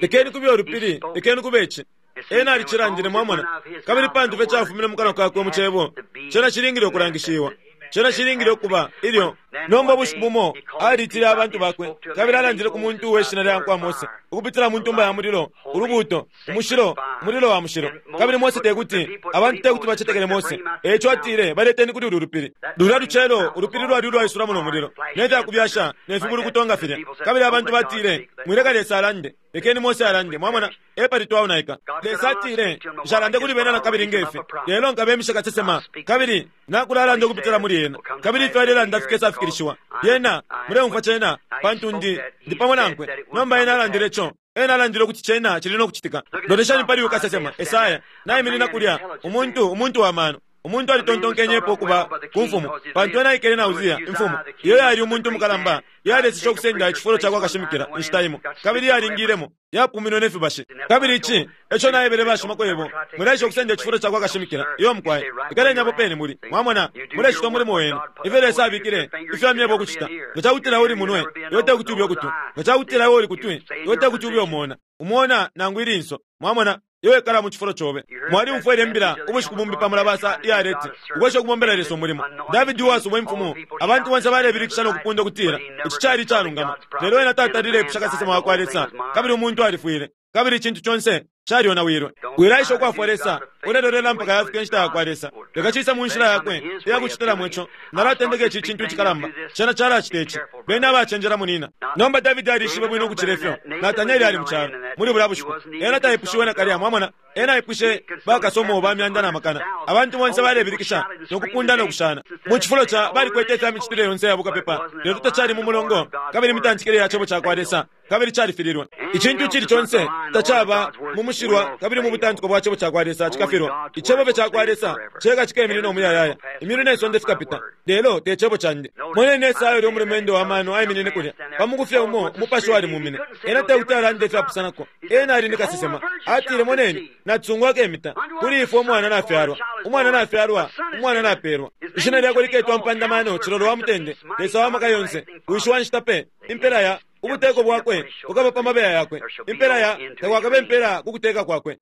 lekeni kube ulupili, lekeni kube ici. Ena alicilandile, mwamona, kabili pantu fye cafumine mu kanwa kakwe mu cebo, cena cilingile ukulangishiwa. Cena cilingile ukuba ilyo. Nomba ubushiku bumo alitile abantu bakwe, kabili alandile ku muntu uwe shina lya kwa Mose ukupitila mu ntumba ya mulilo, ulubuto, umushilo, umulilo wa mushilo. Kabili Mose tekuti abantu tekuti bacetekele Mose, eco atile baleteni kuli ulu lupili. Lulya lucelo ulupili lwali ulwaisulamo no mulilo ne fyakubyasha ne fibulukuto filya. Kabili abantu batile, mwileka Lesa alande, lekeni Mose alande. Mwamona, epali twaonaika. Lesa atile, nshalande kuli bena na kabili ngefi, lelo nkabemisha kasesema, kabili nakulalanda ukupitila muli ena, kabili ifyo alelanda fikesa fikilishiwa. Yena muleumfwa cena, pantu ndi ndi pamo nankwe. Nomba ena alandile ico, ena alandile ukuti cena cili no kucitika. Loleshani pali uyu kasesema Esaya naiminina kulya, umuntu umuntu wa mano. Umuntu alitontonkenyepo ukuba ku mfumu, pantu ena aikele na Uzia imfumu iyo yali umuntu mukalamba, yaleseshe ukusenda icifulo ca kwa kashimikila inshita imo, kabili yalingilemo yapuminwe ne fibashi. Kabili ici eco naebele bashimakwebo, mwilesha ukusenda icifulo ca kwa kashimikila iyo mukwaye, ikaleni apo pene muli. Mwamona, mulecita umulimo wenu ifyo Lesa abikile ifyo amyeba ukucita. Nga cakutila uli munwe, iwe tekuti ube ukutwi; nga cakutila iwe uli kutwi, iwe tekuti ube umona umona nangu ilinso. Mwamona, iwe ikala mu cifulo cobe. Mwaliumfwele imbila ubushiku bumbi pa mulabasa iyaleti ukwesha ukubombela Lesa umulimo. Davidi uwasubwa imfumu, abantu bonse balebilikisha no kupunda ukutila ici cali icalungama, lelo ena tatalile ipusha kasesema wa kwa Lesa, kabili umuntu alifwile, kabili icintu conse calyonawilwe. Wilaisha ukwafwa Lesa, ulelolela mpaka yafika inshita ya kwa Lesa. Leka cise mu nshila yakwe iyakucitilamo ico. Nalatendeka ici cintu icikalamba, cena calacita ici. Bena abacenjela munina. Nomba Davidi alishibe bwino ukucila ifyo Natanieli ali mu calo muli bulya bushiku. Ena taipushiwe nakalya, mwamona. Ena aipushe bakasomo ba myanda na makana. Abantu bonse balebilikisha no kupunda no kushana. Mu cifulo ca balikwete ifya micitile yonse ya bukapepa, lelo tacali mu mulongo kabili imitantikile ya cebo ca kwa Lesa, kabili califililwe. Icintu icili conse tacaba mu mushilwa kabili mu butantiko bwa cebo ca kwa Lesa cikafilwa. Icebo fye ca kwa Lesa ceka cikeminina umuyayaya. Imyulu ne sonde fikapita, lelo te cebo candi. Moneni Esaya ulya umulumendo wa mano aiminine kulya pa muku fye umo umupashi walimumine. Ena tekuti alande ifyapusanako. Ena ali ni kasesema. Atile, moneni, natusungwa akemita kuli ifwe umwana nafyalwa, umwana nafyalwa, umwana napelwa. Ishina lyakwe liketwa mpandamano, cilolo wa mutende, Lesa wa maka yonse, wishi wa nshita pe, impela ya ubuteko bwakwe bukaba pa mabeya yakwe, impela ya takwakabe impela ku kuteka kwakwe.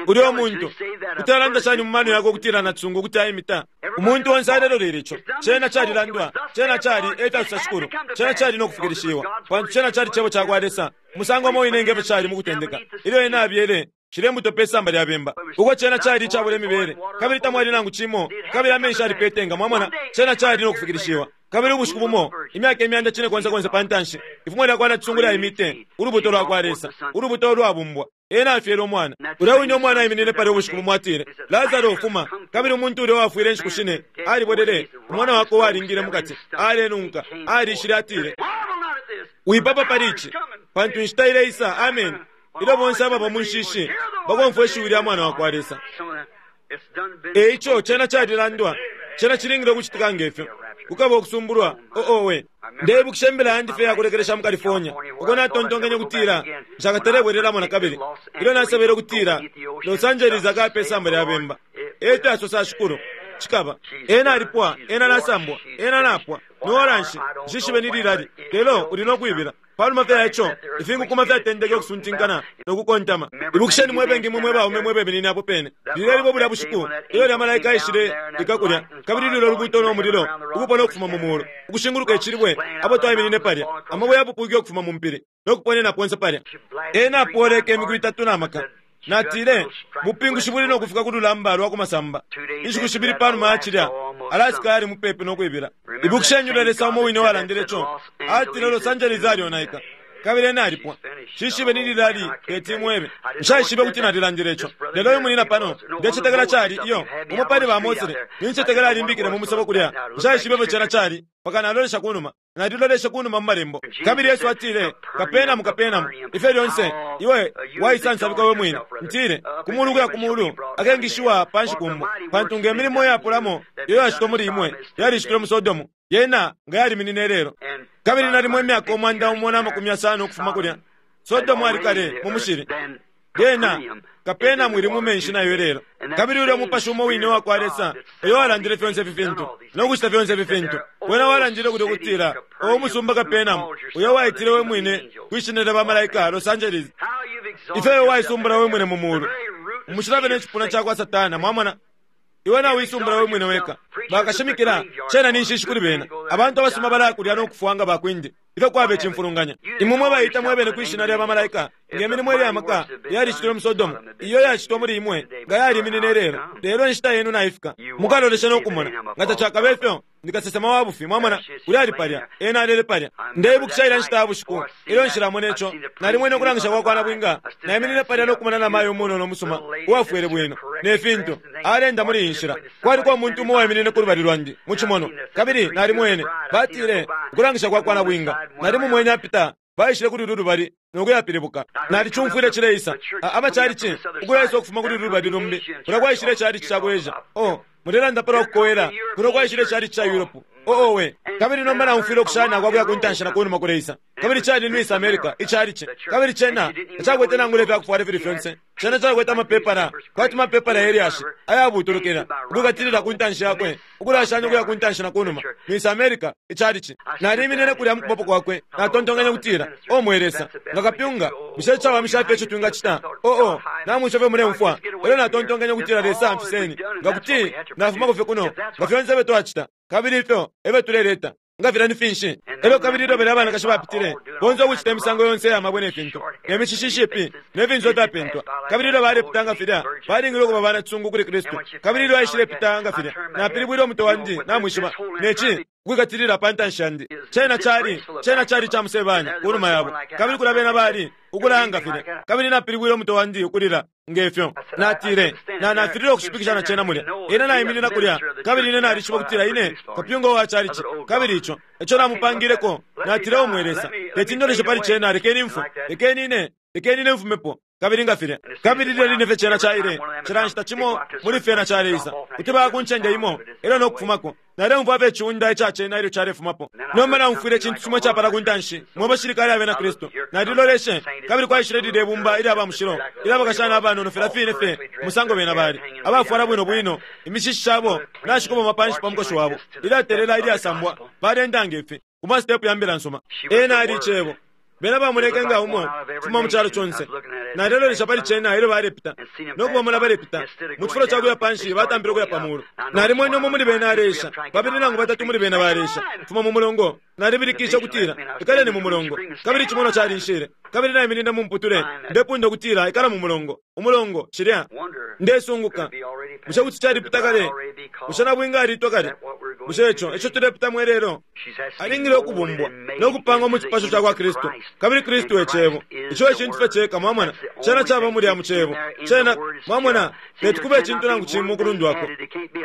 Ulya umuntu kuti alanda shani mu mano yakwe ukutila natusungwa ukuti aimita? Umuntu onse alelolele ico. Cena calilandwa, cena cali efyasusa Shikulu, cena cali no kufikilishiwa, pantu cena cali cebo ca kwa Lesa. Musango umo wine ngefyo cali mu kutendeka ilyo ena abyele shile mbuto pe samba lya bemba, uko cena cali icabula imibele, kabili tamwali nangu cimo, kabili amenshi alipetenga. Mwamona, cena cali no kufikilishiwa. Kabili ubushiku bumo, imyaka imyanda cine konse konse pa ntanshi, ifumo lyakwa nacisungu lyaimite ulubuto lwakwa Lesa, ulubuto lwabumbwa. Ena afyele umwana. Ulya wine umwana aiminine palya ubushiku bumo atile, Lazaro fuma. Kabili umuntu ulya wafwile inshiku shine alibwelele, umwana wakwe walingile mukati, alenunka, alishile atile, wipapa pali ici, pantu inshita ileisa, amen, ilyo bonse ababa mu nshishi bakomfwa ishiwi lya mwana wakwa Lesa. Eico cena calilandwa, cena cilingile ukucitika ngefyo. Kukaba ukusumbulwa, oowe. Ndeibukisha imbila yandi fye yakulekelesha mu California, uko natontonkenye kutila nshakatalebwelelamo nakabili. Ilyo nasabele kutila Los Angeles akape isamba lya bemba. Efyo asosa Shikulu, cikaba. Ena alipwa, ena nasambwa, ena napwa. Niwola nshi, nshishibe ni lilali, lelo uli nokwibila. Panuma fye yaco, ifinkukuma fyatendeke ukusuntinkana nokukontama. Ibukisheni mwe bengi imwe mwe baume mwe beminine apo pene. Lilya libo bulya bushiku, ilyo lya malaika aishile likakulya, kabili lilyo lubuuto no mulilo, ukupona ukufuma mu mulu, ukushinguluka icilibwe, apo twaiminine palya, amabwe yapupwike ukufuma mu mpili, nokuponena ponse palya. Ena apoleke imiku itatu na maka. Natile, bupingushi buli nokufika ku lulamba lwa kumasamba. Inshiku shibili panuma yacilya, Alaska yali mupepi nokwibila. Ibukisheni ulya Lesa umo wine walandile co, atile Los Angeles alionaika. Kabili ena alipwa. Shishibe ni lilali teti mwebe. Nshaishibe kuti nalilandile ico. Lelo uyu munina pano, ndecetekela cali iyo, umo pali ba Mosele, nincetekela alimbikile mu musebo kulya. Nshaishibe fyo cena cali, paka nalolesha kunuma. Nalilolesha kunuma mu malembo. Kabili Yesu atile, Kapenamu, Kapenamu, ifyo lyonse, iwe waisansabika we mwine. Ntile, kumulu kuya kumulu, akengishiwa panshi kumbo. Pantu nge milimo yapulamo, iyo yashitwa muli imwe, yalishitwe mu Sodomu. Yena nga yaliminine lelo. Kabili nalimo imyaka umwanda umo na makumi yasano ukufuma kulya. Sodomu ali kale mu mushili. Yena Kapenamu ili mu menshi nayo lelo. Kabili ulya mupashi umo wine wakwa Lesa, uyo walandile fyonse ifi fintu, nokucita fyonse ifi fintu. Wena walandile kulya kutila, uwo musumba Kapenamu, uyo waitile we mwine kwishina lya bamalaika Los Angeles. Ifyo iwe waisumbula we mwine mu mulu. Umushilave ne cipuna cakwa Satana, mwamona. Iwe nawe isumbula we mwine weka. Bakashimikila, cena ni nshishi kuli bena. Abantu abasuma balakulya nokufwa nga bakwindi. Ifyo kwabe cimfulunganya. Imwe mwe bayita mwebene kwishina lya bamalaika, nge milimo ilya maka yalishitwe mu Sodomu, iyo yashitwa muli imwe, nga yaliminine lelo. Lelo inshita yenu naifika. Mukalolesha nokumona. Nga tacakabe ifyo, ndi kasesema wa bufi, mwamona, ulya ali palya, ena alele palya. Ndeibukisha ilya nshita ya bushiku, ilyo nshilamona ico, nalimwene ukulangisha kwakwa nabwinga, naiminine palya nokumona namayo umunono umusuma, uwafwele bwino, ne fintu, alenda muli iyi nshila. Kwaliko umuntu umo uwaiminine ku lubali lwandi, mu cimono, kabili nalimwene, batile, ukulangisha kwakwa nabwinga, nalimumwene apita, baishile kuli ulu lubali, nokuyapilibuka. Nalicumfwile cileisa, abacalici, ukulaisa ukufuma kuli ulu lubali lumbi, kulya kwaishile calici ca ku Asia. Oh, mulelanda palwa kukowela, kuno kwaishile calici ca Europe. Oh, owe. Kabili nomba naumfwile ukushana kwakuya kuntanshi na kunuma kuleisa. Kabili cali ni Miss America, icalici. Kabili cena, tacakwete nangula ifyakufwala ifili fyonse. Cena cakwete amapepala, kwati mapepala yelyashi, ayabutulukila, ukukatilila kuntanshi yakwe, ukulashanya ukuya kuntanshi na kunuma. Miss America, icalici. Naliminine kulya mu kuboko kwakwe, natontonkanya kutila, O mwe Lesa, nga kapyunga, bushe cawamisha fye ico twingacita? Oh, oh, namwisha fye muleumfwa. Elyo natontonkanya kutila Lesa amfiseni, nga kuti nafumako fye kuno, nga fyonse ifyo twacita. Kabili ifyo ebe tuleleta nga filya ni finshi. Elyo kabili ilyo bena abanakashi bapitile bonse ukucita imisango yonse ya mabwe ne fintu, ne mishishi ishipi, ne finso fyapentwa. Kabili ilyo balepita nga filya, balingile ukuba banacisungu kuli Kristu. Kabili ilyo aishilepita nga filya, napilibwile umutwe wandi, namwishiba, neci ukwikatilila pa ntanshi yandi. Cena cali, cena cali ca musebanya kunuma yabo. Kabili kulya bena bali ukulanga filya. Kabili napilibwile umutwe wandi ukulila ngefyo. Natile, na nafilile ukushipikisha na cena mulya. Ine naiminina kulya, kabili ine nalishiba kutila ine kapyunga wa calici. Kabili ico, ico namupangileko, natile o mwe Lesa, teti ndoleshe pali cena, lekeni mfwe, lekeni ine, lekeni ine mfumepo. Kabili nga filya. Kabili lilya line fye cena caile, cila nshita cimo muli fyena caleisa, kuti baya ku ncende imo, elyo nokufumako. Naleumfwa fye iciunda ica cena ilyo calefumapo. Nomba naumfwile icintu cimo icapala ku ntanshi, mwe bashilikale abena Kristu. Naliloleshe, kabili kwaishile lilya ibumba ilya ba mushilo, ilya bakashana abanono filya fine fye, musango bena bali. Abafwala bwino bwino, imishishi shabo nashikoboma panshi pa mukoshi wabo, ilyatelela ilyasambwa, balenda ngefi, ku masitepu ya mbila nsuma. Ena ali icebo. Bena bamoneke nga umo fuma mu calo conse. Nalilolesha pali cena ilyo balepita, nokubamona balepita. Mu cifulo ca kuya panshi batampile ukuya pa mulu. Nalimwene umo muli bena aleisha, babili nangu batatu muli bena baleisha, fuma mu mulongo. Nalibilikisha ukutila ikaleni mu mulongo, kabili icimonwa calinshile, kabili naiminina mu mputule ndepunda ukutila ikala mu mulongo, umulongo cilya. Ndesunguka, bushe kuti calipita kale? Bushe nabwinga alitwa kale? Bushe ico ico tulepitamo ilelo? Alingile ukubumbwa no kupangwa mu cipasho ca kwa Kristu, kabili Kristu e Cebo. Ico e cintu fye ceka, mwamona, cena caba mulya mu Cebo. Cena, mwamona, teti kube icintu nangu cimo ukulundwako.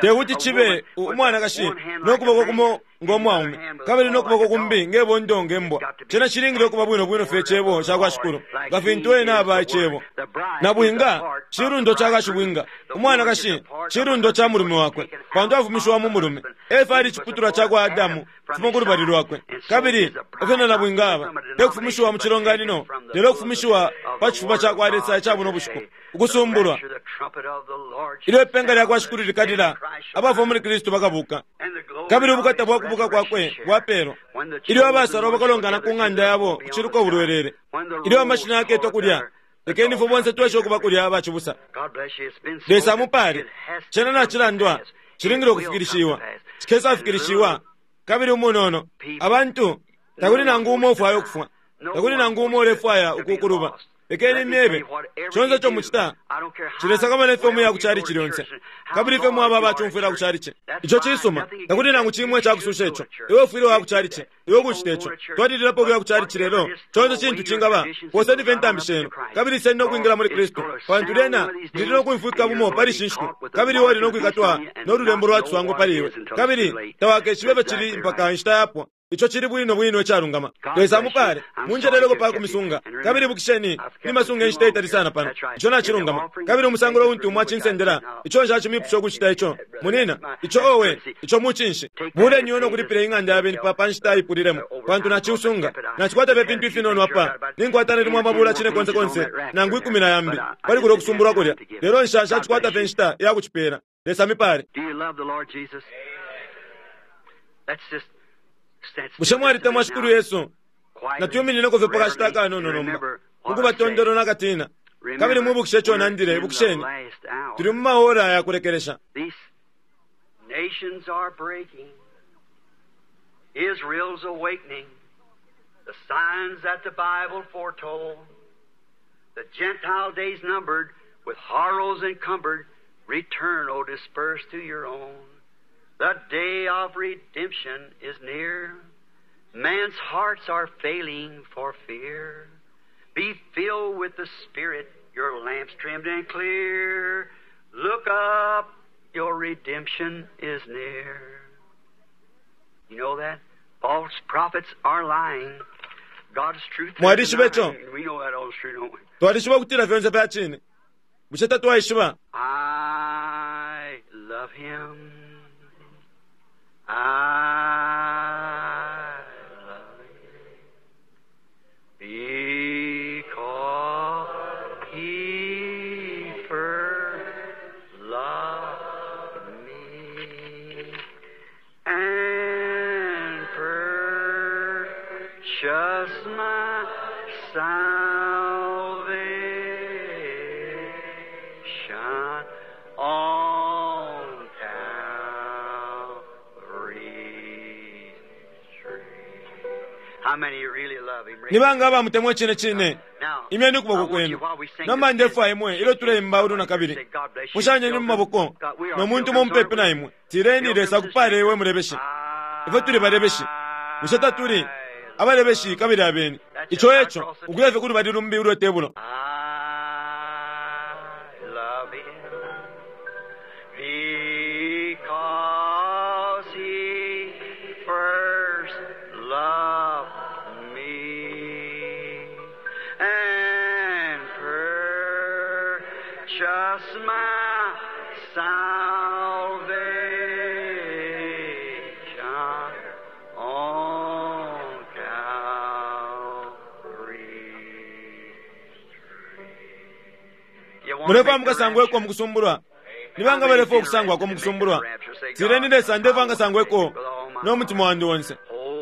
Tekuti chibe umwanakashi nokuboko kumo ng'omwaume kabili nokuboko kumbi ngebondo ngembwa. Cena chilingile okuba bwino bwino fye Cebo ca kwa Shikulu, nga fintu ena aba Icebo. Nabwinga chilundo ca kashibwinga, umwanakashi chilundo ca mulume wakwe, pantu afumishiwa mu mulume. Efa ali chiputulwa ca kwa Adamu kufuma ku lubali lwakwe, kabili efyo na nabwinga aba tekufumishiwa mu chilonganino, lelo okufumishiwa pa chifuba ca kwa Lesa ica buno bushiku, ukusumbulwa. Ilyo ipenga lya kwa Shikulu likalila, abafwa muli Kristu bakabuka, kabili ubukata bwa kubuka kwakwe bwapelwa. Ilyo abasalwa bakalongana ku ng'anda yabo kuchiluka ubulwelele, ilyo amashina yaketwa kulya, lekeni ifwe bonse tweshe okuba kulya abachibusa. Lesa amupale. Cena nacilandwa, chilingile okufikilishiwa, chikesafikilishiwa. Kabili umunono abantu, takuli nangu umo ufwaya ukufwa, takuli nangu umo ulefwaya ukukuluba. Lekeni myebe, chonse ico muchita chilesakamana ifyo muya ku chalichi lyonse, kabili ifyo mwaba abachumfwila ku chalichi. Ico cisuma, takuli nangu chimwe icakususha ico. Iwe ufwile wa ku chalichi, iwe ukucita ico. Twalililapo ukuya ku chalichi lelo chonse cintu cingaba, poseni fye intambi shenu, kabili iseni nokwingila muli Kristu, pantu lyena lili nokumfwika bumo pali ishi nshiku, kabili iwe uli nokwikatwa nolulembo lwa ciswango pali iwe, kabili tawakeshibe ifyo cili mpaka inshita yapwa. Ico chili bwino bwino icalungama. Lesa amupale, munjeleleko pa kumisunga, kabili bukisheni nimasunga inshita itali sana pano. Ico nacilungama. Kabili umusangulo untu mwacinsendela, ico nshacimipusha ukucita ico munina, ico owe, ico mucinshi. Buleni no kulipila ing'anda yabeni pa pa nshita ipulilemo, pantu naciusunga. Nacikwata fye fintu ifinono apa, ninkwata nalimwe amabula cine konse konse nangu ikumi na yambi pali kulya okusumbulwa kulya, lelo nsha nshacikwata fye nshita ya kucipela. Lesa amipale. Bushe mwalitemwa Shikulu Yesu? Natwiminineko fye pakashita akanono nomba, mukuba tondolo nakatina, kabili mwibukishe ico nandile. Ibukisheni, tuli mu maora ya kulekelesha. Nations are breaking, Israel's awakening, the signs that the Bible foretold, the Gentile days numbered, with horrors encumbered, return, O dispersed to your own. The day of redemption is near. Man's hearts are failing for fear. Be filled with the Spirit, your lamps trimmed and clear. Look up, your redemption is near. You know that? False prophets are lying. God's truth is denying. We know that all's true, don't we? Twalishiba kutila fyonse fya chine. Bushe tatwaishiba? I love him. I love him because he first loved me and purchased my salvation on Calvary's tree. How many really love him? Nibanga abamutemwa chine chine, imyeni ukuboko kwenu. Nomba ndefwa imwe ilyo tuleimba ulu na kabili, mushanyeni mu maboko no muntu mupepi na imwe. Tireni Lesa akupale iwe mulebeshi. Ifwe tuli balebeshi, bushe tatuli abalebeshi kabili abeni? Ico eco ukuya fye kulubali lumbi ulwe tebulo. I love him because he first loved me and purchased my salvation on Calvary's tree. You wanna Mulefwa make the mukasangweko rapture? mukusumbulwa. Nibanga balefwa okusangwako mukusumbulwa. Tireni Lesa ndefwa ngasangweko n'omutima wandi wonse.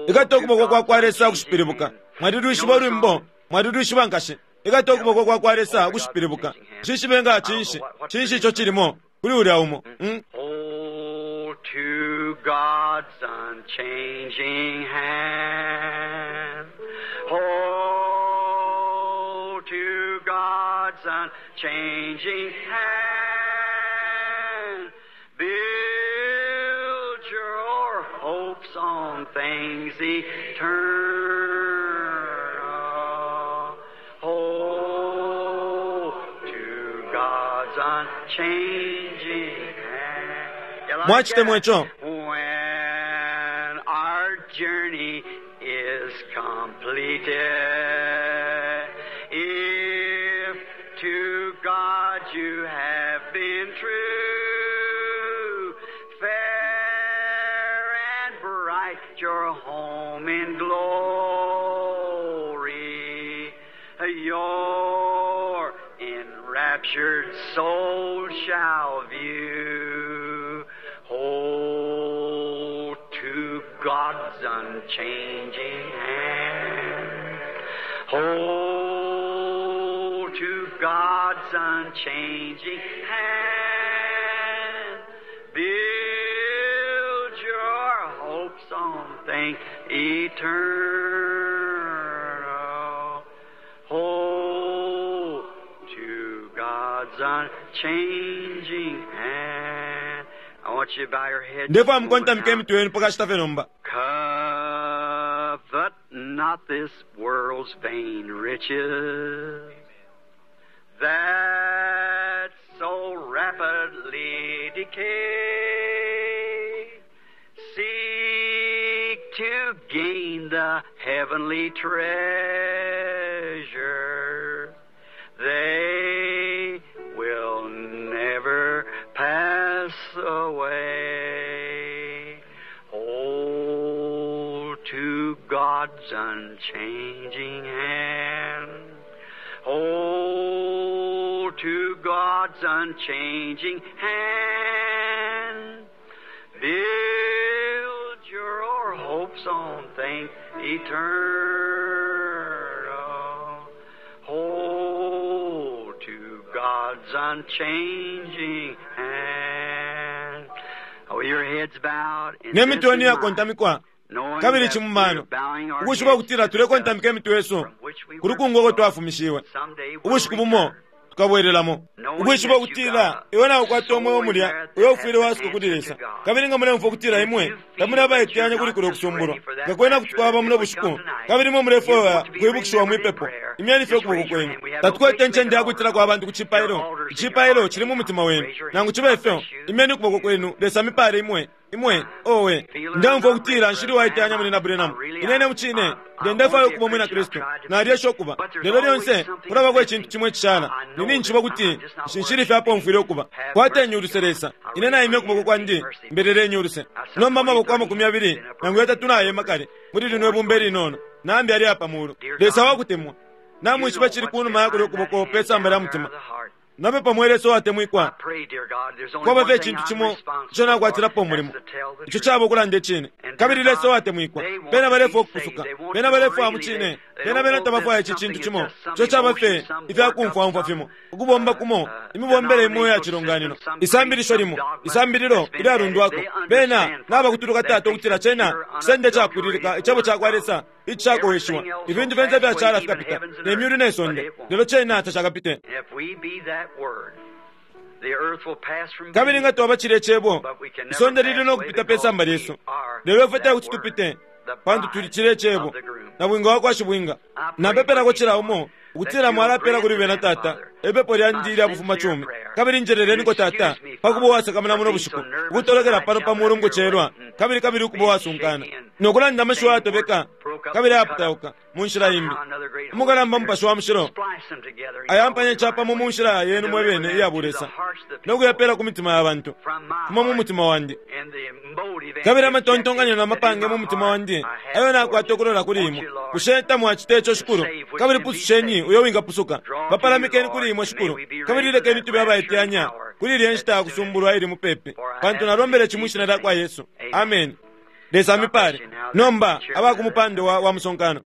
Ikata okuboko kwa kwa Lesa kushipilibuka. Mwalilwishiba olwimbo, mwalilwishiba nkashi. Ikata okuboko kwa kwa Lesa kushipilibuka. Nshishibe nga chinshi, chinshi ico chilimo kuli ulya umo. Mm? Hold to to God's unchanging hand. Hold to God's unchanging hand. Build your hopes on things eternal. Hold to God's unchanging hand. You like Mwachitemwa that? icho. When our journey is completed, if to God you have been true, fair and bright your home in glory, your enraptured soul shall view. Hold to God's unchanging hand. Hold to God's unchanging hand. Build your hopes on things eternal. Hold to God's unchanging hand. I want you to bow your head. Ndipo just a moment amukontamike now. emitwe yenu pakashita fye nomba. Covet not this world's vain riches that so rapidly decay. Seek to gain the heavenly treasure. They will never pass away. Hold to God's unchanging hand. Hold to God's unchanging hand. Build your hopes on things eternal. Hold to God's unchanging hand. Oh, your heads bowed and Ne this mitwe in yenu mind, yakontamikwa knowing kabili that chimumano we're bowing our ukushiba heads kutila to the tulekontamika dust emitwe yesu from which we kuli were kungoko brought. twafumishiwe Someday we'll ubushiku bumo return. tukabwerelamo ukwishiba kutila iwe nakukwata omweo mulya uyo ufwile wasuka kuli Lesa kabili nga mulemfwa ukutila imwe tamuli abaiteyanya kuli kulya okusumbulwa nga kwena kuti kwaba muno bushiku kabili imwe mulefwaya kwibukishiwa mwipepo imyeni fye ukuboko kwenu tatukwete encende yakwitilako abantu ku cipailo icipailo cili mu mutima wenu nangu cibe ifyo imyeni ukuboko kwenu Lesa mipale imwe imwe owe ndemfwa ukutila nshili waiteyanya muli na Branham inene mucine ndendefwayo ukuba mwina Kristu nalyesha ukuba lelo lyonse kulabako icintu chimwe cishala nini nchiba kuti nshili fyapo mfwile ukuba kwatenye uluse Lesa ine naimye ukuboko kwandi mbelelenye uluse nomba amaboko amakumi abili nangu yatatu nayema kale muli lino ibumba ilinono nambi ali apa mulu Lesa wakutemwa namwishiba chili kunuma yakuli ukuboko pe samba lya mutima napepa mwe Lesa owatemwikwa kwaba fye icintu cimo ico nakwatilapo umulimo ico caba ukulanda icine kabili Lesa owatemwikwa bena balefwa ukupusuka bena balefwa mucine bena bena tabafwaya ici cintu cimo ico caba fye ifyakumfwamfwa fimo ukubomba kumo imibombele imo ya cilonganino isambilisho limo isambililo ilyalundwako bena nabakutuluka tata ukutila cena cisende capwililika icebo cakwa Lesa icakoweshiwa ifintu fyonse fyacala fikapita ne myulu ne sonde lelo cena tacakapite If we be that word, the earth will pass from kabili being, nga twaba cilya cebo but we can never isonde pass lili away nokupita pe because samba we lyesu are lelo ifwe that tekuti word, tupite the pantu tuli bride cilya cebo of the groom. na bwinga wakwa shibwinga napepelako cila umo ukutila mwalapela kuli bena tata ipepo lyandi ilya bufuma cumi kabili njereleniko tata pakuba uwasakamana muno bushiku ukutolokela pano pa mulu mukucelwa kabili kabili ukuba uwasunkana nokulanda amashiwi ayatobeka kabili ayaputauka mu nshila imbi umukalamba mupashi wa mushilo Splice them together in ayampanya your capamo own mu way. nshila yenu mwe bene iya bulesa nokuyapela ku mitima ya bantu From my kuma mu heart mutima wandi and the motive and kabili amatontonkanyo objective na mapange that mu in my mutima heart wandi I have ayo nakwata towards you. okulola kuli Won't imwe you, Lord, bushe tamwacita ico shikulu kabili pususheni uyo wingapusuka bapalamikeni kuli imwe shikulu kabili lekeni tube abaiteyanya kuli ilya nshita yakusumbulwa ili mupepi pantu nalombele cimu ishina lya kwa Yesu. Amen. Lesa amipale. Nomba abakumupando wa, wa musonkano.